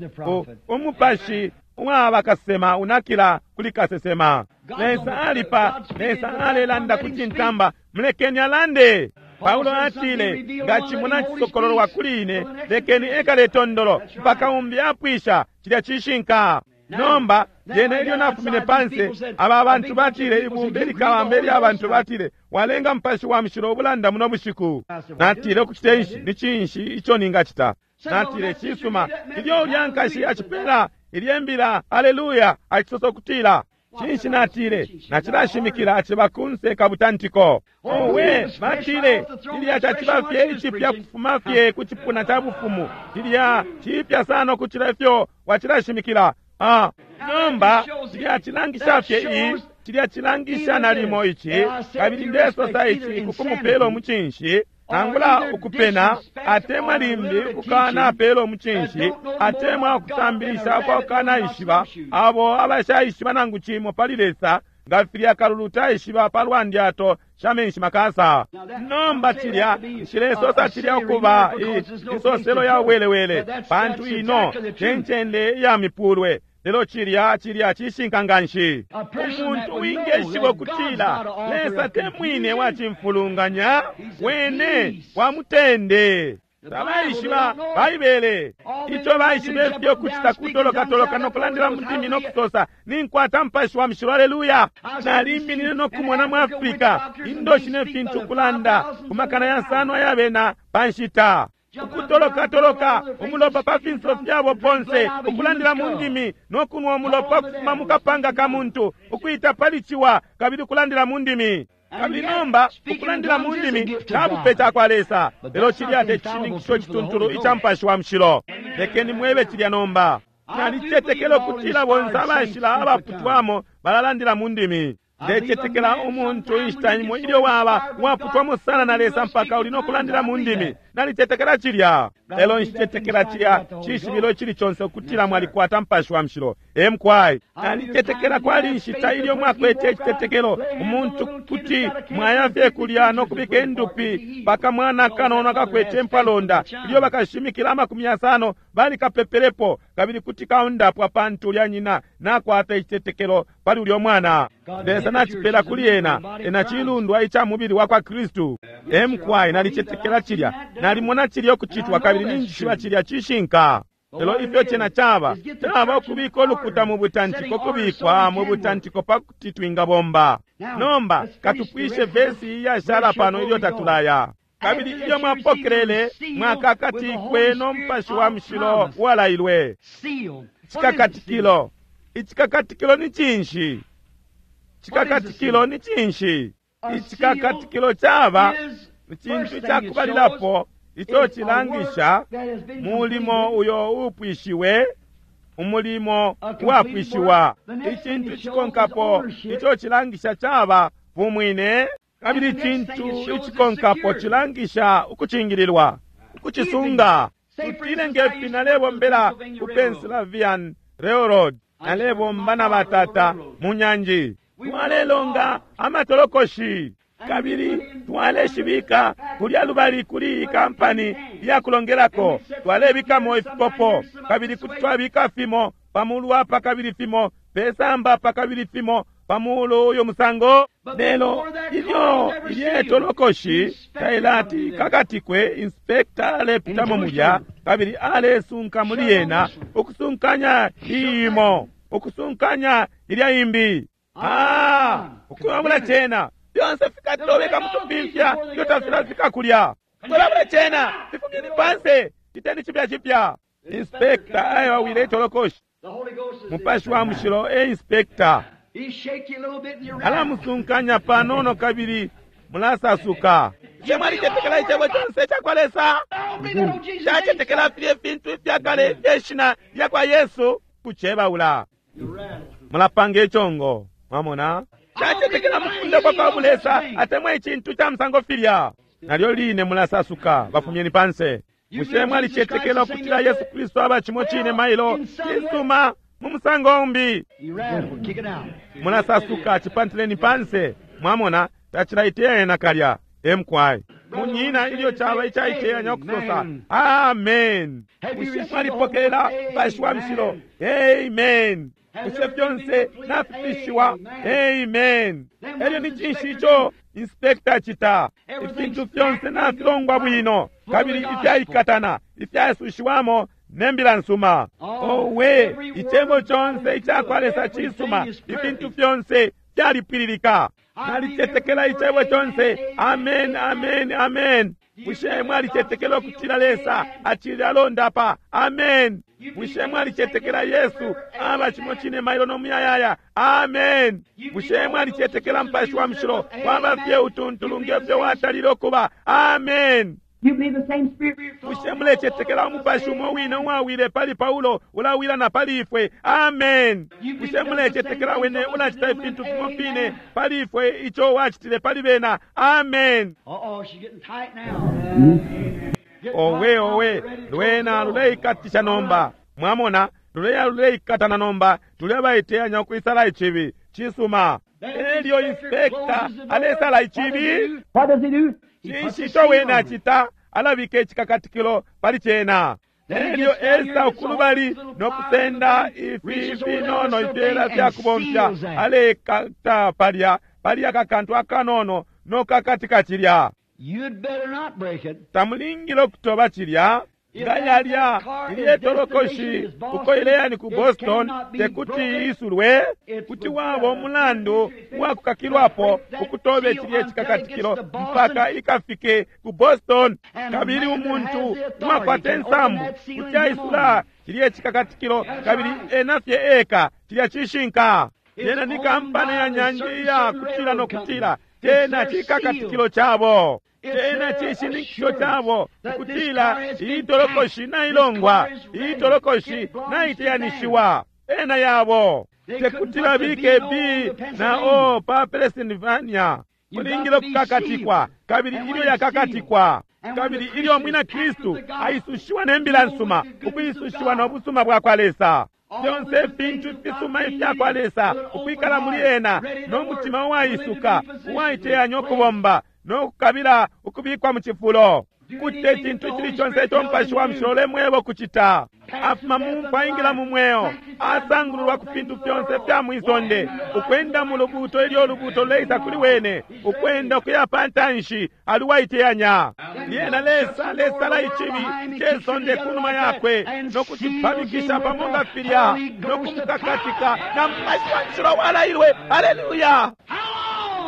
umupashi uwaba kasesema unakila kuli kasesema. Lesa alipa, Lesa alelanda ku cintamba, mulekeni alande. Paulo atile, nga cimuna cisokololwa kuli ine, lekeni ekale tondolo mpaka umbi apwisha. Cilya cishinka. Nomba lyena ilyo nafumine panse, aba bantu batile, ibumba ilikalamba ilya bantu batile, walenga Mupashi wa Mushilo ubulanda muno bushiku. Natile, ukucita inshi? Ni cinshi ico ningacita? Natile, cisuma, ilyo ulya nkashi acipela ilye mbila, haleluya, acisosa ukutila cinshi? Natile, nacilashimikila aciba kunse kabutantiko. Owe, batile, cilya caciba fye icipya kufuma fye ku cipuna ca bufumu, cilya cipya sana ukucila ifyo wacilashimikila. Ah, nomba cilya cilangisha fye i cilya cilangisha nalimo ici, kabili ndesosa ici kukumupela umucinshi, nangula ukupena atemwa limbi ukukanapela umucinshi, atemwa ukusambilisha kwa kukanaishiba, abo abashaishiba nangu cimo pali Lesa, nga filya kalulu taishiba palwa ndyato sha menshi makasa. Nomba cilya nshilesosa cilya ukuba insoselo ya welewele, pantu ino tencende ya mipulwe. Lelo cilya cilya cishinka nganshi. Umuntu wingeshiba ukutila Lesa te mwine wa cimfulunganya, wene wa mutende. Tabaishiba Baibele. Ico baishiba ifyo kucita kutolokatoloka no kulandila mu ndimi no kusosa, ninkwata Mupashi wa Mushilo, haleluya. Naliminine no kumona mu Afrika indoshi ne fintu kulanda ku makana yasano ayabena pa nshita, ukutolokatoloka umulopa pa finso fyabo ponse, ukulandila mu ndimi no kunwa umulopa kufuma mu kapanga ka muntu, ukuita pali ciwa, kabili ukulandila mu ndimi. Kabili nomba ukulandila mu ndimi cabupe cakwa Lesa, lelo cilya te cishininkisho cituntulu ica Mupashi wa Mushilo. Lekeni mwebe cilya nomba. Nalicetekela ukutila bonse abashila abaputwamo balalandila mu ndimi. Ndecetekela umuntu inshita imo ilyo waba waputwamo sana na Lesa mpaka uli no kulandila mu ndimi. Nalicetekela cilya, lelo nshicetekela cilya cishibilo icili conse ukutila mwalikwata Mupashi wa Mushilo. Emkwai, nalicetekela kwali inshita ilyo mwakwete icitetekelo, umuntu kuti mwaya fye kulya no kubika indupi paka mwana kanono akakwete impalonda, ilyo bakashimikila amakumi yasano balikapepelepo, kabili kuti kaundapwa pantu ulya nyina nakwata icitetekelo pali ulyo mwana. Lesa nacipela kuli ena, ena cilundwa ica mubili wa kwa Kristu. Emkwai, nalicetekela cilya, nalimona cilya ukucitwa, kabili ninjishiba cilya cishinka. Lelo ifyo cena caba, caba ukubika ulukuta mu butantiko, kubikwa mu butantiko pakuti twingabomba. Nomba katupwishe vesi iyashala pano ilyo tatulaya. Kabili ilyo mwapokelele, mwakakatikwe no Mupashi wa Mushilo uwalailwe. Cikakatikilo. Icikakatikilo ni cinshi? Cikakatikilo ni cinshi? Icikakatikilo caba icintu cakubalilapo ico cilangisha mulimo uyo upwishiwe, umulimo uwapwishiwa. Icintu cikonkapo ico cilangisha caba bumwine, kabili icintu icikonkapo cilangisha ukucingililwa, ukucisunga. Tutile ngefi nalebombela ku Pennsylvania Railroad, nalebomba na batata mu nyanji, twalelonga amatolokoshi, kabili twaleshibika kulya lubali kuli ikampani iyakulongelako, twalebikamo ifikopo, kabili kuti twabika fimo pamulu apa kabili fimo pesamba apa kabili fimo pamulu uyo musango. Lelo ilyo ilye tolokoshi tailati kakatikwe, inspekta alepitamo mulya kabili alesunka muli yena, ukusunkanya iyimo, ukusunkanya ilya imbi. Ah, ukuyabula cena fyonse fikatobeka mutupimfya ilyo tafilafika kulya. Kulabula cena fifumyeni panse, citeni cipya cipya. Inspekta ayawawile itolokoshi. Mupashi wa Mushilo e inspekta alamusunkanya panono kabili mulasasuka. Bushe mwalicetekela icebo conse icakwa Lesa? Cacetekela filya ifintu ifyakale ifye shina lyakwa Yesu kucebaula. Mulapanga icongo, mwamona? Cacetekela mukunda kwa kwa Bulesa atemwa icintu ca musango filya. Nalyo line mulasasuka, bafumyeni panse. Bushe mwalicetekela ukutila Yesu Kristu aba cimo cine mailo? Cisuma, mu musango umbi. Mulasasuka, cipantileni panse. Mwamona, tacilaiteyanya nakalya. Emkwai munyina ilyo caba icaiteyanya ukusosa amen. Bushe mwalipokelela Mupashi wa Mushilo? Amen. Bushe fyonse nafipishiwa? Amen. Elyo ni cinshi ico inspekta acita? Ifintu fyonse nafilongwa bwino kabili ifyaikatana, ifyasushiwamo ne mbila nsuma. Owe, icebo conse icakwa Lesa cisuma, ifintu fyonse fyalipwililika. Nalicetekela icebo conse. Amen, amen, amen. Bushe mwalicetekela ukutila Lesa acili alondapa? Amen. Bushe mwalicetekela Yesu aba cimo cine mailo no muyayaya? Amen. Bushe mwalicetekela Mupashi wa Mushilo waba fye utuntulu ngefyo watalile ukuba? Amen. Bushe mulecetekela umupashi umo wine uwawile pali Paulo ulawila na pali ifwe? Amen. Bushe mulecetekela wene ulacita ifintu fimo fine pali ifwe ico wacitile pali bena? Amen. Owe, owe, lwena luleikatisha nomba. Mwamona, luleya luleikatana nomba, tulebaiteyanya ukwisala icibi. Cisuma. Elyo inspector alesala icibi. Cinshi ico wene acita? Alabika icikakatikilo pali cena. Elyo esa ukulubali nokusenda ifi finono ifyela fyakubomfya, alekata palya palya kakantu akanono nokakatika cilya. Tamulingile ukutoba cilya. Nga yalya ilye tolokoshi uko ileya ni ku Boston tekuti isulwe, kuti waba umulandu uwakukakilwapo ukutobe cilye cikakatikilo mpaka ikafike ku Boston. Kabili umuntu uwakwata insambu kuti aisula cilye cikakatikilo kabili ena fye eka. Cilya cishinka. Yena ni kampani ya nyanji iya kutila no kutila tena cikakatikilo cabo, tena cishininkisho cabo ukutila iyi tolokoshi nailongwa, iyi tolokoshi naiteyanishiwa. Ena yabo tekutila bike B na O pa Pennsylvania. Kulingile kukakatikwa, kabili ilyo yakakatikwa, kabili ilyo mwina Kristu aisushiwa ne mbila nsuma, ukwisushiwa no busuma bwa kwa Lesa, fyonse ifintu ifisuma ifyakwa Lesa ukwikala muli ena, no mutima uwaisuka uwaiteyanya ukubomba no kukabila ukubikwa mu cifulo. Kucita icintu icili conse ico Mupashi wa Mushilo ulemweba ukucita. Afuma mu mfwa ingila mu mweo, asangululwa ku fintu fyonse fya mwisonde, ukwenda mu lubuuto ilyo ulubuuto luleisa kuli wene, ukwenda ukuya pa ntanshi, ali uwaiteyanya. Lyena Lesa alesala icibi ce sonde kunuma yakwe no kucipamikisha pamo nga filya no kumukakatika na Mupashi wa Mushilo walailwe. Haleluya!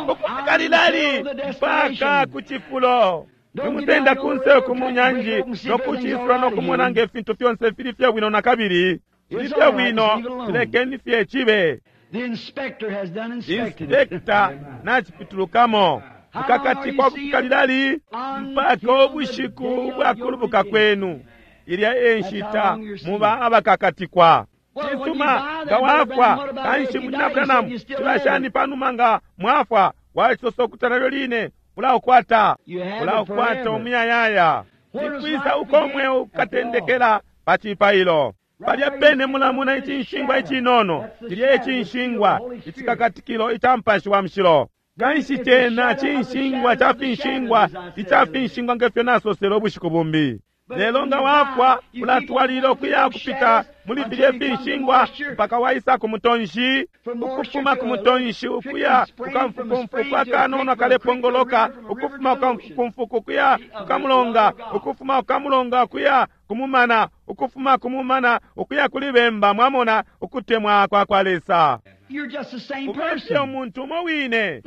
Ukufika lilali? Mpaka ku cifulo. Nimusenda kunse ku nyanji nokucisula nokumona nge fintu fyonse fili fye bwino na kabili. Fili fye bwino, tulekeni fye cibe. Inspector nacipitulukamo. Mukakatikwa kufika lilali? Mpaka ubushiku bwakulubuka kwenu. Ilya e nshita muba abakakatikwa. Cisuma, nga wafwa kanshi munyina Branham, cilashani panuma nga mwafwa wacisosa ukuti nalyo line ulaukwata, ulaukwata umuyayaya. Nikwisa uko mweo ukatendekela? Pa cipailo. Palya pene mulamuna icinshingwa icinono, cilya icinshingwa icikakatikilo ica Mupashi wa Mushilo. Kanshi cena cinshingwa ca finshingwa ica finshingwa ngefyo nasosele ubushiku bumbi. Lelo nga wafwa ulatwalilila ukuya kupita muli filye finshingwa mpaka waisa ku mutonshi, ukufuma ku mutonshi ukuya kukamfukumfuku akanono akalepongoloka, ukufuma kukamfukumfuku ukuya kukamulonga, ukufuma kukamulonga ukuya kumumana, ukufuma kumumana ukuya kuli bemba. Mwamona ukutemwa kwa kwa Lesa. Ubefye umuntu umo wine.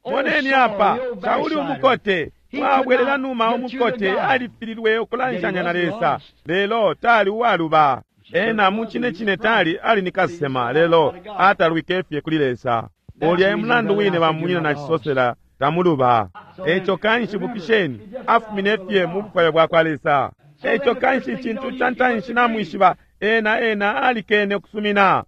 Moneni apa Sauli umukote wabwelela numa umukote alifililwe ukulanshanya na Lesa, lelo tali uwaluba. Ena mucine cine tali ali ni kasesema, lelo atalwike fye kuli Lesa. Ulya e mulandu wine bamunyina na cisosela tamuluba. Eco kanshi bukisheni, afumine fye mu bufwayo bwa kwa Lesa. Eco kanshi icintu ca ntanshi namwishiba, ena ena alikene ukusumina.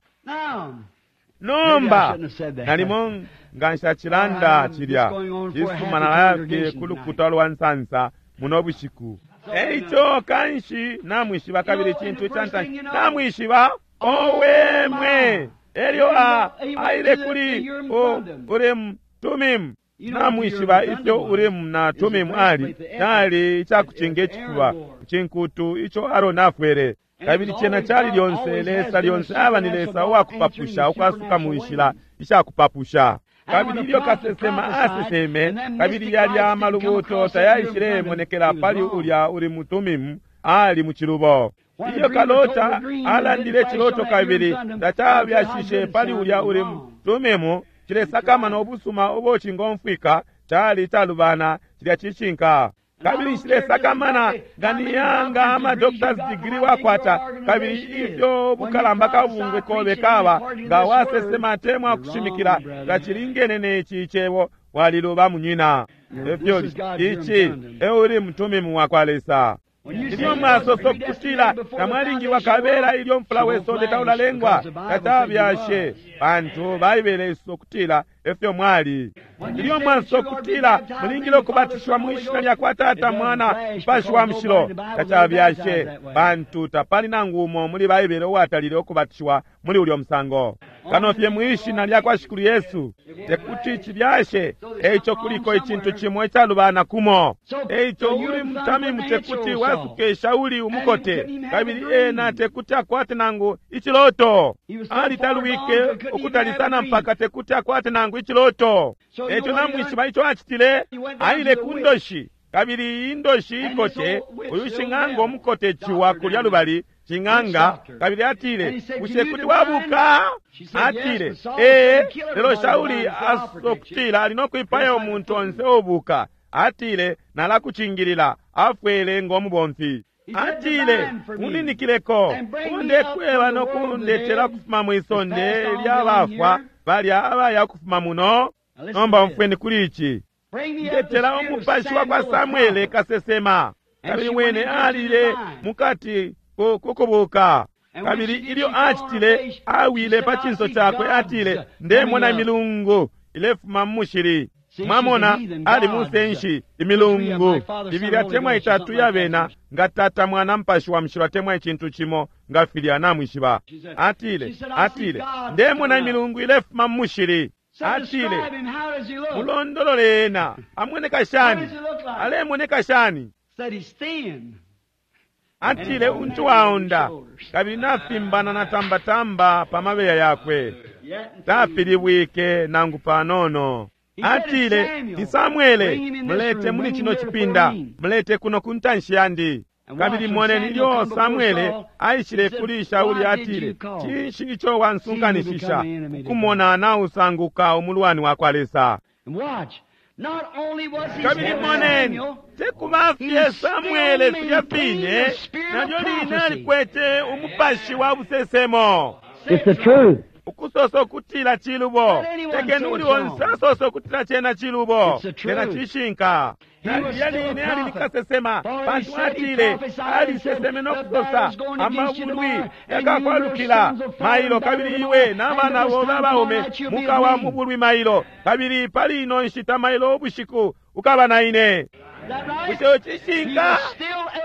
Nomba nalimo nga nshacilanda cilya cisuma nalaya ku lukuta lwa nsansa muno bushiku. Eico kanshi namwishiba, kabili icintu ca ntanshi namwishiba, owe mwe, elyo a aile kuli Urimu Tumimu. Namwishiba ifyo Urimu na Tumimu ali cali icakucinga icifuba cinkutu ico Aroni afwele. Kabili cena cali lyonse Lesa lyonse aba ni Lesa uwakupapusha ukwasuka mu nshila ishakupapusha. Kabili ilyo kasesema aseseme, kabili yalya amalubuto tayaishilemonekela pali ulya Urimu Tumimu, ali mu cilubo. Ilyo kalota alandile ciloto kabili tacabyashishe pali ulya Urimu Tumimu, cilesakamana ubusuma ubo cingomfwika cali calubana cilya cishinka. Kabili nshilesakamana nga niyanga ama doctor's degree wakwata, kabili ifyo bukalamba kabungwe kobe kaba nga wasesema atemwa kushimikila tacilingene neci cebo, waliluba munyina. Efyo ici e Urimu Tumimu wakwa Lesa. Ilyo mwasosa ukutila tamwalingiwa kabela ilyo mfula wesonde taulalengwa, tatabyashe pantu Baibele isosa ukutila efyo mwali. Ilyo mwasosa ukutila mulingile ukubatishiwa mu ishina lya kwa Tata, Mwana, Mupashi wa Mushilo, tacabyashe pantu tapali nangu umo muli Baibele uwatalile ukubatishiwa muli ulyo musango, kano fye mu ishina lya kwa Shikulu Yesu. Tekuti cibyashe. Eico kuliko icintu cimo icalubana kumo. Eico Urimu Tumimu tekuti wasuke Shauli umukote, kabili ena tekuti akwate nangu iciloto. Alitalwike ukutali sana mpaka tekuti akwate nangu iciloto. Eico namwishiba ico acitile? Aile ku ndoshi, kabili indoshi ikote, uyu shing'anga umukote ciwa kulya lubali shing'anga, kabili atile, bushe kuti wabuka? Atile, ee, lelo Shauli asokutila ali nokwipaya umuntu onse ubuka. Atile, nalakucingilila. Afwele ng'omubomfi. Atile, uninikileko, undekweba nokundetela kufuma mwisonde lyabafwa balya abaya kufuma muno. Nomba umfweni kuli ici. Ndetela umupashi wa kwa Samwele kasesema. Kabili wene alile mukati kukubuka. Kabili ilyo acitile, awile pa cinso cakwe, atile, ndemona imilungu ilefuma mu mushili. Mwamona, ali musenshi imilungu ibili atemwa itatu yabena nga Tata, Mwana, Mupashi wa Mushilo, atemwa icintu cimo nga filya namwishiba. Atile, atile, ndemona imilungu ilefuma mu mushili. Atile, mulondolole ena, amoneka shani? Alemoneka shani? Atile, untu waonda, kabili nafimbana na tambatamba pa mabeya yakwe, tafilibwike nangu panono. Atile, ni Samwele, mulete muli chino chipinda, mulete kuno ku ntanshi yandi. Kabili moneni ilyo Samwele aishile kuli Shauli, atile, cinshi ico wansunkanishisha ukumona nausanguka umulwani wa kwa Lesa? Kabili moneni, tekuba fye Samwele filya fine, nalyo line alikwete umupashi wa busesemo. It's the truth. Ukusosa ukutila cilubo, tekeni uli onse asosa ukutila cena cilubo, cena cishinka. Nalya line ali nikasesema, pantu atile aliseseme nokusosa amabulwi yakakwalukila mailo, kabili iwe n'abana bobe abaume mukawa mu bulwi mailo, kabili pali ino nshita mailo ubushiku ukaba na ine. Bushe cishinka?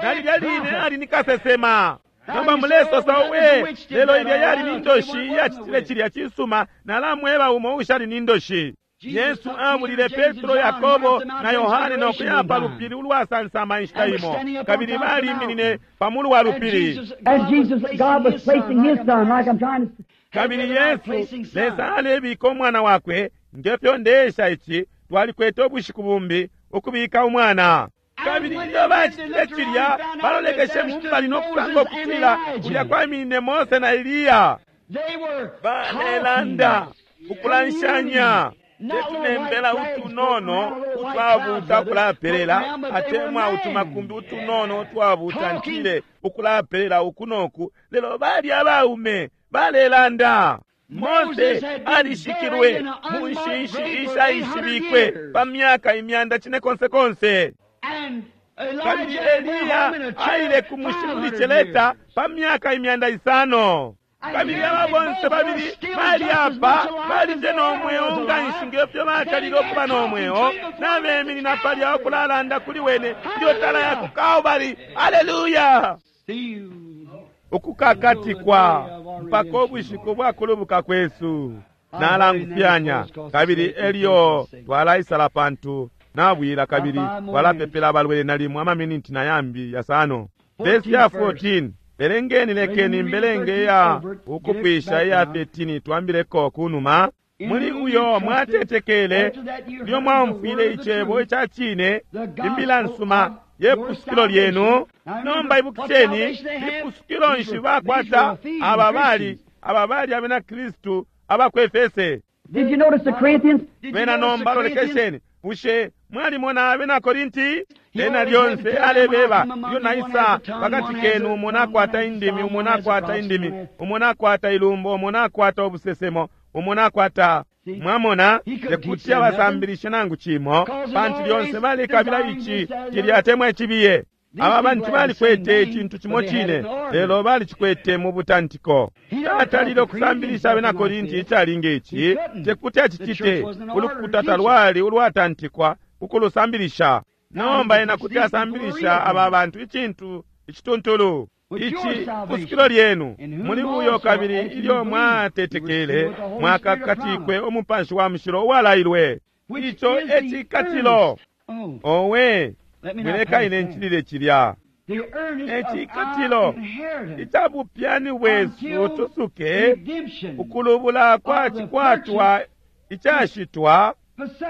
Nalya line ali nikasesema. Nomba mulesosa uwe, lelo ilya yali ni ndoshi iyacitile cilya cisuma, nalamweba umo ushali ni ndoshi. Yesu abulile Petro, Yakobo na Yohane nokuya pa lupili ulwasansama inshita imo, kabili baliminine pa mulu wa lupili. Kabili Yesu, Lesa alebika umwana wakwe, ngefyo ndeesha ici, twalikwete ubushiku bumbi ukubika umwana. Kabili ilyo bacitile cilya, balolekeshe mu mbali nokusanga ukutila kulya kwaminine Mose na Eliya. Balelanda ukulanshanya, tetunembela utunono utwabuta ukulapelela, atemwa utumakumbi utunono utwabuta ntile ukulapelela uku noku, lelo bali abaume balelanda. Mose alishikilwe mu nshinshi ishaishibikwe pa myaka imyanda cine konse konse. Kabili Eliya aile ku mushi kuli celeta pa myaka imyanda isano. Kabili aba bonse babili bali apa balije n'omweo nga nshi ngefyo batalile okuba n'omweo, nabeminina palya okulalanda kuli wene ilyo tala ya ku Kalvari. Aleluya! Ukukakatikwa mpaka ubushiku bwakulubuka kwesu. Nalangufyanya kabili elyo twalaisala pantu nabwila, kabili twalapepela abalwele nalimo amaminiti na yambi yasano. Vesi ya fourteen, belengeni, lekeni mbelenge ya ukupwisha iya thirteen, twambileko kunuma. Muli uyo mwatetekele, ilyo mwaumfwile icebo ica cine, imbila nsuma Ye pusukilo lyenu. Nomba ibukisheni, lipusukilo nshi bakwata aba bali aba bali abena Kristu aba ku Efese. Did you notice the Corinthians? Bena nomba lolekesheni, bushe mwalimona abena Korinti? Ena lyonse alebeba, ilyo naisa pakati kenu, umo nakwata indimi, umo nakwata indimi, umo nakwata ilumbo, umo nakwata ubusesemo, umo nakwata. Mwamona, tekuti abasambilishe nangu cimo, pantu lyonse balikabila ici cilya atemwa icibiye. Aba bantu balikwete icintu cimo cine, lelo balicikwete mu butantiko. Tatalile ukusambilisha abena Korinti icalinga ici, tekuti acicite. Ulukuta talwali ulwatantikwa ukulusambilisha. Nomba ena kuti asambilisha aba bantu icintu icituntulu. Ici pusukilo lyenu muli uyo, kabili ilyo mwatetekele mwakakatikwe umupashi wa mushilo uwalailwe. Ico ecikatilo. Owe, mwileka ine ncilile cilya. Ecikatilo icabupyani bwesu tusuke ukulubula kwa cikwatwa icashitwa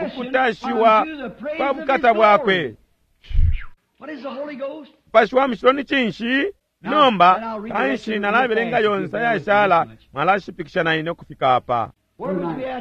ukutashiwa kwa bukata bwakwe. Mupashi wa mushilo ni cinshi? Nomba kanshi nalabelenga yonse ayashala, mwalashipikisha na ine ukufika apa.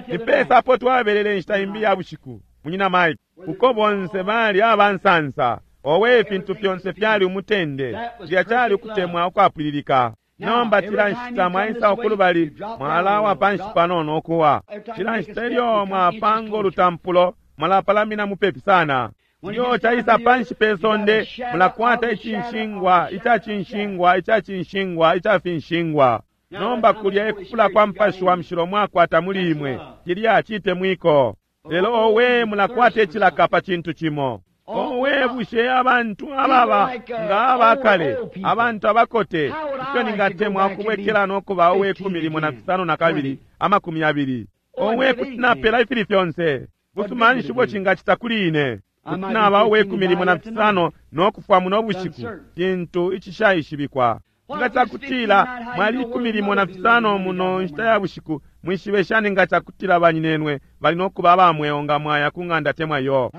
Nipesa apo twabelele inshita imbi ya bushiku, munyina Mike, uko bonse bali abansansa. Owe, ifintu fyonse fyali umutende, cilya cali ukutemwa ukwapwililika. Nomba cila nshita mwaisa ukulubali, mwalawa panshi panono ukuwa. Cila nshita ilyo mwapanga ulutampulo, mwalapalamina mupepi sana. Ilyo caisa panshi pe sonde, mulakwata icinshingwa, icacinshingwa, icacinshingwa, icafinshingwa. Nomba kulya ekufula kwa mupashi wa mushilo mwakwata muli imwe, cilya citemwiko. Lelo owe, mulakwata icilaka pa cintu cimo. Owe, bushe abantu ababa nga abakale, abantu abakote, ifyo ningatemwa ukubwekela nokuba uwe kumi limo na fisano na kabili, amakumi abili. Owe, kuti napela ifili fyonse. Busuma nshi ubo cingacita kuli ine? Kuti naba uwe kumi limo na fisano nokufwa muno bushiku, cintu icishaishibikwa. Nga cakutila mwali ikumi limo na fisano muno nshita ya bushiku, mwishibe shani nga cakutila banyinenwe bali nokuba abamweo nga mwaya ku ng'anda temwa yo?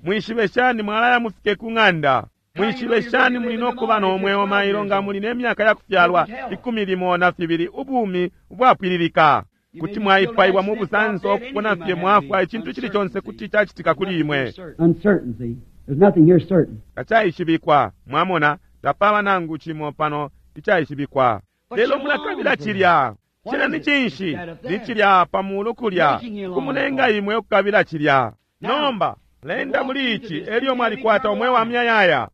Mwishibe shani mwalaya mufike ku ng'anda? Mwishibe shani muli nokuba nomweo mailo nga muli nemyaka ya kufyalwa ikumi limo na fibili, ubumi ubwapwililika? Kuti mwaipaiwa mu busanso okupona fye mwafwa, icintu cili conse kuti cacitika kuli imwe. Tacaishibikwa, mwamona, tapaba nangu cimo pano icaishibikwa. Lelo mulakabila cilya. Cena ni cinshi? Ni cilya pamulu kulya, kumulenga imwe ukukabila cilya. Nomba lenda muli ici, elyo mwalikwata umweo wa muyayaya.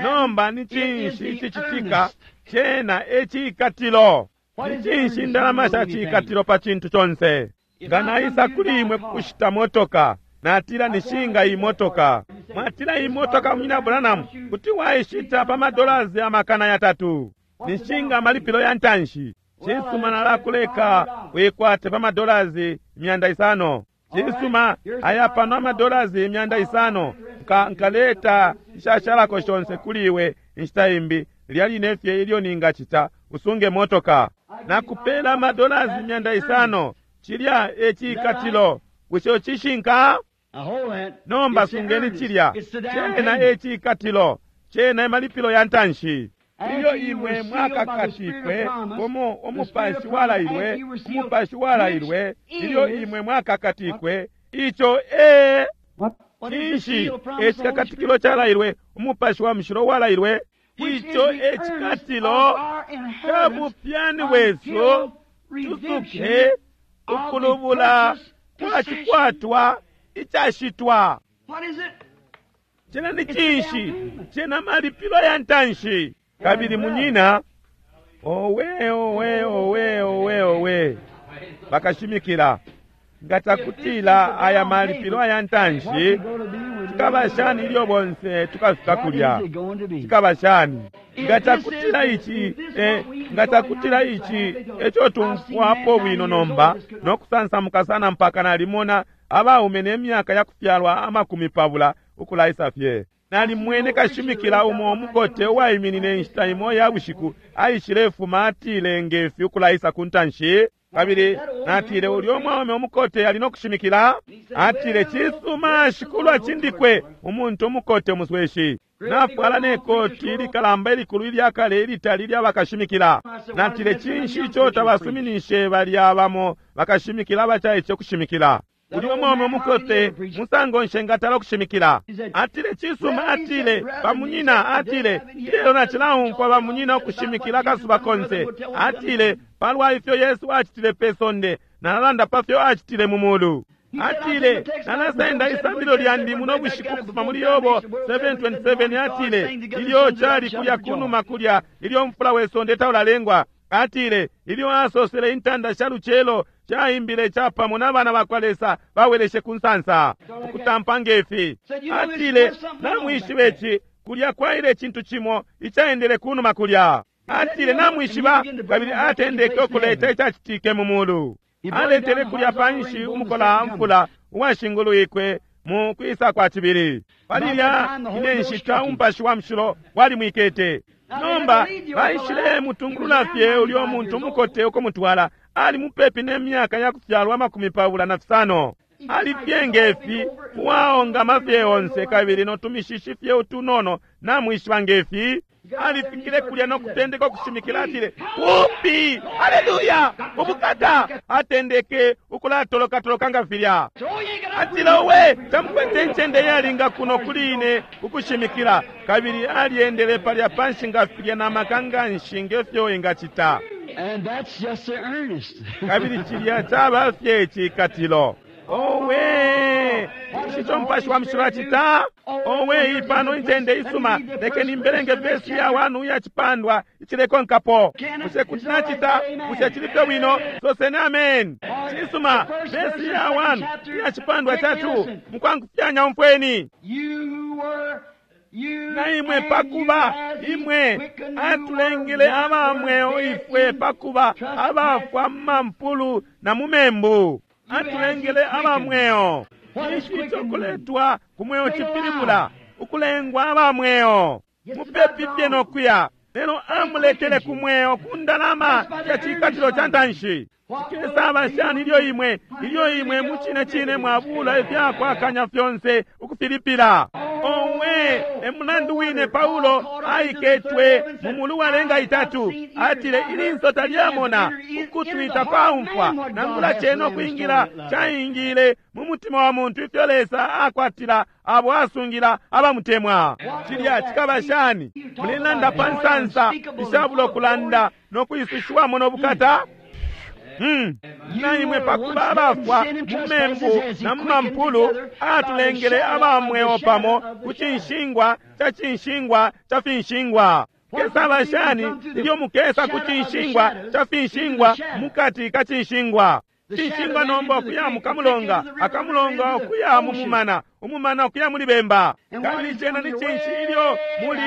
Nomba ni cinshi icicitika? Cena ecikatilo. Ni cinshi indalama sha cikatilo pa cintu conse? Nga naisa kuli imwe kukushita motoka, natila nishinga iyi motoka. Mwatila iyi motoka, munyina Branham, kuti waishita pa madolasi amakana yatatu. Nishinga amalipilo ya ntanshi. Cisuma, nalakuleka wikwate pa madolasi imyanda isano. Cisuma, aya pano amadolasi imyanda isano. Nka, nkaleta ishashalako shonse kuli iwe inshita imbi, lya line fye ilyo ningacita, usunge motoka. Nakupela amadolasi imyanda isano. Cilya ecikatilo. Bushe ucishinka? Nomba sungeni cilya. Cena ecikatilo. Cena emalipilo ya ntanshi. Ilyo imwe mwakakatikwe umu umupashi walailwe, umupashi walailwe, ilyo imwe mwakakatikwe, ico e cinshi ecikakatikilo calailwe, umupashi wa mushilo walailwe, ico ecikatilo ca bupyani bwesu tusuke ukulubula kwa cikwatwa icashitwa. Cena ni cinshi? Cena malipilo ya ntanshi. Kabili munyina, owe owe owe owe owe, bakashimikila nga cakutila aya malipilo aya ntanshi, cikaba shani ilyo bonse tukafika kulya? Cikaba shani nga cakutila ici eh, nga cakutila ici eco tumfwapo bwino nomba nokusansamuka sana mpaka nalimona abaume nemyaka yakufyalwa amakumi pabula ukulaisa fye. Nalimwene kashimikila umo umukote uwaiminine inshita imo ya bushiku, aishile fuma atile ngefi ukulaisa ku ntanshi. Kabili natile, ulyo mwaume umukote ali no kushimikila. Atile, cisuma, shikulu acindikwe, umuntu umukote umusweshi, nafwala ne koti ilikalamba ilikulu ilyakale ilitali ilya bakashimikila. Natile, cinshi ico tabasuminishe balya bamo bakashimikila abacaice ukushimikila? Ulyo mwaume umukote musango nshengatala ukushimikila. Atile, cisuma, atile, bamunyina, atile, ilelo nacilaumfwa bamunyina ukushimikila akasuba konse. Atile, palwa ifyo Yesu acitile pe sonde, nalalanda pa fyo acitile mu mulu. Atile, nalasenda isambilo lyandi muno bushiku kufuma muli Yobo seven twenty-seven. Atile, ilyo cali kulya kunuma kulya, ilyo mfula we sonde taulalengwa. Atile, ilyo asosele intanda sha lucelo chaimbile chapamo n'abana bakwa Lesa baweleshe ku nsansa ukutampa ngefi. Atile, namwishiba ici, kulya kwaile icintu cimo icaendele kunuma kulya. Atile, namwishiba, kabili atendeke ukuleta icacitike mu mulu. Aletele kulya panshi umukola mfula uwashingulwikwe mu kwisa kwa cibili. Palilya ine nshita umupashi wa mushilo walimwikete. Nomba baishile mutungulula fye ulyo muntu umukote ukumutwala. Ali mupepi ne myaka ya kufyalwa makumi pabula na fisano. Ali fye ngefi uwaongama fye onse kabili notumishishi fye utunono namwishiba ngefi. Alifikile kulya no kutendeka ukushimikila. Atile, upi, haleluya, ubukata. Atendeke ukulatolokatoloka nga filya. Atile, owe, tamukwete incende yalinga kuno kuli ine ukushimikila. Kabili aliendele palya panshi nga filya na maka nga nshi ngefyo engacita. And that's just the earnest. Kabili cilya caba fye cikatilo. Owe, ici mupashi wa mushilo acita. Owe, ipano incende isuma. Lekeni mbelenge vesi ya wanu ya chipandwa icilekonkapo. Bushe kuti nacita? Bushe cili fye bwino? Soseni amen. Cisuma, vesi ya wanu ya chipandwa chatu mukwangufyanya umfweni. Na imwe pakuba imwe atulengele abamweo ifwe pakuba abafwa mampulu na mumembu. Atulengele abamweo. Ici icokuletwa ku mweo cipilibula ukulengwa abamweo. Mupepi fye nokuya, lelo amuletele ku mweo ku ndalama ya cikatilo ca ntanshi. Cikesaba shani ilyo imwe ilyo imwe mu cine cine mwabula ifyakwakanya fyonse ukufilipila? Owe, emulandu wine Paulo aiketwe mu mulu walenga itatu. Atile, ilinso talyamona, ukutwita kwaumfwa, nangula cene ukwingila caingile mu mutima wa muntu ifyo Lesa akwatila abo asungila abamutemwa. Cilya cikaba shani? Mulelanda pa nsansa ishabula ukulanda no kwisushiwamo no bukata. Hmm. Na imwe pakuba abafwa mu membu na mu mampulu atulengele abamweo pamo ku cinshingwa ca cinshingwa ca finshingwa. Kesaba shani ilyo mukesa ku cinshingwa ca finshingwa mukati ka cinshingwa? Cinshingwa nomba okuya mu kamulonga, akamulonga okuya mu mumana, umumana okuya muli bemba. Kabili cena ni cinshi ilyo muli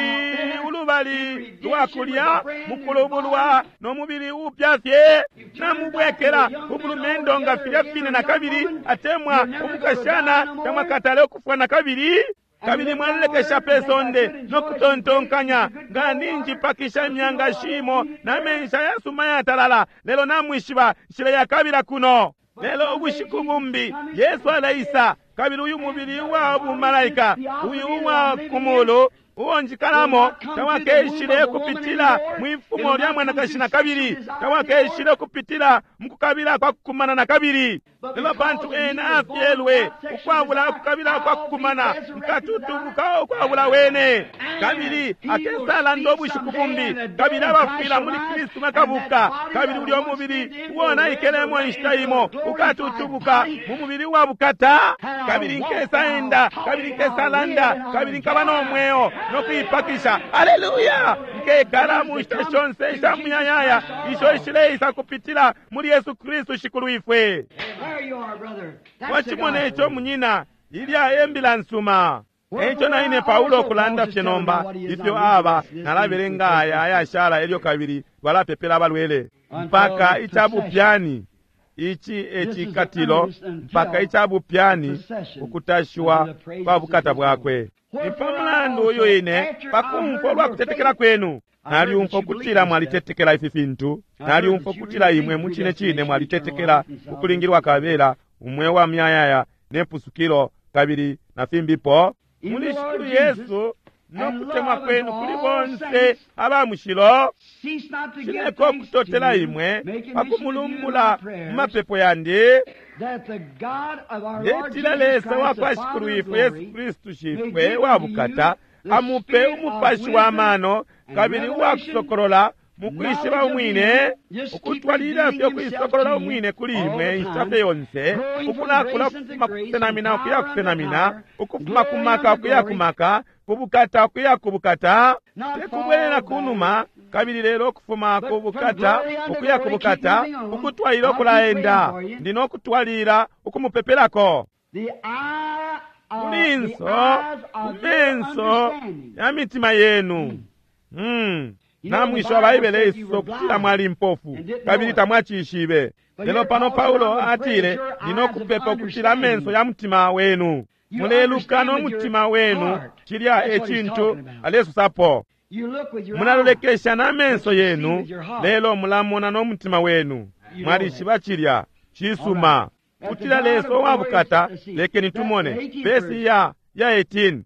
ulubali lwa kulya mukulubulwa no mubili upya fye? Namubwekela ubulumendo nga filya fine na kabili, atemwa umukashana tamwakatale ukufwa na kabili. Kabili mwalilekesha pe sonde no kutontonkanya nga ninjipakisha imyanga shimo na menshi ayasuma yatalala, lelo namwishiba nshila yakabila kuno. Lelo ubushiku bumbi Yesu alaisa, kabili uyu mubili uwa bumalaika, uyu uwa kumulu uwo njikalamo tawakeshile kupitila mwifumo lya mwanakashi na kabili, tawakeshile kupitila mukukabila kwa kukumana na kabili. Lelo pantu ena afyelwe ukwabula ukukabila kwa kukumana, nkatutubuka ukwabula wene. Kabili akesalanda ubushiku bumbi, kabili abafwila muli Kristu bakabuka, kabili ulyo mubili uwonaikelemo inshita imo ukatutubuka mu mubili wa bukata. Kabili nkesaenda, kabili nkesalanda, kabili nkaba no mweo no kuipakisha. Haleluya! Nkekala mu nshita shonse isha muyayaya isho ishileisa kupitila muli Yesu Kristu Shikulu ifwe. Wacimona ico munyina, ilya embila nsuma. Eico na ine Paulo kulanda fye nomba ifyo aba nalabelenga aya ayashala elyo kabili balapepela abalwele mpaka icabupyani ici ecikatilo, mpaka icabupyani ukutashiwa kwa bukata bwakwe. Ni pa mulandu uyu ine pakumfwa ulwa kutetekela kwenu. Nalyumfwa ukutila mwalitetekela ifi fintu. Nalyumfwa ukutila imwe mucine cine mwalitetekela ukulingilwa kabela, umweo wa myayaya nepusukilo, kabili na fimbipo muli Shikulu Yesu no kutemwa kwenu kuli bonse aba mushilo. Nshileka ukutotela imwe pa kumulumbula mu mapepo yandi. Ndetila Lesa wa kwa Shikulu ifwe Yesu Kristu Shifwe wa bukata amupe umupashi wa mano kabili uwa kusokolola mukwishiba umwine, ukutwalilila fye ukuisokolola umwine kuli imwe inshita fye yonse, ukulakula ukufuma kukusenamina ukuya kusenamina, ukufuma ku maka ukuya ku maka, ku bukata ukuya ku bukata, tekubwelela kunuma kabili lelo ukufuma ku bukata ukuya ku bukata, ukutwalila ukulaenda. Ndi no kutwalila ukumupepelako kulinso kumenso ya mitima yenu. Mm. Namwishiba Baibele isosa ukutila mwali mpofu kabili tamwacishibe. Lelo pano Paulo atile, ndino kupepa ukutila amenso ya mutima wenu muleluka no mutima wenu. Cilya e cintu alesosapo. Mulalolekesha na menso yenu, lelo mulamona no mutima wenu. Mwalishiba cilya cisuma. Kutila Lesa wa bukata, lekeni tumone vesi ya ya eighteen.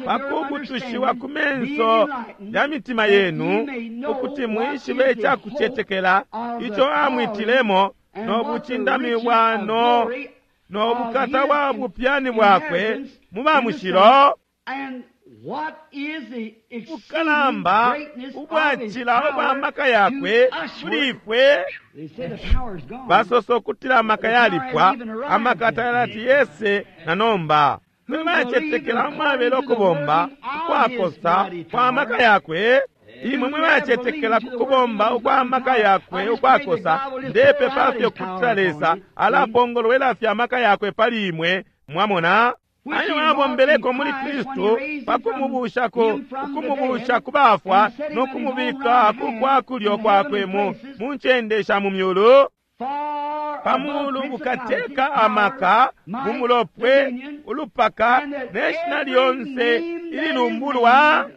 Pakubutushiwa ku menso ya mitima yenu, ukuti mwishibe icakucetekela ico amwitilemo, no bucindami bwa no no bukata bwa bupyani bwakwe mu ba mushilo, bukalamba ubwacila ubwa maka yakwe kuli ifwe. Basosa ukutila amaka yalipwa, amaka tayalati yese na nomba. Mwe bacetekela mwabela ukubomba ukwakosa kwa maka yakwe. Imwe mwe bacetekela kukubomba ukwa maka yakwe ukwakosa, ndepepa fye ukutila Lesa alapongolwela fye amaka yakwe pali imwe. Mwamona ayo abombeleko muli Kristu pakumubusha ku ukumubusha ku bafwa no kumubika ku kwa kulyo kwakwe mu mu ncende sha mu myulu, pamulu bukateka amaka, bumulopwe, ulupaka ne shina lyonse ililumbulwa.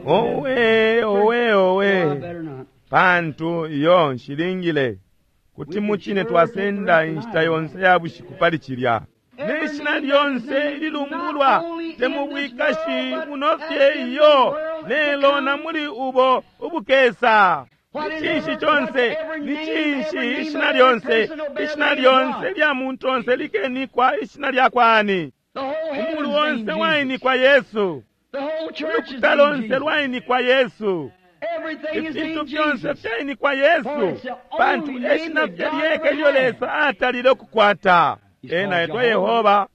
Owe, owe, owe, pantu iyo nshilingile kuti mucine twasenda inshita yonse ya bushiku pali cilya. Ne shina lyonse ililumbulwa te mu bwikashi buno fye iyo, lelo na muli ubo ubukesa. Ni cinshi conse, ni cinshi ishina lyonse, ishina lyonse lya muntu onse likenikwa ishina lya kwani. Umulu onse wainikwa Yesu, ulukuta lonse lwainikwa Yesu, ifintu fyonse fyainikwa Yesu, pantu eshina fye lyeka ilyo Lesa atalile ukukwata. Ena etwa Yehova,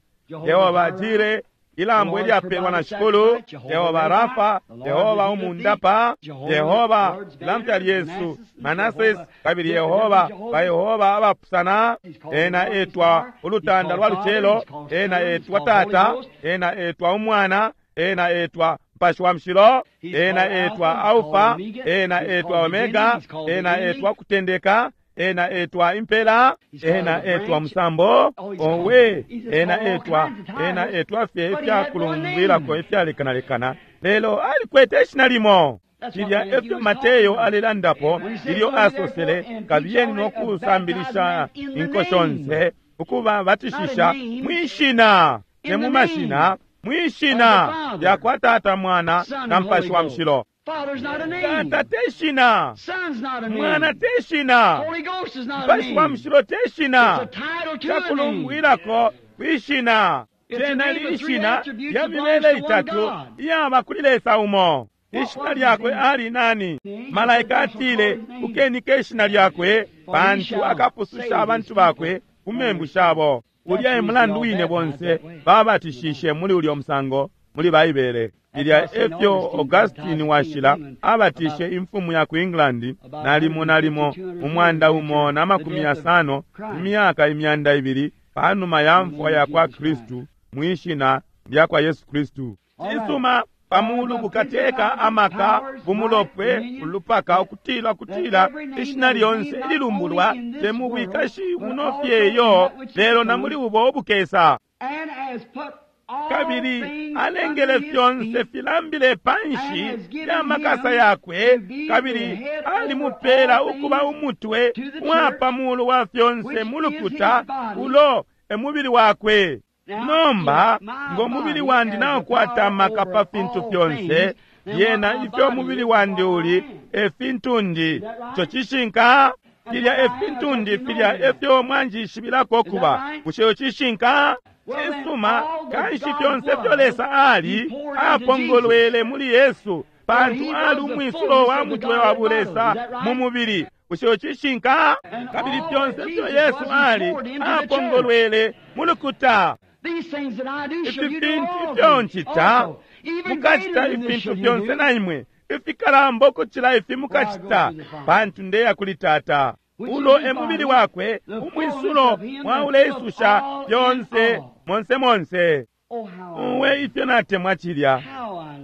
Yehova Jire, ilambo ilyapelwa na Shikulu, Yehova Rafa, Yehova umundapa, Yehova ilamfya lyesu Manases, kabili Yehova ba Yehova abapusana. Ena etwa ulutanda lwa lucelo, ena etwa Tata, ena etwa Umwana, ena etwa Mpashi wa Mushilo, ena etwa Alfa, ena etwa Omega, ena etwa Kutendeka, ena etwa Impela, ena etwa Musambo. Owe, ena etwa, ena etwa fye ifyakulumbwilako ifyalekanalekana, lelo alikwete ishina limo. Cilya efyo Mateyo alelandapo ilyo asosele, kabiyeni no kusambilisha inko shonse, ukubabatishisha mwishina, te mu mashina, mwishina lya kwa Tata, Mwana na Mpashi wa Mushilo. Tata te shina, Mwana te shina, Mpashi wa Mushilo te shina, cakulumbwilako kwishina. Cena lishina lya mibele itatu iyaba kuli Lesa umo. Ishina lyakwe ali nani? Malaika atile, ukenike ishina lyakwe, pantu akapususha abantu bakwe ku membu shabo. Ulya e mulandu wine bonse babatishishe muli ulyo musango muli Baibele. Ilya efyo Augustine washila abatishe imfumu ya ku England nalimo nalimo umwanda umo na makumi yasano imyaka imyanda ibili panuma ya mfwa ya kwa Kristu mwishina lya kwa Yesu Kristu. Cisuma pamulu bukateka amaka, bumulopwe, ulupaka, ukutila kutila ishina lyonse ililumbulwa te mu bwikashi buno fye iyo, lelo na muli ubo ubukesa. Kabili alengele fyonse filambile panshi ya makasa yakwe, kabili alimupela ukuba umutwe wa pamulu wa fyonse mulukuta ulo emubili wakwe. Nomba ngo mubili wandi naukwata amaka pa fintu fyonse, yena ifyo mubili wandi uli efintu ndi. Ico cishinka? Filya efintu ndi, filya efyo mwanjishibilako kuba. Bushe cishinka? Cisuma, kanshi fyonse fyo Lesa ali apongolwele muli Yesu, pantu ali umwisulo wa mutwe wa bulesa mu mubili. Bushe cishinka? Kabili fyonse fyo Yesu ali apongolwele mu lukuta. Ifi fintu ifyo ncita, mukacita ifintu fyonse na imwe, ifikalamba ukucila ifi mukacita, pantu ndeya kuli Tata. Ulo emubili wakwe, umwisulo mwauleisusha fyonse monse monse. Uwe ifyo natemwa cilya,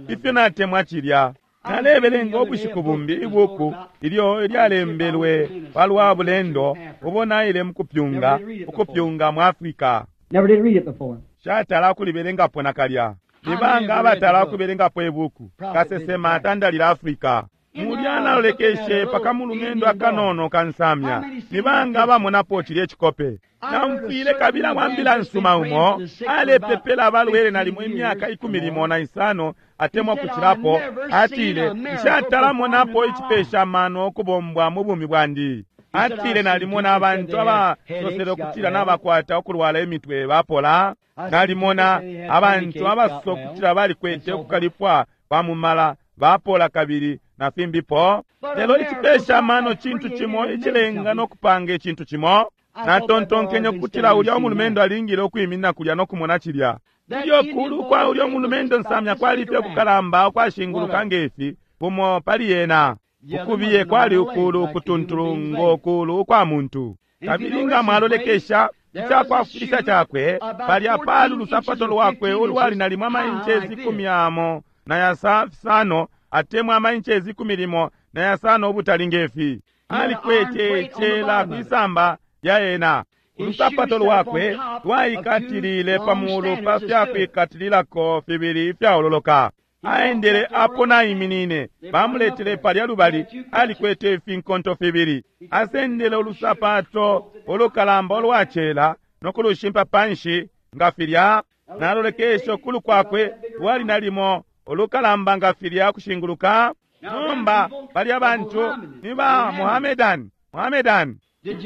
ifyo natemwa cilya. Nalebelenga ubushiku bumbi ibuku ilyo lyalembelwe palwa bulendo ubo naile mukupyunga, ukupyunga mu Afrika. Shatala kulibelengapo nakalya. Nibanga abatala kubelengapo ibuku kasesema atandalila Afrika. Mulya nalolekeshe pakamulumendo akanono kansamya. Nibanga abamonapo cilye cikope. Namfwile kabila wambila nsuma umo alepepela abalwele nalimo imyaka ikumi limo na isano atemwa kucilapo. Atile, nshatalamonapo icipesha mano okubombwa mu bumi bwandi. Atile nalimona abantu abasosele ukutila nabakwata ukulwala imitwe bapola. Nalimona abantu abasosa ukutila balikwete ukukalipwa kwa mumala bapola kabili na fimbipo. Lelo icipesha mano cintu cimo icilenga nokupanga icintu cimo. Natontonkenye ukutila ulya umulumendo alingile ukwiminina kulya nokumona cilya. Ilyo kulu kwa ulya umulumendo nsamya kwalifye kukalamba ukwashinguluka ngefi kumo pali yena. Ukubiye kwali ukulu ukutuntulu ngo kulu ukwa muntu. Kabili nga mwalolekesha icakwafwilisha cakwe, palya pali ulusapato lwakwe ulwali nalimo amainchezi ikumi amo na yasano atemwa amainchezi ikumi limo na yasano ubutali ngefi. Alikwete icela kwisamba lya ena. Ulusapato lwakwe lwaikatilile pamulu pa fyakwikatililako fibili ifyaololoka. Aendele apo naiminine, bamuletele palya lubali, alikwete ifinkonto fibili. Asendele ulusapato ulukalamba ulwacela nokulushimpa panshi nga filya. Nalolekesha ukulu kwakwe lwali nalimo ulukalamba nga filya kushinguluka. Nomba balya bantu ni ba Muhammedan, Muhammedan.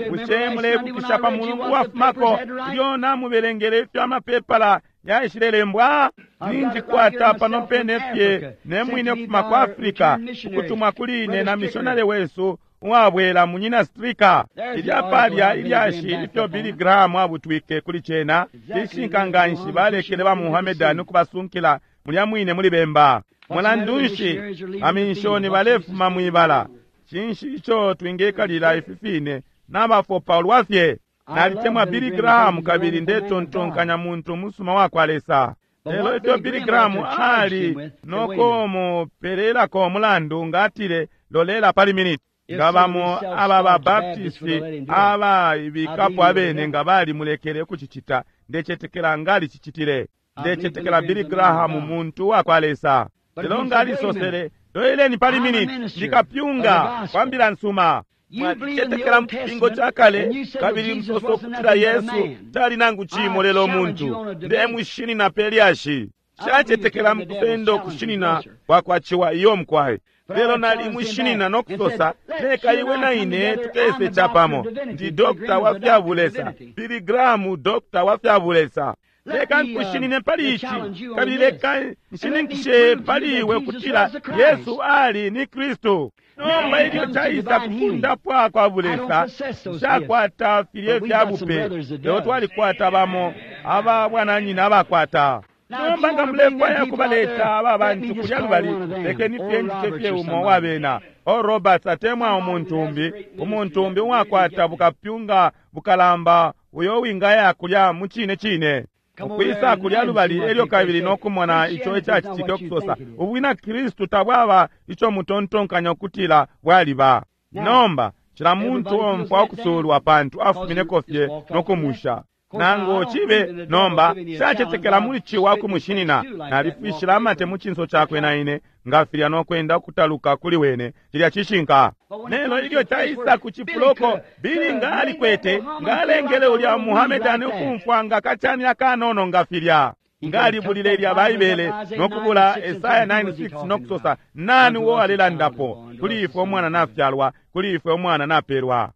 Bushe mulebukisha pa mulungu wafumako ilyo namubelengele ifyo amapepala yaishilelembwa? Ninjikwata pano pene fye nemwine kufuma ku Afrika, ukutumwa kuli ine na mishonari wesu uwabwela munyina Strika. Ilya palya ilyashi ifyo Billy Graham abutwike kuli cena lishinka nganshi balekele ba Muhammedan ukubasunkila mulya mwine muli bemba. Mulandu nshi aminshoni balefuma mwibala? Cinshi ico twingekalila ifi fine nabafopa ulwafye? Nalitemwa Billy Graham kabili ndetontonkanya muntu musuma wakwa Lesa. Lelo ifyo Billy Graham ali nokumupelelako umulandu ngatile lolela pali miniti. Nga bamo aba ba Baptisti abaibikapo abene nga balimulekele ukucicita, ndecetekela ngalicicitile. Ndecetekela Billy Graham muntu wakwa Lesa. Lelo ngalisosele, loeleni pali miniti, ndikapyunga kwambila nsuma. Mwacetekela mupingo cakale kabili msoso okutila Yesu tali nangu cimo lelo omuntu. Ndemushinina pe lyashi. Shacetekela mukusenda okushinina kwakwaciwa iyo mukwaye. Lelo nalimushinina nokusosa, leka iwe na ine tukese capamo. Ndi dokta wa fyabulesa, Billy Graham dokta wa fyabulesa. Leka nkushinine pali ici, kabili leka nshininkishe pali iwe ukutila Yesu ali ni Kristu. Nomba ilyo caisa kufundapwa kwa bulesa, nshakwata filye fya bupe, lelo twalikwata bamo aba bwananyina abakwata. Nomba nga mulefwaya kubaleta aba bantu kulya lubali, lekeni fye njite fye umo wabena. O Roberts atemwa umuntu umbi, umuntu umbi uwakwata bukapyunga bukalamba uyo wingaya kulya mu cine cine. Ukwisa kulya lubali elyo kabili nokumona ico icacitike okusosa ubwina Kristu tabwaba ico mutontonkanya okutila bwaliba. Nomba cila muntu omfwa okusulwa pantu afumineko fye nokumusha. Nangu cibe nomba shacetekela muli ciwa kumushinina, nalifwishila amate mu cinso cakwe na ine nga filya nokwenda ukutaluka kuli wene. Cilya cishinka. Lelo ilyo caisa ku cifuloko, Bili nga alikwete, nga alengele ulya Muhamedani ukumfwa nga kacani akanono nga filya. Nga alibulile ilya Baibele nokubula Esaya nine six nokusosa, nani uo alelandapo? Kuli ifwe umwana nafyalwa, kuli ifwe umwana napelwa.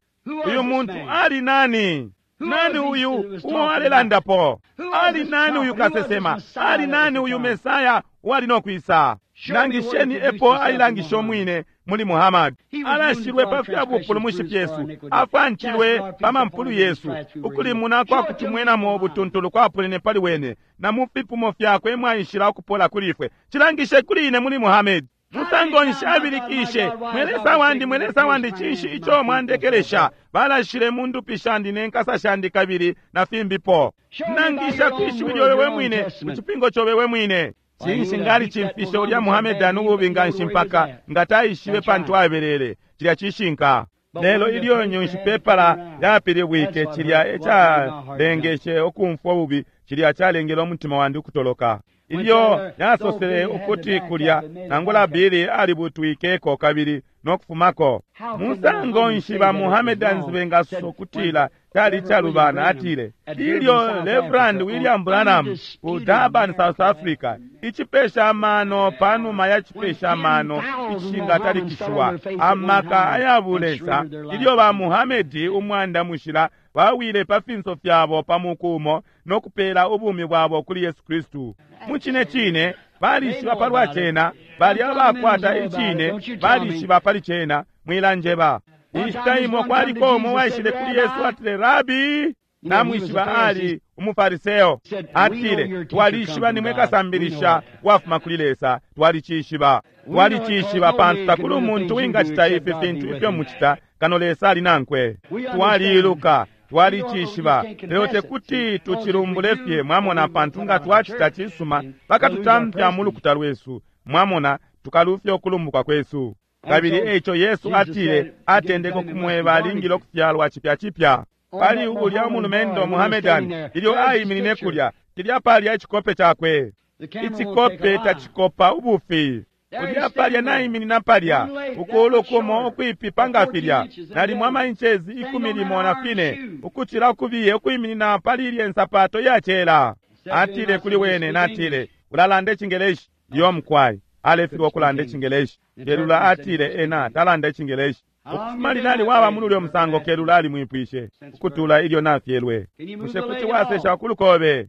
Uyu muntu ali nani? Nani uyu uo alelandapo? Ali nani uyu kasesema? Ali nani uyu Mesaya uwali nokwisa? Nangisheni epo ailangisha umwine muli Muhammad. Alashilwe pa fya bupulumushi fyesu, afancilwe pa mampulu yesu, ukulimuna kwa kutumwenamo ubutuntulu kwapunene pali wene, na mu fipumo fyakwe mwaishila ukupola kuli ifwe. Cilangishe kuli ine muli Muhammad. Musango nshi abilikishe, mwelesa wandi, mwelesa wandi, cinshi ico mwandekelesha? Balashile mu ndupi shandi ne nkasa shandi kabili na fimbipo. Nangisha kwishiwi lyobe we mwine, mu cipingo cobe we mwine. Cinshi ngali cimfishe ulya Muhamedani ububi nga nshi mpaka nga taishibe pantu abelele. Cilya cishinka. Lelo ilyo nyunshipepala yapilibwike, cilya ecalengeshe ukumfwa ububi, cilya calengele umutima wandi ukutoloka. Ilyo yasosele ukuti kulya nangula Bili alibutwikeko kabili nokufumako. Musango nshi ba Muhammedans bengasosa ukutila cali calubana? Atile ilyo Reverend William Branham ku Durban, South Africa, icipesha amano panuma ya cipesha amano icishingatalikishiwa, amaka ayabulesa, ilyo ba Muhammedi umwanda mushila bawile pa finso fyabo pa muku umo nokupela ubumi bwabo kuli Yesu Kristu. Mu cine cine balishiba palwa cena, bali abakwata icine, balishiba pali cena, mwilanjeba. Inshita imo kwaliko umo waishile kuli Yesu atile, Rabi, namwishiba ali umufariseo. Atile, twalishiba nimwe kasambilisha wafuma kuli Lesa, twalicishiba. Twalicishiba pantu takuli umuntu wingacita ifi fintu ifyo mucita kano Lesa ali nankwe. Twaliiluka, twalicishiba, lelo tekuti tucilumbule fye, mwamona, pantu nga twacita cisuma bakatutampya mu lukuta lwesu, mwamona, tukalufya ukulumbuka kwesu. Kabili eico Yesu atile, atendeke ukumweba alingile ukufyalwa cipya cipya. Pali ulya umulumendo Muhamedani ilyo aiminine kulya, cilya palya icikope cakwe. Icikope tacikopa ubufi. Ulya palya naiminina palya, ukulu kumo ukwipipa nga filya, nalimo amainchezi ikumi limo na fine, ukucila ukubiye ukwiminina pali ilye nsapato iyacela. Atile kuli wene, natile, ulalanda icingeleshi? Iyo mukwai. Alefilwa ukulanda icingeleshi. Kelula atile ena talanda icingeleshi. Ukufuma linali waba muli ulyo musango, Kelula alimwipwishe ukutula ilyo nafyelwe, bushe kuti wasesha ukulukobe?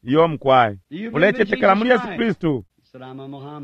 Iyo mukwai. Ulecetekela muli Yesu Kristu?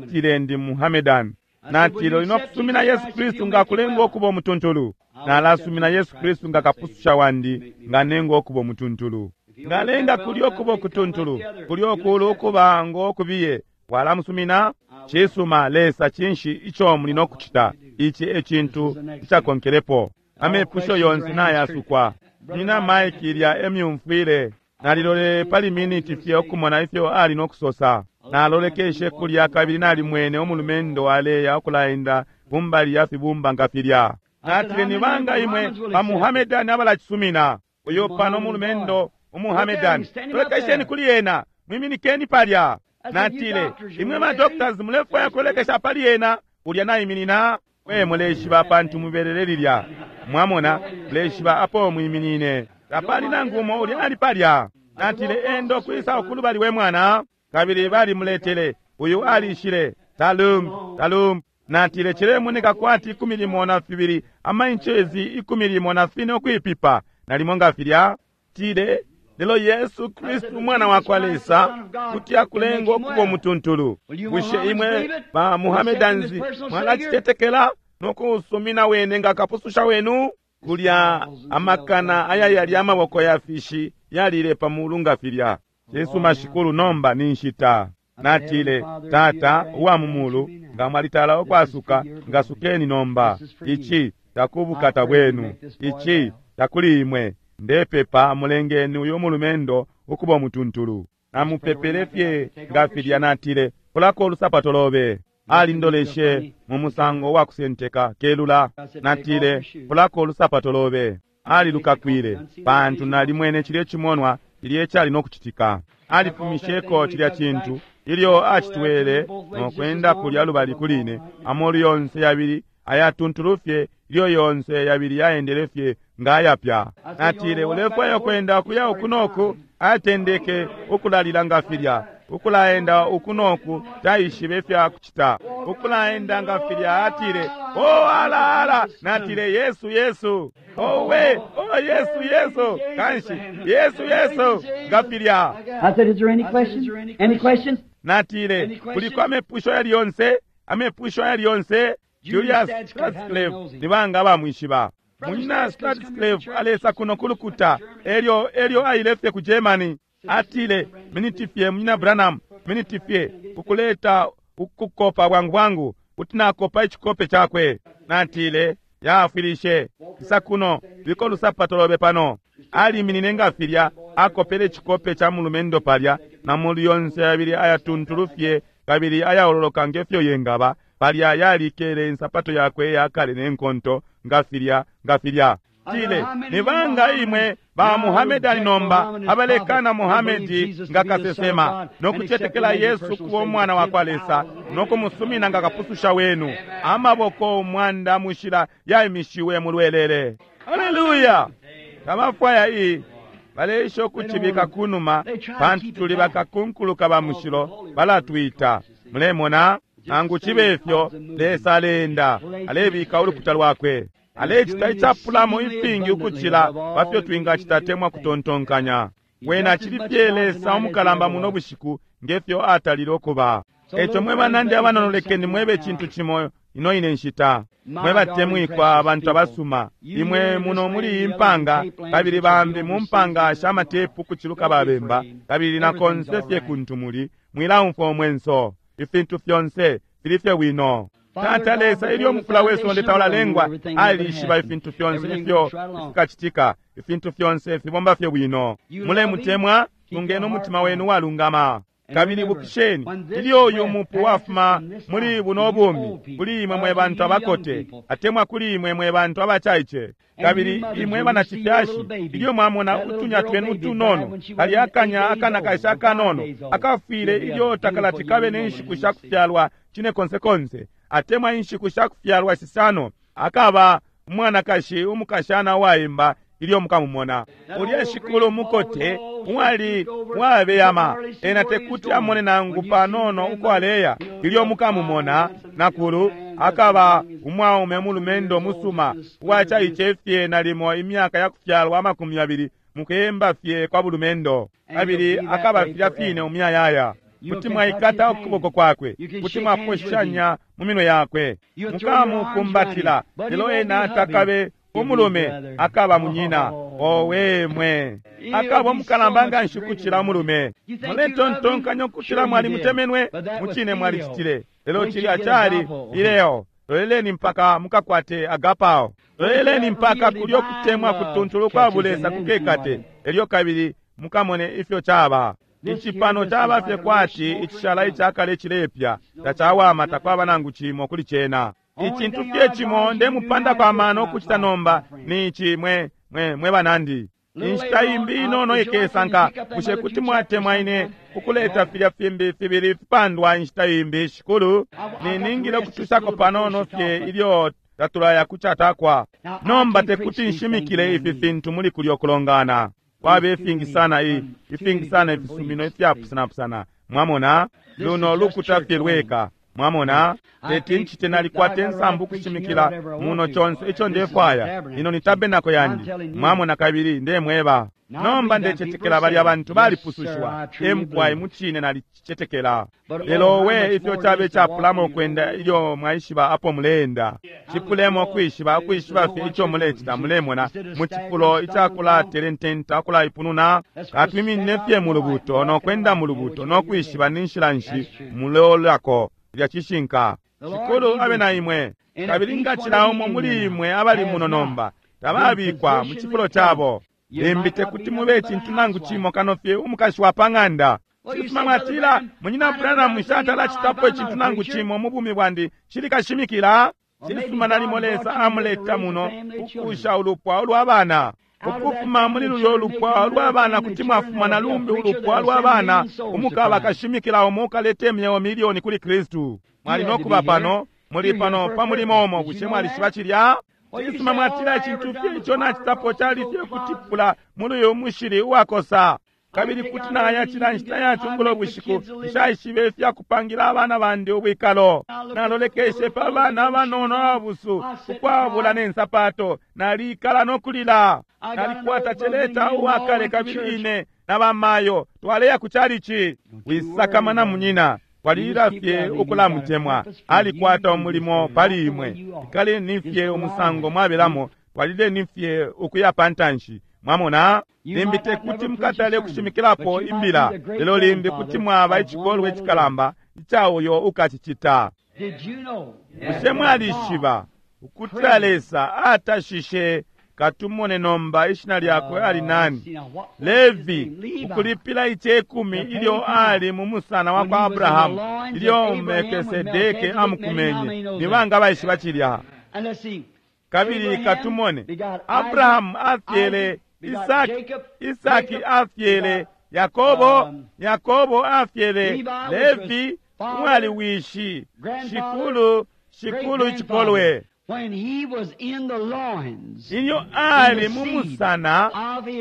Atile ndi Muhamedani. Natile ulina kusumina Yesu Kristu nga kulenga okuba omutuntulu. Nalasumina Yesu Kristu nga kapususha wandi, nga nenga okuba omutuntulu. Ngalenga kulyo okuba okutuntulu, kulyo okulu okuba ng'okubiye. Walamusumina? Cisuma, Lesa cinshi ico muli nokucita? Ici e cintu icakonkelepo. Amepusho yonse nayasukwa. Nina Mike ilya emyumfwile. Nalilolele pali miniti fye ukumona ifyo ali nokusosa. Nalolekeshe kulya kabili nalimwene umulumendo aleya ukulaenda kumbali ya fibumba nga filya. Natile, ni banga imwe ba Muhamedani abalacisumina? Uyo pano umulumendo umuhamedani, lolekesheni kuli ena, mwiminikeni palya. Natile, imwe ma doctors mulefwaya kulolekesha pali ena, ulya naiminina. Mwe muleshiba pantu mubelele lilya, mwamona, muleshiba apo mwiminine. Tapali nangu umo ulya ali palya. Natile, endo kwisa ukulubali we mwana. Kabili balimuletele, uyu alishile talum talum. Natile, cilemoneka kwati ikumi limo na fibili amainchezi ikumi limo na fine ukwipipa nalimo nga filya. Tile, lelo Yesu Kristu umwana wa kwa Lesa kuti akulenga okuba omutuntulu. Bushe imwe ba Muhammedansi mwalacitetekela nokusumina wene nga kapususha wenu? Kulya amakana aya yali amaboko ya fishi yalile pa mulu nga filya. Cisuma shikulu, nomba ni nshita. Natile, Tata uwa mu mulu, nga mwalitala ukwasuka, ngasukeni nomba. Ici takubukata bwenu, ici takuli imwe. Ndepepa mulengeni uyu mulumendo ukuba omutuntulu. Namupepele fye nga filya. Natile, kulako olusapato lobe. Alindoleshe mu musango wa kusenteka kelula. Natile, kulako olusapato lobe. Alilukakwile pantu nalimwene cilye cimonwa cilye cali no kucitika. Alifumisheko cilya cintu ilyo acitwele no kwenda kulya lubali kuline, amolu yonse yabili ayatuntulufye, ilyo yonse yabili yaendelefye ngayapya. Natile, ulefwaya kwenda kuya uku noku? Atendeke ukulalila nga filya, ukulaenda uku noku, taishibe fya kucita, ukulaenda nga filya. Atile, o ala ala. Natile, Yesu Yesu, owe, o Yesu Yesu, kanshi Yesu Yesu nga filya. I said, is there any questions? Any questions? Natile, kuliko amepusho yali yonse? Amepusho yali yonse? Julius Stradcliffe ni banga bamwishiba? Munyina Stradcliffe alesa kuno kulukuta, elyo elyo ailefye ku Germany. Atile, miniti fye munyina Branham, miniti fye kukuleta ukukopa bwangu bwangu, kuti nakopa icikope chakwe. Natile, yaafwilishe isa kuno, biko lusapato lobe pano. Aliminine nga filya, akopele icikope cha mulumendo palya, na molu yonse yabili ayatuntulufye kabili ayaololoka ngefyo yengaba. Palya yalikele insapato yakwe yakale nenkonto nga filya nga filya. Tile, ni banga imwe ba Muhammad ali nomba abalekana Muhammad nga kasesema no kucetekela Yesu kuba umwana wa kwa Lesa no kumusumina nga kapususha wenu. Amaboko umwanda mushila yaimishiwe mulwelele. Haleluya! Tabafwaya iyi baleisha ukucibika kunuma, pantu tuli bakakunkuluka ba mushilo balatwita. Mulemona? Nangu cibe ifyo, Lesa aleenda, alebika ulukuta lwakwe, alecita icapulamo ifingi ukucila pafyo twingacita temwa kutontonkanya. Wena cili fye Lesa umukalamba muno bushiku ngefyo atalile ukuba. Eco mwe banandi abanono, lekeni mwebe cintu cimo ino ine nshita. Mwe batemwikwa abantu abasuma, imwe muno muli iyi mpanga, kabili bambi mu mpanga sha matepu kuciluka babemba, kabili na konse fye kuntu muli, mwilaumfwa umwenso. Ifintu fyonse fili fye wino. Tata Lesa, ilyo mufula we sonde taulalengwa, alishiba ifintu fyonse ifyo fikacitika. Ifintu fyonse fibomba fye wino. Mulemutemwa, tungeni umutima wenu walungama. Kabili bukisheni, ilyo uyu mupu wafuma muli buno bumi, kuli imwe mwe bantu abakote, atemwa kuli imwe mwe bantu abacaice, kabili imwe banacifyashi, ilyo mwamona utunya twenu utunono, kali akanya akana kaisha akanono akafwile ilyo takalati kabe ne nshiku sha kufyalwa cine konse konse, atemwa inshiku sha kufyalwa shisano, akaba umwanakashi umukashana waimba ilyo mukamumona. Ulya shikulu mukote uwali wabeyama, ena tekuti amone nangu panono uko aleya. Ilyo mukamumona nakulu akaba umwaume mulumendo musuma uwacaice fye nalimo imyaka ya kufyalwa amakumi yabili, mukuyemba fye kwa bulumendo, kabili akaba filya fine umuyayaya. Kuti mwaikata ukuboko kwakwe, kuti mwaposhanya mu minwe yakwe, mukamukumbatila, lelo ena takabe umulume, akaba munyina. Owe mwe, akaba umukalamba nga nshi kucila umulume. Muletontonkanya ukucila mwali mutemenwe, mucine mwalicitile, lelo cilya cali ileo. Loleleni mpaka mukakwate agapao, loleleni mpaka kulyo kutemwa kutuntulu kwa bulesa kukekate, elyo kabili mukamone ifyo caba. Icipano caba fye kwati icishala icakale cilepya, tacawama, takwaba nangu cimo kuli cena. Icintu fye cimo ndemupanda kwa mano kucita nomba ni ici, mwe mwe mwe banandi. Inshita imbi inono ikesanka, bushe kuti mwatemwa ine ukuleta filya fimbi fibili fipandwa inshita imbi, shikulu? Niningile ukutushako panono fye ilyo tatulaya kucatakwa. Nomba tekuti nshimikile ifi fintu muli kulyo kulongana. Kwaba ifingi sana i ifingi sana ifisumino ifyapusanapusana. Mwamona, luno lukuta fye lweka. Mwamona, teti nchite nalikwata insambu kushimikila muno chonse icho ndefwaya. Ino ni tabenako yandi. Mwamona, kabili ndemweba. Nomba ndecetekela bali abantu balipusushwa. Emkwai muchine nalicetekela. Lelo we ifyo chabe chapulamo kwenda ilyo mwaishiba apo muleenda. Chipulemo kwishiba ukwishiba fye icho mulecita mulemona mu chifulo ichakulaterententa ukulaipununa. Katwiminine fye mu lubuto no kwenda mu lubuto no kwishiba ni nshila nshi mulolako lya cishinka. Shikulu abe na imwe. Kabili ngacila umo muli imwe abali muno nomba tababikwa mu chifulo chabo. Limbi tekuti mube chintu nangu chimo kano fye umukashi wa pang'anda. Cisuma mwatila, munyina Branham nshatalacitapo icintu nangu chimo mu bumi bwandi, cili kashimikila. Cisuma, nalimo Lesa amuleta muno kukusha ulupwa ulwa bana. Ukufuma muli lulyo lupwa lwa bana kuti mwafuma na lumbi ulupwa lwa bana umukaba kashimikila umo ukaleta imyeo milioni kuli Kristu. Mwali nokuba pano, muli pano pa mulimo umo. Bushe mwalishiba cilya? Cisuma, mwatila icintu fye ico nacitapo cali fye kutipula muli uyu mushili uwakosa, kabili kuti naya cila nshita ya cungulo bushiku. Nshaishibe ifyakupangila abana bandi ubwikalo. Nalolekeshe pa bana abanono ababusu ukwabula ne nsapato, nalikala no kulila. Nalikwata celeta uwakale, kabili ine na bamayo twaleya ku calici. Wisakamana munyina, twalilila fye ukulamutemwa. Alikwata umulimo pali imwe. Ikaleni fye umusango mwabelamo, twalileni fye ukuya pantanshi. Mwamona, limbi tekuti mukatale kushimikilapo imbila, lelo limbi kuti mwaba icikolwe icikalamba ica uyo ukacicita. Bushe mwalishiba ukutila Lesa atashishe, katumone nomba ishina lyakwe ali nani, Levi, ukulipila icekumi ilyo ali mu musana wa kwa Abrahamu, ilyo Melkisedeke amukumenye? Ni banga baishiba cilya? Kabili katumone, Abrahamu afyele Isaki, Isaki afyele Yakobo, Yakobo afyele Levi, umwali wishi shikulu shikulu icikolwe. Ilyo ali mu musana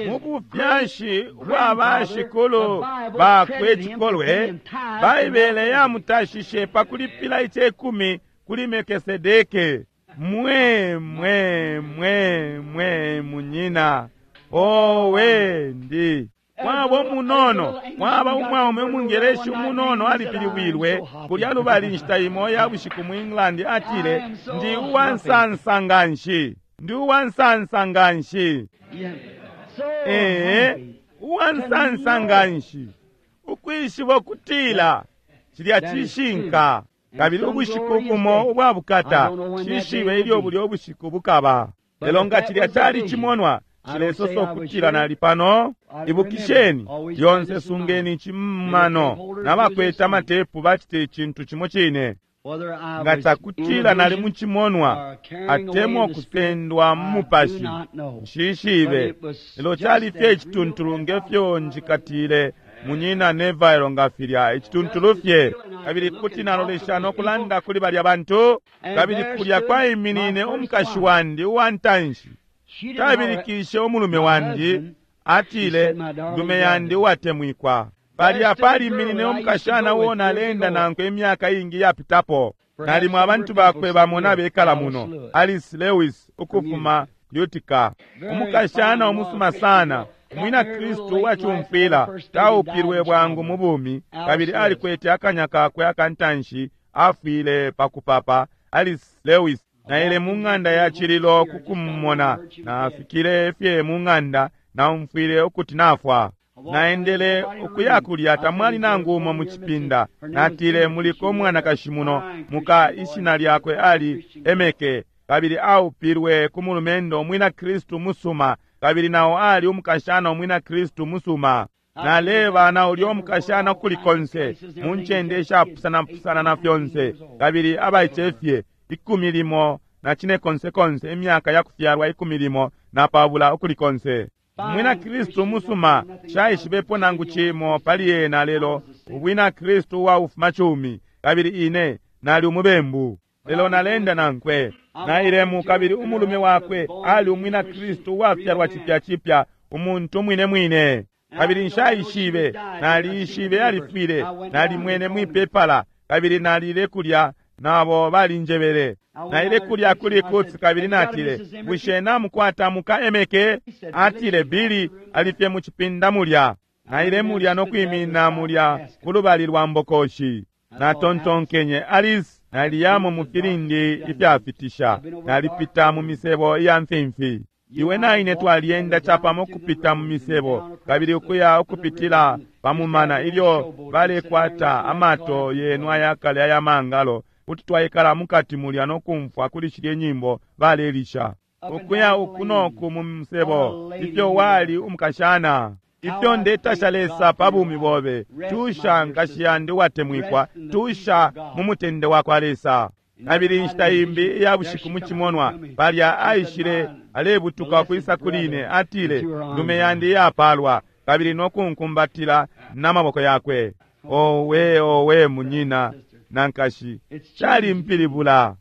mu bufyashi bwa bashikulu bakwe cikolwe, Baibele yamutashishe pa kulipila icekumi kuli Melkisedeke. Mwe mwe mwe mwe munyina, owe ndi mwaba umunono, mwaba umwaume umungereshi umunono alipilibwilwe kulya lubali nshita imo ya bushiku mu England. Atile, ndi uwansansa nganshi, ndi uwansansa nganshi, ee, uwansansa nganshi ukwishiba ukutila cilya cishinka. Kabili ubushiku bumo ubwa bukata, cishibe ilyo bulyo bushiku bukaba. Lelo nga cilya cali cimonwa, cilesosa ukutila nali pano. Ibukisheni lyonse, sungeni icimano nabakwete amatepu bacite icintu cimo cine. Nga cakutila nali mu cimonwa atemwa kusendwa mu mupashi, nshishibe, lelo cali fye icituntulu ngefyo njikatile munyina Neville nga filya, icituntulu fye. Kabili kuti nalolesha no kulanda kuli balya bantu, kabili kulya kwaiminine umukashi wandi uwa ntanshi. Tabilikishe umulume wandi, atile, ndume yandi uwatemwikwa. Palya paliminine umukashana uo nalenda nankwe imyaka iingi yapitapo. Nalimo abantu bakwe bamo nabekala muno, Alice Lewis ukufuma Utica, umukashana umusuma sana, umwina Kristu uwacumfwila, taupilwe bwangu mu bumi, kabili alikwete akanya kakwe akantanshi, afwile pakupapa. Alice Lewis. Naile mu ng'anda ya cililo kukumumona. Nafikile fye mu ng'anda, naumfwile ukuti nafwa. Naendele ukuya kulya, tamwali nangu umo mu cipinda. Natile, muliko umwanakashi muno, muka ishina lyakwe ali Emeke, kabili aupilwe ku mulumendo umwina Kristu musuma, kabili nao ali umukashana umwina Kristu musuma. Naleba na ulyo umukashana kuli konse mu ncende ishapusana-pusana na fyonse, kabili abaicefye ikumi limo na cine konse konse, imyaka ya kufyalwa ikumi limo na pabula ukuli konse. Umwina Kristu musuma, shaishibepo nangu cimo pali ena, lelo ubwina Kristu uwa ufuma cumi, kabili ine nali umubembu, lelo nalenda nankwe. Nailemu, kabili umulume wakwe ali umwina Kristu uwafyalwa cipya cipya, umuntu mwine mwine. Kabili nshaishibe, naliishibe alifwile, nalimwene mwipepala, kabili nalile kulya nabo balinjebele. Naile kulya kuli Kutsi, kabili natile, bushe namukwata muka Emeke? Atile, Bili alifye mu cipinda mulya. Naile mulya no kwimina mulya ku lubali lwa mbokoshi. Natontonkenye, Alice, naliyamo mu filindi ifyafitisha, nalipita mu misebo iya mfimfi. Iwe na ine twalyenda capamo kupita mu misebo, kabili ukuya ukupitila pamumana ilyo balekwata amato yenu ayakale aya mangalo, kuti twaikala mukati mulya no kumfwa kuli shilye nyimbo balelisha, ukuya uku noku mu musebo. Ifyo wali umukashana! Ifyo ndetasha Lesa pa bumi bobe! Tusha, nkashi yandi uwatemwikwa, tusha mu mutende wa kwa Lesa. Kabili inshita imbi iya bushiku mu cimonwa, palya aishile alebutuka kwisa kuli ine, atile, ndume yandi iyapalwa, kabili nokunkumbatila n'amaboko yakwe. Owe, owe, munyina na nkashi, calimpilibula.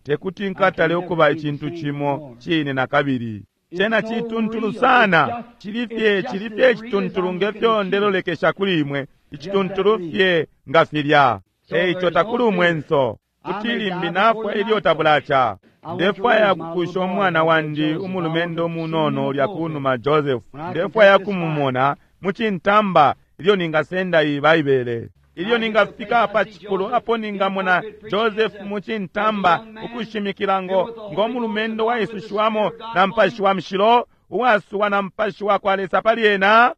Tekuti nkatale ukuba icintu cimo cine na kabili. Cena cituntulu sana, chili fye, chili fye icituntulu ngefyo ndelolekesha kuli imwe, icituntulu fye nga filya. Eico takuli umwenso kuti limbi nafwa ilyo tabulacha. Ndefwaya kukusha umwana wandi umulumendo munono ulya kunuma Joseph. Ndefwaya kumumona mucintamba ilyo ningasenda iyi Baibele. Ilyo ningafika pa cifulo apo ningamona Joseph mucintamba ukushimikila ngo ngo mulumendo waisushiwamo na mpashi wa mshilo, uwasuwa na mpashi wa kwa Lesa pali ena.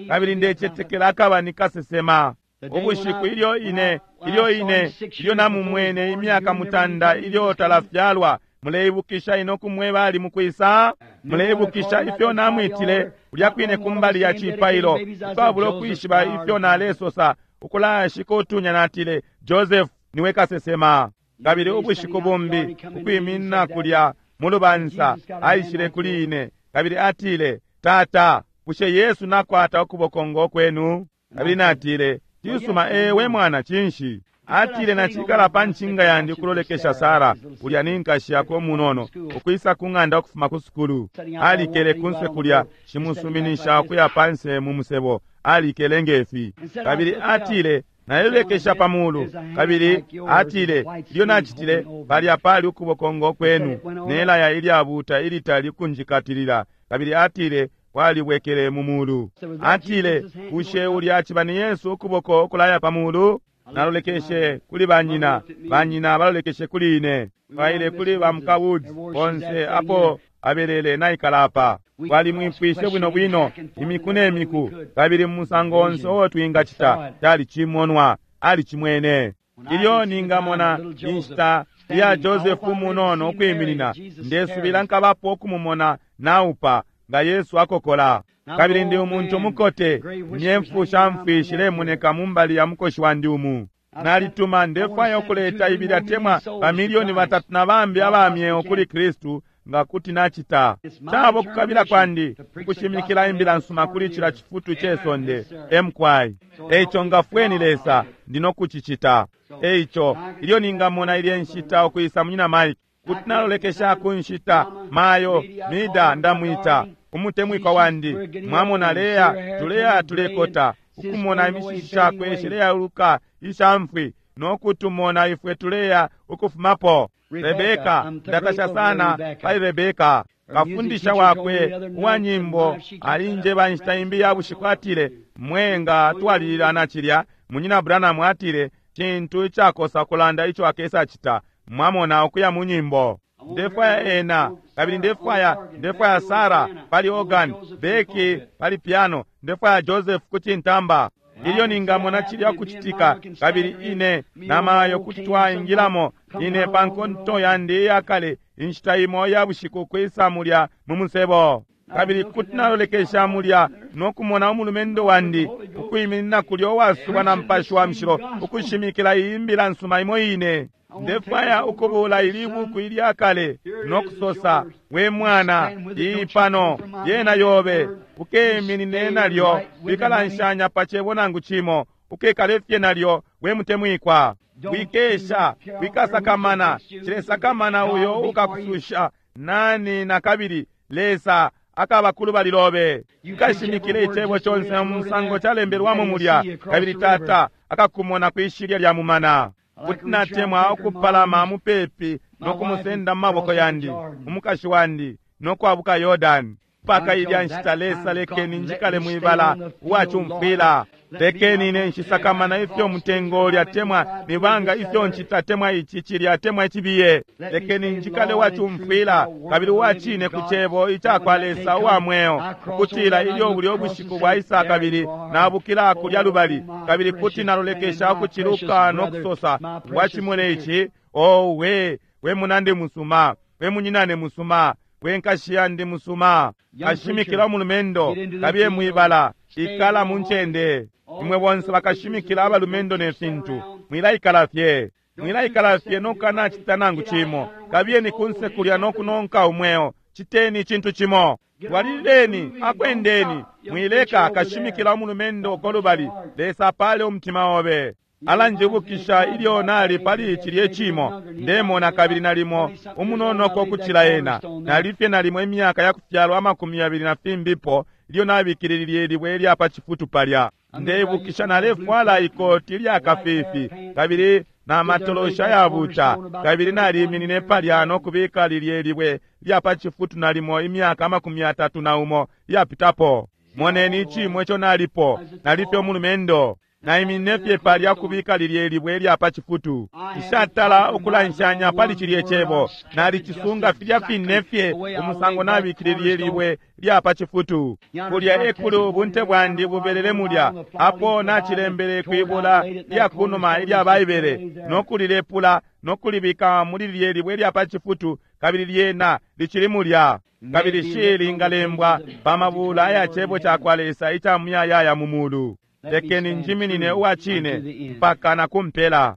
Kabili ndecetekela akaba ni kasesema. Ubushiku ilyo ine, ilyo ine, ilyo namumwene imyaka mutanda ilyo talafyalwa, muleibukisha ino kumweba ali mukwisa? Muleibukisha ifyo namwitile ulya kwine kumbali ya cipailo, ukwabula ukwishiba ifyo nalesosa, ukulashika utunya natile, Joseph niwe kasesema. Kabili ubushiku bumbi ukwiminina kulya mu lubansa, aishile kuli ine kabili atile, Tata, bushe Yesu nakwata ukuboko ngo kwenu? Kabili natile, cisuma, ewe mwana, cinshi? Atile, nachikala pa ncinga yandi ukulolekesha Sara, ulya ni nkashi yakwe umunono, ukwisa ku ng'anda ukufuma ku sukulu. Alikele kunse kulya, shimusuminisha ukuya panse mu musebo, alikele ngefi. Kabili atile, nalelekesha pa mulu. Kabili atile, ilyo nachitile, palya pali ukuboko ngo kwenu, nelaya ilyabuta ilitali kunjikatilila. Kabili atile, kwalibwekele mu mulu. Atile, bushe ulya aciba ni Yesu ukuboko ukulaya pa mulu? Nalolekeshe kuli banyina, banyina balolekeshe kuli ine. Baile kuli ba muka Woods, bonse apo abelele naikala apa. Twalimwipwishe bwino bwino imiku ne miku, kabili mu musango onse uo twingacita, cali cimonwa, alicimwene. Ilyo ningamona inshita iya Joseph munono ukwiminina, ndesubila nkabapo ukumumona naupa nga Yesu akokola. Kabili ndi umuntu mukote, imyemfu shamfwi shilemoneka mumbali ya mukoshi wandi umu. Nalituma ndefwaya ukuleta ibili atemwa bamilioni batatu na bambi abamyeo kuli Kristu nga kuti nachita. Cabo kukabila kwandi ukushimikila imbila nsuma kuli cila cifutu ce sonde emkwai. Eico ngafweni Lesa, ndino kucicita. Eico ilyo ningamona ilye nshita ukwisa munyina Mike, kuti nalolekesha ku nshita mayo mida ndamwita umutemwikwa wandi. Mwamona leya tuleya tulekota ukumona imishishi shakwe shileyaluka ishamfwi nokutumona ifwe tuleya ukufumapo. Rebeka, ndatasha sana pali Rebeka. Kafundisha wakwe uwa nyimbo alinjeba nshita imbi ya bushiku, atile, mwenga twalilila na cilya. Munyina Branham atile, cintu icakosa kulanda ico akesa cita. Mwamona ukuya mu nyimbo. Ndefwaya ena, kabili ndefwaya, ndefwaya Sara pali organ, Becky pali piano, ndefwaya Joseph kucintamba. Ilyo ningamona cilya kucitika, kabili ine namayo kuti twaingilamo ine pa nkonto yandi iyakale inshita imo ya bushiku kwisa mulya mu musebo. Kabili kuti nalolekesha mulya nokumona umulumendo wandi ukwiminina kulya uwasubwa na mpashi wa mshilo ukushimikila iyi mbila nsuma imo ine. Ndefwaya ukubula ili buku ilyakale nokusosa, we mwana, iyi pano yena yobe, ukeminine nalyo, wikalanshanya pa cebo nangu cimo, ukekale fye nalyo, we mutemwikwa. Wikesha, wikasakamana, cilesakamana uyo ukakususha nani na kabili Lesa akaba kulubali lobe. Ukashimikile icebo conse mu musango calembelwamo mulya, kabili Tata akakumona kwishilya lya mumana. Kuti natemwa ukupalama mupepi nokumusenda mu maboko yandi, umukashi wandi, nokwabuka Yordani. Mpaka ilya nshita Lesa lekeni njikale mwibala uwacumfwila. Lekeni ine nshisakamana ifyo mutengo lyatemwa nibanga ifyo nchitatemwa ici cilyatemwa icibiye. Lekeni njikale uwacumfwila kabili uwacine ku cebo icakwa Lesa uwa mweo, ukutila ilyo bulyo bushiku bwaisa kabili nabukila kulya lubali, kabili kuti nalolekesha ukuciluka nokusosa, wacimone ici, owe we munandi musuma, we munyinane musuma, we nkashi yandi musuma. Kashimikila umulumendo kabiye mwibala, ikala mu ncende. Imwe bonse bakashimikila abalumendo ne fintu, mwilaikala fye. Mwilaikala fye nokukanacita nangu cimo. Kabiyeni kunse kulya no kunonka umweo. Citeni icintu cimo. Twalilileni, akwendeni. Mwileka kashimikila umulumendo uko lubali. Lesa apale umutima obe. Alanjibukisha ilyo nali pali cilye cimo. Ndemona kabili nalimo umunonoko kucila ena. Nalifye nalimo imyaka yakufyalwa amakumi yabili na fimbipo ilyo nabikililye libwe ilya pa cifutu palya. Ndeibukisha nalefwala ikoti lya kafifi kabili na matolosha yabuta, kabili naliminine palya no kubika lilye libwe lya pa cifutu nalimo imyaka amakumi yatatu na umo yapitapo. Moneni icimo ico nalipo, nalifye umulumendo. Naiminine fye palya kubika lilye libwe lya pa cifutu. Nshatala ukulanshanya pali cilye cebo. Nalicisunga filya fine fye umusango nabikile lilye libwe lya pa cifutu. Kulya ekulu ubunte bwandi bubelele mulya. Apo nacilembele kwibula lya kunuma ilya Baibele, no kulilepula no kulibika muli lilye libwe lya pa cifutu, kabili lyena licili mulya. Kabili shilingalembwa pa mabula aya cebo ca kwa Lesa ica muyayaya mu mulu. Lekeni njiminine uwa cine mpaka na kumpela.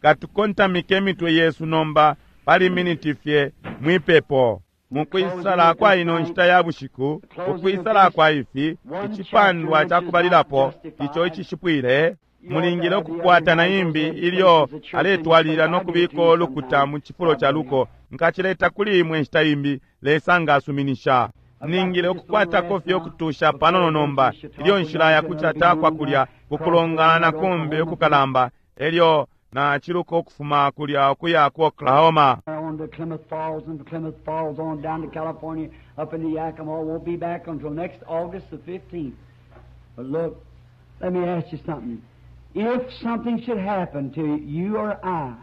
Katukontamike imitwe yesu nomba pali miniti fye mwipepo. Mukwisala kwa ino nshita ya bushiku, ukwisala kwa ifi icipandwa ca kubalilapo ico icishipwile, mulingile ukukwata na imbi ilyo aletwalilila no kubika ulukuta mu cifulo ca luko. Nkacileta kuli imwe nshita imbi, Lesa ngasuminisha. Ningile ukukwatako fye ukutusha panono nomba ilyo nshila ya kucata kwa kulya kukulongana kumbi ukukalamba, elyo na chiluka ukufuma kulya ukuya ku Oklahoma. On to Klamath Falls and Klamath Falls on down to California, up into Yakima. Won't be back until next August the fifteenth. But look, let me ask you something. If something should happen to you or I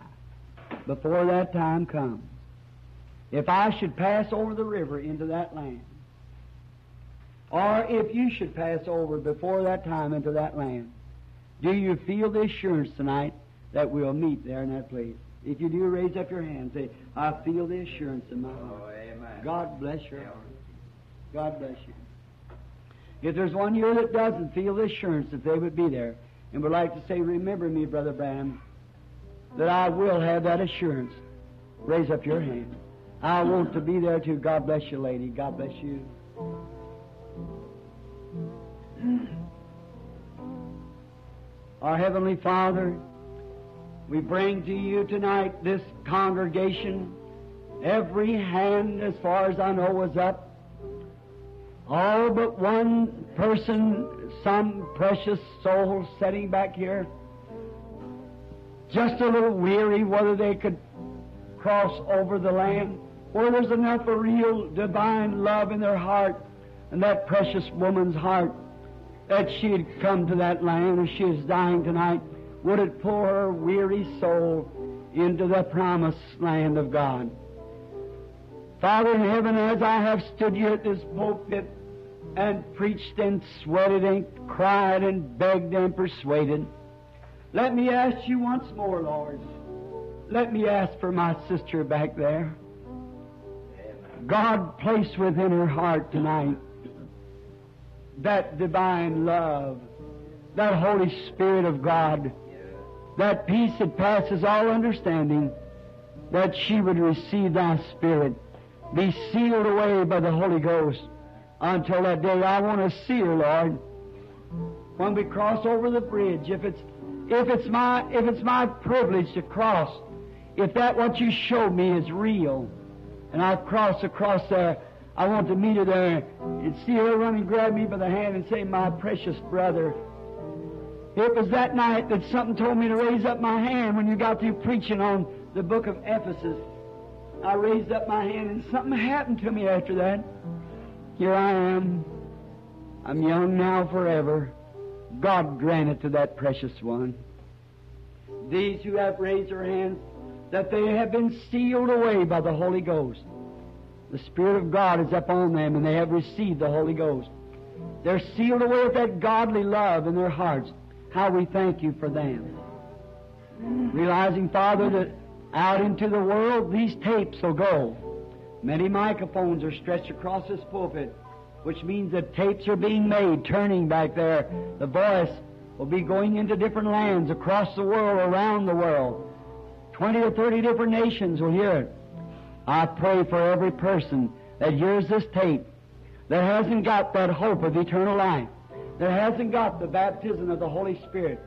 before that time comes, if I should pass over the river into that land, or if you should pass over before that time into that land, do you feel the assurance tonight that we'll meet there in that place? If you do, raise up your hand and say, I feel the assurance in my heart. Oh, amen. God bless your heart. God bless you. If there's one here that doesn't feel the assurance that they would be there and would like to say, remember me, Brother Branham, that I will have that assurance, raise up your hand. I want to be there too. God bless you, lady. God bless you. Our Heavenly Father, we bring to you tonight this congregation. Every hand, as far as I know, was up. All but one person, some precious soul sitting back here, just a little weary whether they could cross over the land, where there's enough of real divine love in their heart and that precious woman's heart that she had come to that land, and she is dying tonight. Would it pull her weary soul into the promised land of God? Father in heaven, as I have stood here at this pulpit and preached and sweated and cried and begged and persuaded, let me ask you once more, Lord. Let me ask for my sister back there. God, place within her heart tonight that divine love, that Holy Spirit of God, that peace that passes all understanding, that she would receive thy Spirit, be sealed away by the Holy Ghost until that day. I want to see her, Lord, when we cross over the bridge. If it's, if it's my, if it's my privilege to cross, if that what you showed me is real, and I cross across there, I want to meet her there and see her run and grab me by the hand and say, my precious brother. It was that night that something told me to raise up my hand when you got through preaching on the book of Ephesus. I raised up my hand and something happened to me after that. Here I am. I'm young now forever. God grant it to that precious one. These who have raised their hands, that they have been sealed away by the Holy Ghost. The Spirit of God is upon them and they have received the Holy Ghost. They're sealed away with that godly love in their hearts. How we thank you for them. Realizing, Father, that out into the world these tapes will go. Many microphones are stretched across this pulpit, which means that tapes are being made, turning back there, the voice will be going into different lands across the world, around the world. Twenty or thirty different nations will hear it. I pray for every person that hears this tape, that hasn't got that hope of eternal life, that hasn't got the baptism of the Holy Spirit.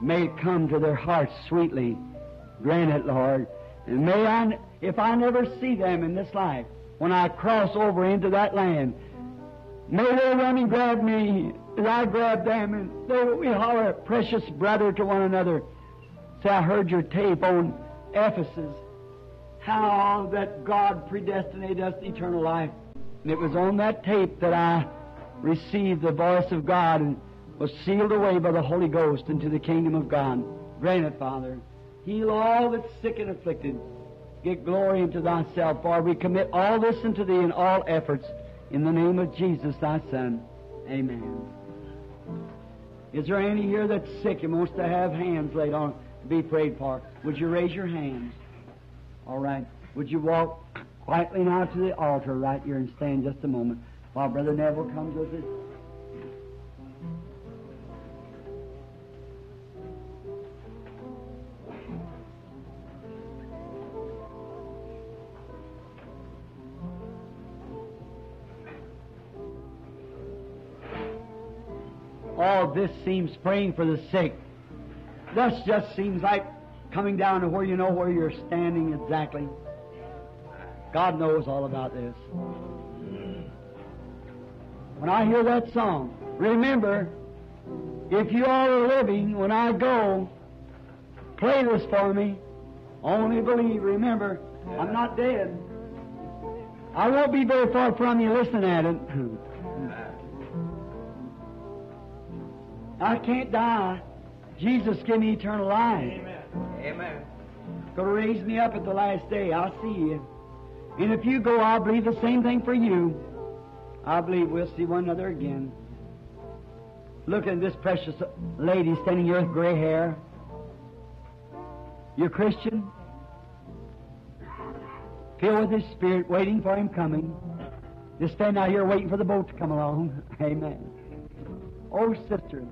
May it come to their hearts sweetly. Grant it, Lord. And may I, if I never see them in this life, when I cross over into that land, may they run and grab me as I grab them, and they, we holler, precious brother, to one another. Say, I heard your tape on Ephesus, how that God predestinated us to eternal life. And it was on that tape that I received the voice of God and was sealed away by the Holy Ghost into the kingdom of God. Grant it, Father. Heal all that's sick and afflicted. Get glory unto thyself, for we commit all this unto thee in all efforts. In the name of Jesus, thy Son. Amen. Is there any here that's sick and wants to have hands laid on to be prayed for? Would you raise your hands? All right. Would you walk quietly now to the altar right here and stand just a moment while Brother Neville comes with it? All this seems praying for the sick. This just seems like coming down to where you know where you're standing exactly. God knows all about this. When I hear that song, remember, if you all are living, when I go, play this for me. Only believe. Remember, I'm not dead. I won't be very far from you listening at it. I can't die. Jesus give me eternal life. Amen. Amen. Gonna raise me up at the last day. I'll see you. And if you go, I'll believe the same thing for you. I believe we'll see one another again. Look at this precious lady standing here with gray hair. You're Christian? Filled with His Spirit, waiting for Him coming. Just stand out here waiting for the boat to come along. Amen. Oh, sister,